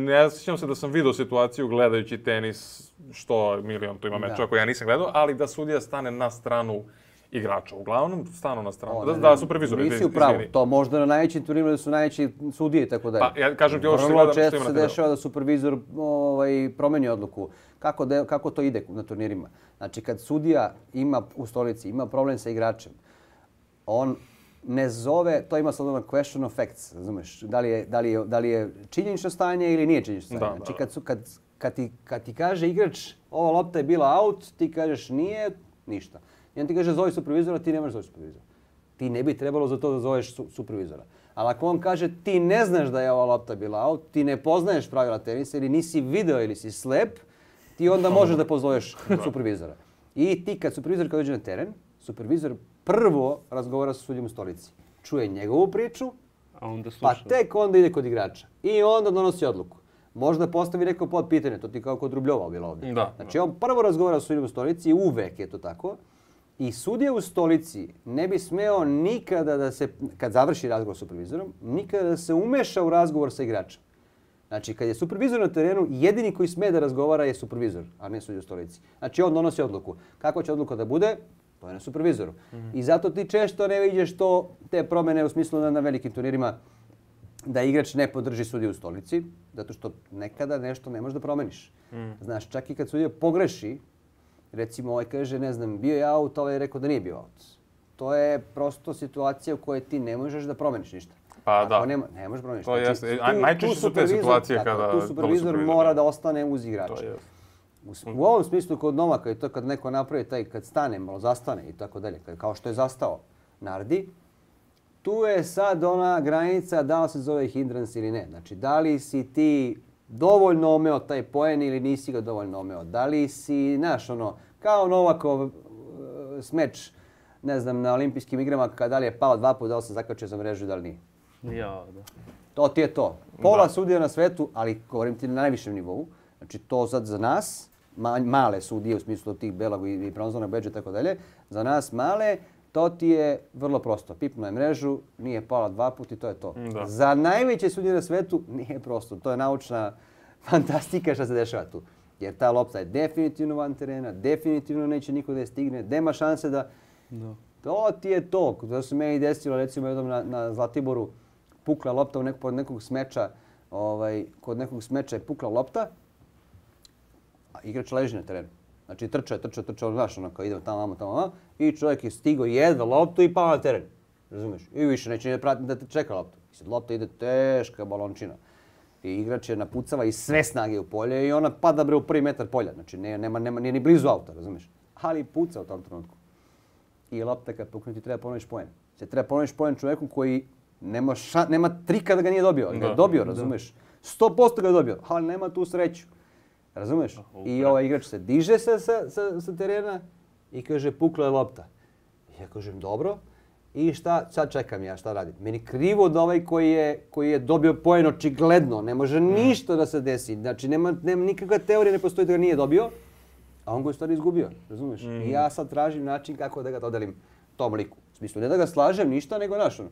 Ne sjećam se da sam vidio situaciju gledajući tenis, što milion tu ima meča koje ja nisam gledao, ali da sudija stane na stranu igrača. Uglavnom, stanu na stranu. O, da, da, supervizor. Nisi u pravu. To možda na najvećim turnirima da su najveći sudije, tako da je. Pa, ja kažem ti ovo što se gledam što ima na terenu. Vrlo često se dešava da supervizor ovaj, promeni odluku. Kako, de, kako to ide na turnirima? Znači, kad sudija ima u stolici, ima problem sa igračem, on ne zove, to ima sad ono question of facts, razumeš? Da li je, da li je, da li je činjenično stanje ili nije činjenično stanje. Da, znači, da. kad, su, kad kad ti, kad ti kaže igrač ova lopta je bila out, ti kažeš nije, ništa. I on ti kaže zovi supervizora, ti ne možeš zoveš supervizora. Ti ne bi trebalo za to da zoveš su, supervizora. Ali ako on kaže ti ne znaš da je ova lopta bila out, ti ne poznaješ pravila tenisa ili nisi video ili si slep, ti onda možeš da pozoveš supervizora. I ti kad supervizor kad dođe na teren, supervizor prvo razgovara sa sudijom u stolici. Čuje njegovu priču, a onda pa tek onda ide kod igrača. I onda donosi odluku. Možda postavi neko pod pitanje, to ti kao kod Rubljova bilo ovdje. Da, znači on prvo razgovara sa sudijom u stolici, uvek je to tako. I sudija u stolici ne bi smeo nikada da se, kad završi razgovor sa supervizorom, nikada da se umeša u razgovor sa igračem. Znači, kad je supervizor na terenu, jedini koji sme da razgovara je supervizor, a ne sudija u stolici. Znači, on donosi odluku. Kako će odluka da bude? To je na supervizoru. Mm-hmm. I zato ti često ne vidiš to, te promjene u smislu da na velikim turnirima da igrač ne podrži sudiju u stolici, zato što nekada nešto ne možeš da promeniš. Mm. Znaš, čak i kad sudija pogreši, recimo ovaj kaže, ne znam, bio je out, ovaj je rekao da nije bio out. To je prosto situacija u kojoj ti ne možeš da promeniš ništa. Pa da. Nema, ne možeš promeniš. To znači, jeste. Tu, najčešće su te situacije tako, kada... Tu supervizor mora da ostane uz igrača. U, u ovom smislu kod Novaka je to kad neko napravi taj, kad stane, malo zastane i tako dalje, kao što je zastao Nardi, tu je sad ona granica da li se zove hindrance ili ne. Znači, da li si ti dovoljno omeo taj poen ili nisi ga dovoljno omeo. Da li si, znaš, ono, kao Novakov smeč, ne znam, na olimpijskim igrama, kada li je pao dva puta, da li se zakačio za mrežu, da li nije. Ja, da. To ti je to. Pola sudija na svetu, ali govorim ti na najvišem nivou. Znači, to sad za nas, ma, male sudije u smislu tih belog i bronzovnog bedža i tako dalje, za nas male, to ti je vrlo prosto. Pipnuo je mrežu, nije pala dva puta i to je to. Da. Za najveće sudije na svetu nije prosto. To je naučna fantastika što se dešava tu. Jer ta lopta je definitivno van terena, definitivno neće niko da je stigne, nema šanse da... No. To ti je to. To se meni desilo, recimo jednom na, na Zlatiboru, pukla lopta u nekog, pod nekog smeča, ovaj, kod nekog smeča je pukla lopta, a igrač leži na terenu. Znači trčao je, trčao je, trčao, znaš, ono kao idemo tamo, tamo, tamo, tamo, i čovjek je stigao jedva loptu i pao na teren. Razumiješ? I više neće da prati da te čeka loptu. I sad lopta ide teška balončina. I igrač je napucava i sve snage u polje i ona pada bre u prvi metar polja. Znači ne, nema, nema, nije ni blizu auta, razumiješ? Ali puca u tom trenutku. I lopta kad pukne ti treba ponoviš poen. Se treba ponoviš poen čovjeku koji nema, ša, nema trika da ga nije dobio. Da, ga je dobio, razumiješ? sto posto ga je dobio, ali nema tu sreću. Razumiješ? I ovaj igrač se diže sa, sa, sa, sa terena i kaže pukla je lopta. I ja kažem dobro. I šta, sad čekam ja, šta radim? Meni krivo da ovaj koji je, koji je dobio poen očigledno, ne može ništa da se desi. Znači nema, nema nikakva teorija, ne postoji da ga nije dobio, a on ga je u stvari izgubio, razumiješ? Mm. I ja sad tražim način kako da ga dodelim tom liku. U smislu, ne da ga slažem ništa, nego naš ono.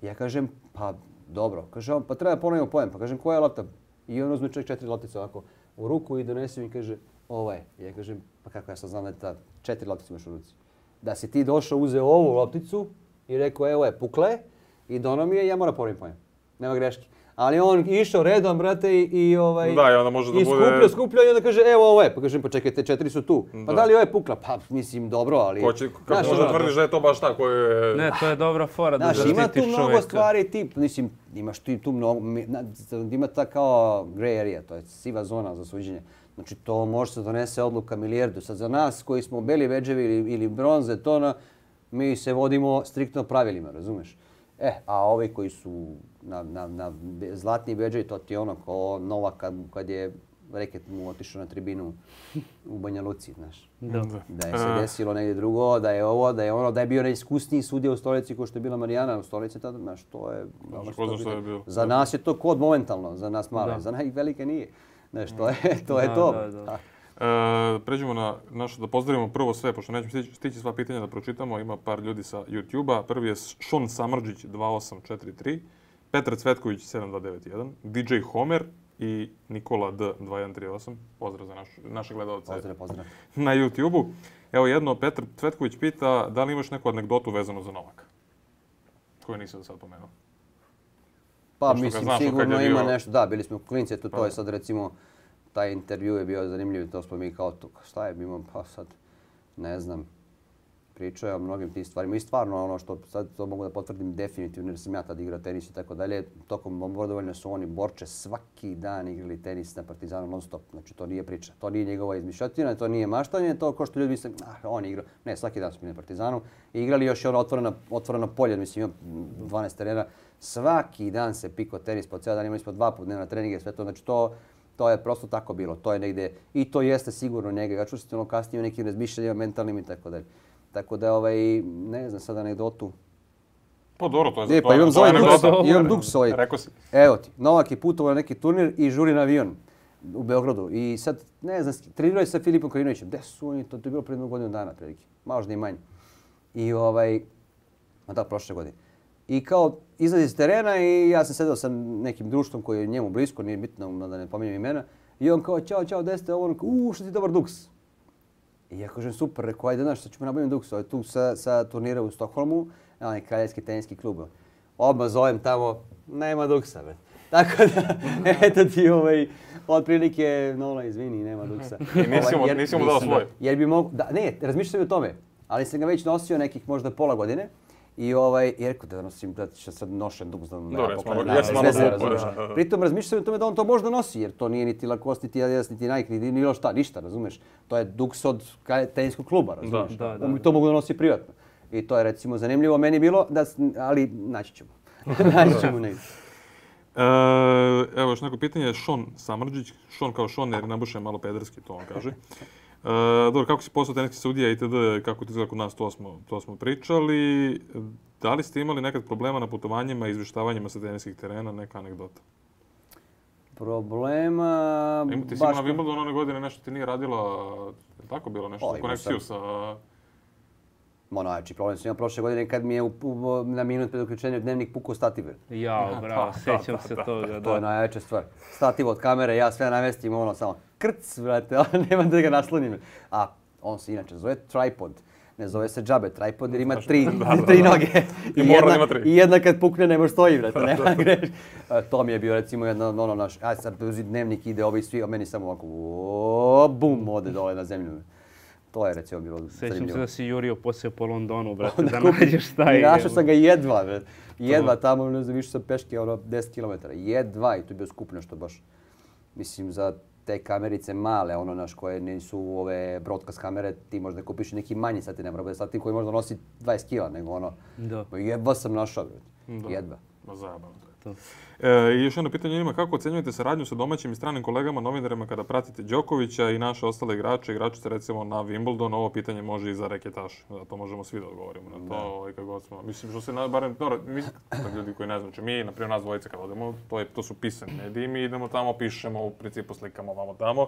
Ja kažem, pa dobro, kaže on, pa treba ponovimo poen, pa kažem koja je lopta? I on uzme čovjek četiri loptice ovako u ruku i donese mi i kaže, ovo je. Ja kažem, pa kako ja sad znam da je ta četiri loptice imaš u ruci? Da si ti došao, uzeo ovu lopticu i rekao, evo je, pukla je i dono mi je, ja moram ponoviti poen. Nema greške. Ali on išao redom, brate, i, i ovaj... Da, i onda može da i bude... skuplja, skuplja i onda kaže, evo ovo je. Pa kažem, pa čekaj, te četiri su tu. Da. Pa da li ovo je pukla? Pa mislim, dobro, ali... Ko će, kako možda tvrdiš da je to baš tako? Je... Ne, to je dobra fora da zaštitiš čovjeka. Ima tu mnogo čovjeka. stvari, ti, mislim, imaš ti tu mnogo... Ima ta kao grey area, to je siva zona za suđenje. Znači, to može se donese odluka milijardu. Sad za nas koji smo beli bedževi ili, ili bronze, to na, mi se vodimo striktno pravilima, razumeš? E, a ovi koji su na, na, na zlatni bedževi, to ti je ono kao Novak kad, kad je reket mu otišao na tribinu u Banja Luci, znaš. Da. Da je se desilo negdje drugo, da je ovo, da je ono, da je bio najiskusniji sudija u stolici kao što je bila Marijana u stolici tada, znaš, to je... Znaš, što je bilo. Za nas je to kod momentalno, za nas male, za nas velike nije. Znaš, to je to. Je da, to. Da, da. E, pređemo na našu, da pozdravimo prvo sve, pošto nećemo stići, stići sva pitanja da pročitamo. Ima par ljudi sa YouTube-a. Prvi je Šon Samrđić dva osam četiri tri, Petar Cvetković sedam dva devet jedan, D J Homer i Nikola D dva jedan tri osam. Pozdrav za naš, naše gledalce pozdrav, pozdrav. Na YouTube-u. Evo jedno, Petar Cvetković pita da li imaš neku anegdotu vezanu za Novaka? Koju nisam da sad pomenuo. Pa mislim, sigurno ima bio... nešto. Da, bili smo klinci, to, to je sad recimo... Taj intervju je bio zanimljiv, to smo mi kao to, šta je bilo, pa sad, ne znam. pričao je o mnogim tim stvarima i stvarno ono što sad to mogu da potvrdim definitivno jer sam ja tad igrao tenis i tako dalje. Tokom bombardovanja su oni Borče svaki dan igrali tenis na Partizanu non stop. Znači to nije priča, to nije njegova izmišljotina, to nije maštanje, to kao što ljudi misle, ah on igra. Ne, svaki dan su bili na Partizanu i igrali još i ono otvoreno, otvoreno polje, mislim ima dvanaest terena. Svaki dan se piko tenis po ceo dan, imali smo dva puta dnevna treninge, sve to, znači to To je prosto tako bilo, to je negde, i to jeste sigurno njega. Ja čušćete ono kasnije u nekim razmišljanjima mentalnim i tako dalje. Tako da, ovaj, ne znam sad anegdotu. Pa dobro, to je za E, to. pa imam to je zove anegdota. Duks, imam Duks ovaj. Rekao si. Evo ti, Novak je putovao na neki turnir i žuri na avion u Beogradu. I sad, ne znam, trenirao je sa Filipom Krajinovićem. Gde su oni? To, to je bilo pred jednu godinu dana, prilike. Možda i manje. I ovaj, a da, prošle godine. I kao izlazi iz terena i ja sam sedao sa nekim društvom koji je njemu blisko, nije bitno da ne pominjem imena. I on kao, čao, čao, gde ste? Ovo, uuu, što ti dobar Duks. I ja kažem, super, rekao, ajde, znaš, sad ćemo nabaviti Duks. Ovo je tu sa, sa turnira u Stokholmu, onaj kraljevski teniski klub. Odmah zovem tamo, nema Duksa, bre. Tako da, eto ti ovaj, otprilike, Nola, izvini, nema Duksa. I nisi mu, nisi mu dao svoj. Jer bi mogu, da, ne, razmišljao sam i o tome, ali sam ga već nosio nekih možda pola godine. I ovaj, i rekao da nosim, da će sad nošen Duks da me pokrenem. Pritom razmišljam o tome da on to možda nosi, jer to nije niti Lacoste, niti Adidas, niti Nike, niti bilo šta, ništa, razumeš? To je Duks od teniskog kluba, razumeš? Da, da, On to mogu da nosi privatno. I to je recimo zanimljivo meni bilo, da, ali naći ćemo. naći ćemo negdje. E, evo još neko pitanje, Šon Samrđić. Šon kao Šon, jer nabuše malo pederski, to on kaže. Uh, dobro, kako si postao teniski sudija itd., kako ti izgleda kod nas, to smo, to smo pričali. Da li ste imali nekad problema na putovanjima i izvještavanjima sa teniskih terena, neka anegdota? Problema... Ima, ti si imala na Wimbledonu one godine nešto ti nije radila, je tako bilo nešto, o, konekciju sa... Ono, znači, problem sam imao prošle godine kad mi je u, u, na minut pred uključenjem dnevnik pukao stativ. Jao, bravo, sjećam se toga, da. To je najveća stvar. Stativ od kamere, ja sve namestim, ono samo krc, brate, nema da ga naslonim. A on se inače zove tripod. Ne zove se džabe tripod jer ima tri, tri noge. I, I, jedna, I jedna kad pukne ne može stoji, brate, nema greš. To mi je bio recimo jedno, ono naš, aj sad dnevnik ide ovi svi, a meni samo ovako, o, bum, ode dole na zemlju. To je recimo bilo zanimljivo. Sećam se da si jurio poslije po Londonu, brate, da nađeš šta je. I našao sam ga jedva, brate. Jedva tamo, ne znam, više sam peške, ono, deset kilometara. Jedva i to je bio skup nešto baš. Mislim, za te kamerice male, ono, naš, koje nisu ove broadcast kamere, ti možda kupiš neki manji sati, ne mora bude sati koji možda nosi dvadeset kila, nego ono, da. Jedva sam našao, brate. Jedva. Ma zajebano to je. E, I još jedno pitanje ima, kako ocenjujete saradnju sa domaćim i stranim kolegama, novinarima kada pratite Đokovića i naše ostale igrače, igračice recimo na Wimbledon? Ovo pitanje može i za reketaše, to možemo svi da odgovorimo na to, ovaj, kako god smo. Mislim što se, na, barem, no, mi, ljudi koji ne znam, mi, naprimjer nas dvojice kad odemo, to, je, to su pisani mediji, mi idemo tamo, pišemo, u principu slikamo ovamo tamo.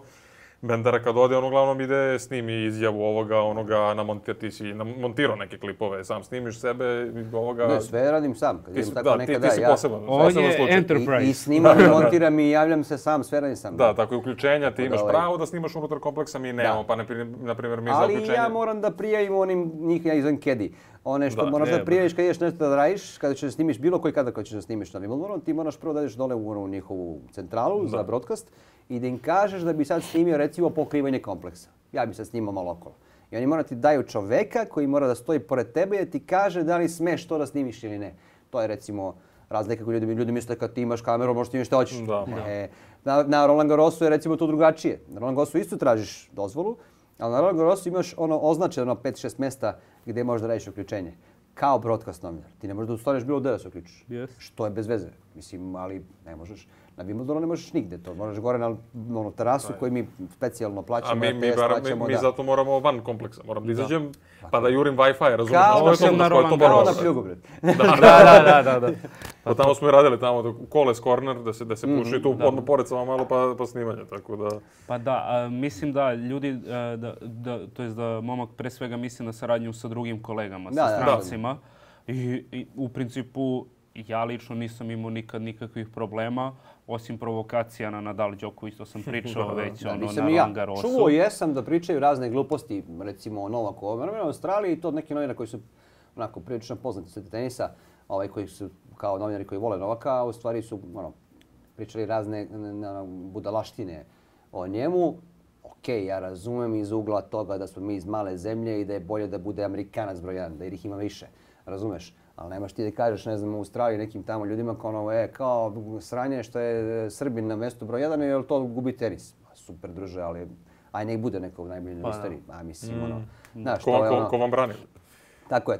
Bendera kad ode, on uglavnom ide, snimi izjavu ovoga, onoga, namontir, ti si montirao neke klipove, sam snimiš sebe, ovoga... Ne, sve radim sam, kad idem tako da, nekada, ti, ti si ja... poseban, on poseban je slučaj. Enterprise. I, I snimam i montiram i javljam se sam, sve radim sam. Da, tako i uključenja, ti imaš ovaj... pravo da snimaš unutar kompleksa, mi nemamo, pa na primjer mi za uključenje... Ali ja moram da prijavim onim, njih ja izvem kedi. One što da, moraš da prijaviš kad ideš nešto da radiš, kada ćeš da snimiš bilo koji kada kad ćeš da snimiš na Wimbledonu, ti moraš prvo da ideš dole u njihovu centralu da. za broadcast i da im kažeš da bi sad snimio recimo pokrivanje kompleksa. Ja bi sad snimao malo okolo. I oni moraju ti daju čoveka koji mora da stoji pored tebe i da ti kaže da li smeš to da snimiš ili ne. To je recimo razlika koju ljudi, ljudi misle kad ti imaš kameru, možeš snimiti što hoćeš. Da, e, na, na Roland Garrosu je recimo to drugačije. Na Roland Garrosu isto tražiš dozvolu, ali na Roland Garrosu imaš ono označeno pet šest mesta gdje možeš da radiš uključenje. Kao broadcast novinar. Ti ne možeš da ustaneš bilo gdje da se uključiš. Yes. Što je bez veze. Mislim, ali ne možeš. Na Wimbledonu ne možeš nigde to. Moraš gore na ono, terasu koju mi specijalno plaćamo. A mi, mi, bar, mi, mi da. zato moramo van kompleksa. Moram da izađem pa da jurim Wi-Fi, razumiješ? Kao da sam na Roland Garrosu. Kao na pljugu, bre. Da, da, da, da. Pa tamo smo i radili tamo Koles Corner, da se, da se puši tu odmah pored samo malo pa, pa snimanje, tako da... Pa da, a, mislim da ljudi, a, da, da, to jest da momak pre svega misli na saradnju sa drugim kolegama, da, sa strancima. I, I u principu ja lično nisam imao nikad nikakvih problema, osim provokacija na Nadal Đoković, to sam pričao već da, ono, na Roland Garrosu. Čuo jesam da pričaju razne gluposti, recimo o Novaku u Australiji i to neki novinari koji su onako prilično poznati sveta tenisa, ovaj, koji su kao novinari koji vole Novaka, u stvari su ono, pričali razne na, budalaštine o njemu. Ok, ok, ja razumem iz ugla toga da smo mi iz male zemlje i da je bolje da bude Amerikanac broj jedan, da ih ima više, razumeš? Ali nemaš ti da kažeš, ne znam, u Australiji nekim tamo ljudima kao ono, e, kao sranje što je Srbin na mjestu broj jedan, jer to gubi tenis. Super, druže, ali aj nek bude neko najbolji na istoriji. A mislim, ono, znaš, ko, to je ko, ono... ko vam brani? Tako je.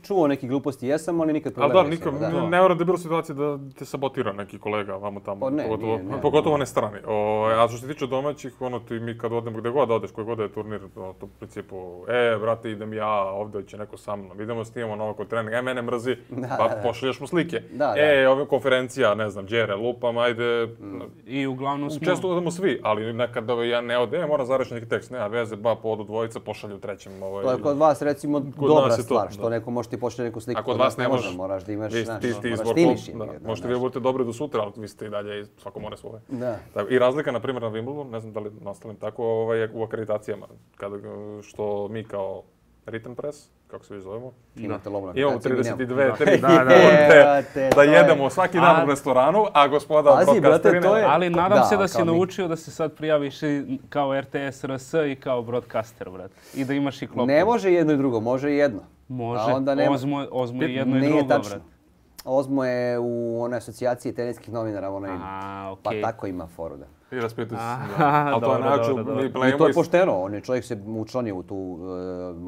Čuo neki gluposti jesam, ali nikad problem problem nisam. Ali da, nikom, ne mora da je bilo situacije da te sabotira neki kolega vamo tamo, pa ne, pogotovo, nije, ne, pogotovo ne. ne strani. O, a što se tiče domaćih, ono ti mi kad odemo gde god odeš, koji god je turnir, to, to u principu, e, brate, idem ja, ovdje će neko sa mnom, idemo snimamo novo kod treninga, e, mene mrzi, Da, pa da. pošalješ mu slike. Da, e, da. Ove konferencija, ne znam, Đere, lupam, ajde. Mm. I uglavnom smo... Često odemo svi, ali nekad ja ne ode, e, moram zareći neki tekst, nema veze, ba, po odu dvojica, pošalju trećem. Ovaj, to je kod vas, recimo, kod dobra nas je stvar, to, što da. neko može ti pošalje neku sliku. A kod vas ne može. Moraš da imaš, vi, znaš, ti, ti moraš izbor, timiš da. je, Možete vi budete dobri do sutra, ali vi ste i dalje, svako mora svoje. Da. I razlika, na primjer, na Wimbledonu, ne znam da li na ostalim tako, ovaj, u akreditacijama, kada, što mi kao Written Press, kako se vi zovemo, imate lovu na imamo akreditaciji, trideset mi nemamo. dve, tri Da, da, da, te, da to je- jedemo svaki dan A- u restoranu, a gospoda Pazi, broadcasteri brate, to ne. je- Ali nadam Da, se da si kao mi. naučio da se sad prijaviš i kao R T S R S i kao broadcaster, brate. I da imaš i klopku. Ne može jedno i drugo, može i jedno. Može. A onda nema- Ozmo, Ozmo je jedno i Nije drugo, tačno. brate. Ozmo je u onoj asocijaciji teniskih novinara, onaj, Aha, pa okej. tako ima foru, da. I raspituju se. Aha, da. Ali to je dobro, način, dobro, dobro. mi I to playimo je iz... pošteno, on je čovjek se učlanio u tu uh,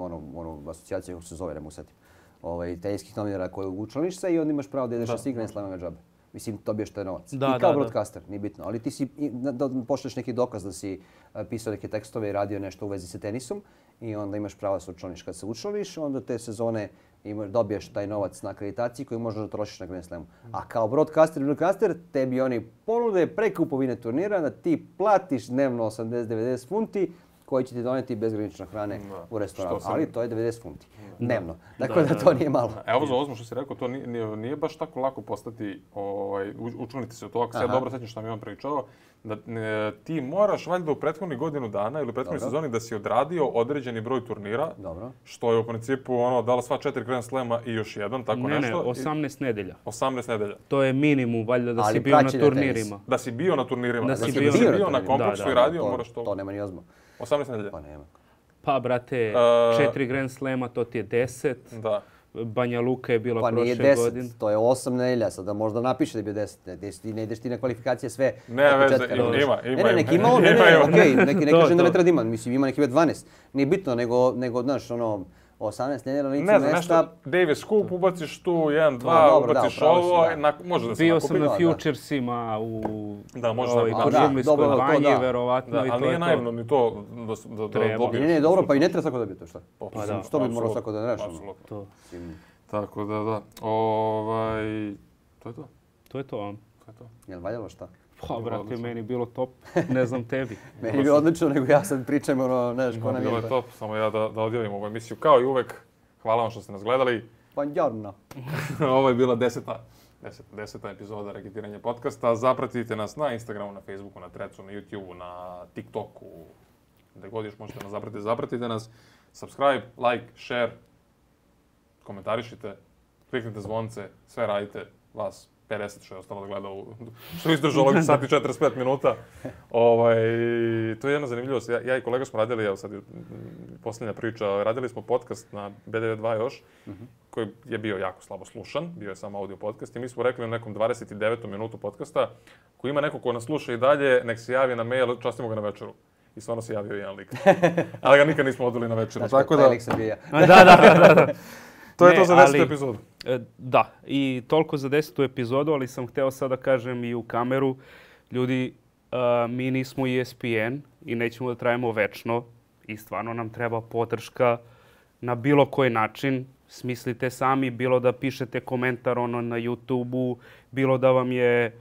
onu, onu asocijaciju, kako se zove, ne mogu setim, ovaj, teniskih novinara koji učlaniš se i onda imaš pravo da ideš na svih Grand Slamove džabe. Mislim, dobiješ taj novac. Da, I kao da, da. broadcaster, nije bitno. Ali ti si, i, da, da pošleš neki dokaz da si uh, pisao neke tekstove i radio nešto u vezi sa tenisom i onda imaš pravo da se učlaniš. Kad se učlaniš, onda te sezone imaš, dobiješ taj novac na akreditaciji koji možeš da trošiš na Grand Slamu. A kao broadcaster i broadcaster, tebi oni ponude pre kupovine turnira da ti platiš dnevno osamdeset do devedeset funti koji će ti doneti bezgranično hrane Da. u restoranu. Što sam- Ali to je devedeset funti dnevno. Tako Da, da, da, to da. nije malo. Evo za Ozmo što si rekao, to nije, nije, nije baš tako lako postati, ovaj, u- učlaniti se u to. Ako se ja Aha. dobro sećam što mi je on pričao, da e, ti moraš valjda u prethodnih godinu dana ili u prethodnoj Dobro. sezoni da si odradio određeni broj turnira, Dobro. što je u principu ono, dala sva četiri Grand Slema i još jedan, tako Ne, ne, nešto. I osamnaest nedelja. osamnaest nedelja. To je minimum, valjda, da Ali si bio na praćenje tenisa. turnirima. Da si bio na turnirima, Da da si si, bio da si na bio na turnirima. konkursu Da, da, i radio, to, moraš to. To nema ni Ozmo. osamnaest nedelja. Pa nema. Pa, brate, E, četiri Grand Slema, to ti je deset. Da. Banja Luka je bila Pa nije prošle deset, godine. to je osam nedelja, sada možda napiše da je bio deset. Ne, ti ne ideš ti na kvalifikacije sve Ne od veze, početka, ima, razumeš? ima, Ne, ima, ne, ima. neki ima on, ne, Ima, ne, ima. okej, neki ne To, kažem da ne to. treba da ima, mislim ima neki bio dvanaest. Nije bitno, nego, nego znaš, ono, osamnaest nedelja na licu Ne znam, mesta. nešto Davis Cup, ubaciš tu, jedan, dva, Da, dobro, da, ubaciš upravo si, ovo, da. na, može da se Bio nakupi. sam na da, da. Futuresima u Da, može ovaj, se kod nakupi. Da, Žumlijskoj dobro, to banji, da. verovatno. Da, i ali to je nije to. naivno ni to da, s- da, da Treba. dobiješ. Ne, ne, dobro, pa i ne treba svako dobiti to, šta? Pa da, Što bi morao apsolutno, svako da znaš? ono? apsolutno. To, Mislim, Tako da, da. Ovaj, to je to. to je to. a? To je to. jel valjalo šta? Pa, brate, meni je bilo top. Ne znam tebi. Meni je bilo odlično, nego ja sad pričam, ono, znaš, ko nam Bilo je... je top, samo ja da, da odjavim ovu emisiju. Kao i uvek, hvala vam što ste nas gledali. Buongiorno. Ovo je bila deseta, deseta, deseta epizoda Reketiranja podcasta. Zapratite nas na Instagramu, na Facebooku, na Threadsu, na YouTubeu, na TikToku. Gde god još možete nas zapratiti, zapratite nas. Subscribe, like, share, komentarišite, kliknite zvonce, sve radite. Vas pedeset što je ostalo da gleda, u, što je izdržalo ovih sati četrdeset pet minuta. Ovaj, to je jedna zanimljivost. Ja, ja i kolega smo radili, evo sad je posljednja priča, radili smo podcast na B D V dva još, koji je bio jako slabo slušan, bio je samo audio podcast i mi smo rekli u nekom dvadeset devetom minutu podcasta, ko ima neko ko nas sluša i dalje, nek se javi na mail, častimo ga na večeru. I stvarno se javio jedan lik. Ali ga nikad nismo odveli na večeru. Znaš, Tako taj da, lik sam bio ja. Da, da, da, da. to je Ne, to za desetu ali- epizodu. E, Da, i toliko za desetu epizodu, ali sam hteo sad da kažem i u kameru, ljudi, a, mi nismo E S P N i nećemo da trajemo večno i stvarno nam treba podrška na bilo koji način. Smislite sami, bilo da pišete komentar ono na YouTubeu, bilo da vam je e,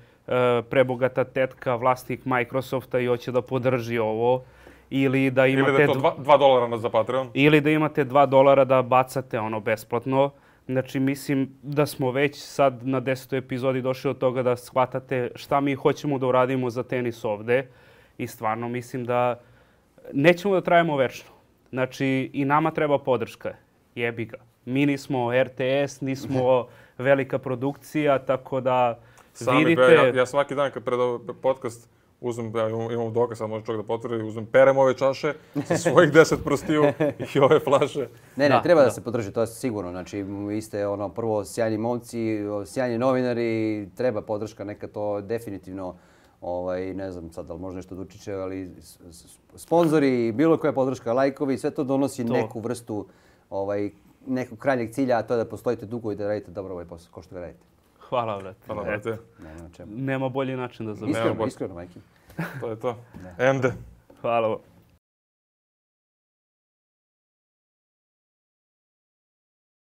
prebogata tetka vlasnik Microsofta i hoće da podrži ovo, ili da Ili imate da je to dva- dva, dva dolara na- za Patreon. ili da imate dva dolara da bacate ono besplatno. Znači, mislim da smo već sad na desetoj epizodi došli od toga da shvatate šta mi hoćemo da uradimo za tenis ovde. I stvarno mislim da nećemo da trajemo večno. Znači, i nama treba podrška. Jebi ga. Mi nismo R T S, nismo velika produkcija, tako da Sami, vidite... be, ja, ja svaki dan kad predam podcast uzmem, ja imam, imam dokaz, sad može čovjek da potvrdi, uzmem, perem ove čaše sa svojih deset prstiju i ove flaše. Ne, ne, Da, treba da, da se podrži, to je sigurno. Znači, vi ste ono, prvo sjajni momci, sjajni novinari, treba podrška, neka to definitivno, ovaj, ne znam sad da li može nešto Dučiće, ali sponzori, bilo koja podrška, lajkovi, sve to donosi to. neku vrstu ovaj, nekog krajnjeg cilja, a to je da postojite dugo i da radite dobro ovaj posao, ko što ga radite. Hvala, brate. Hvala, brate. Nema čemu. Nema bolji način da završimo. Iskreno, iskreno, majke. To je to. Ende. Hvala.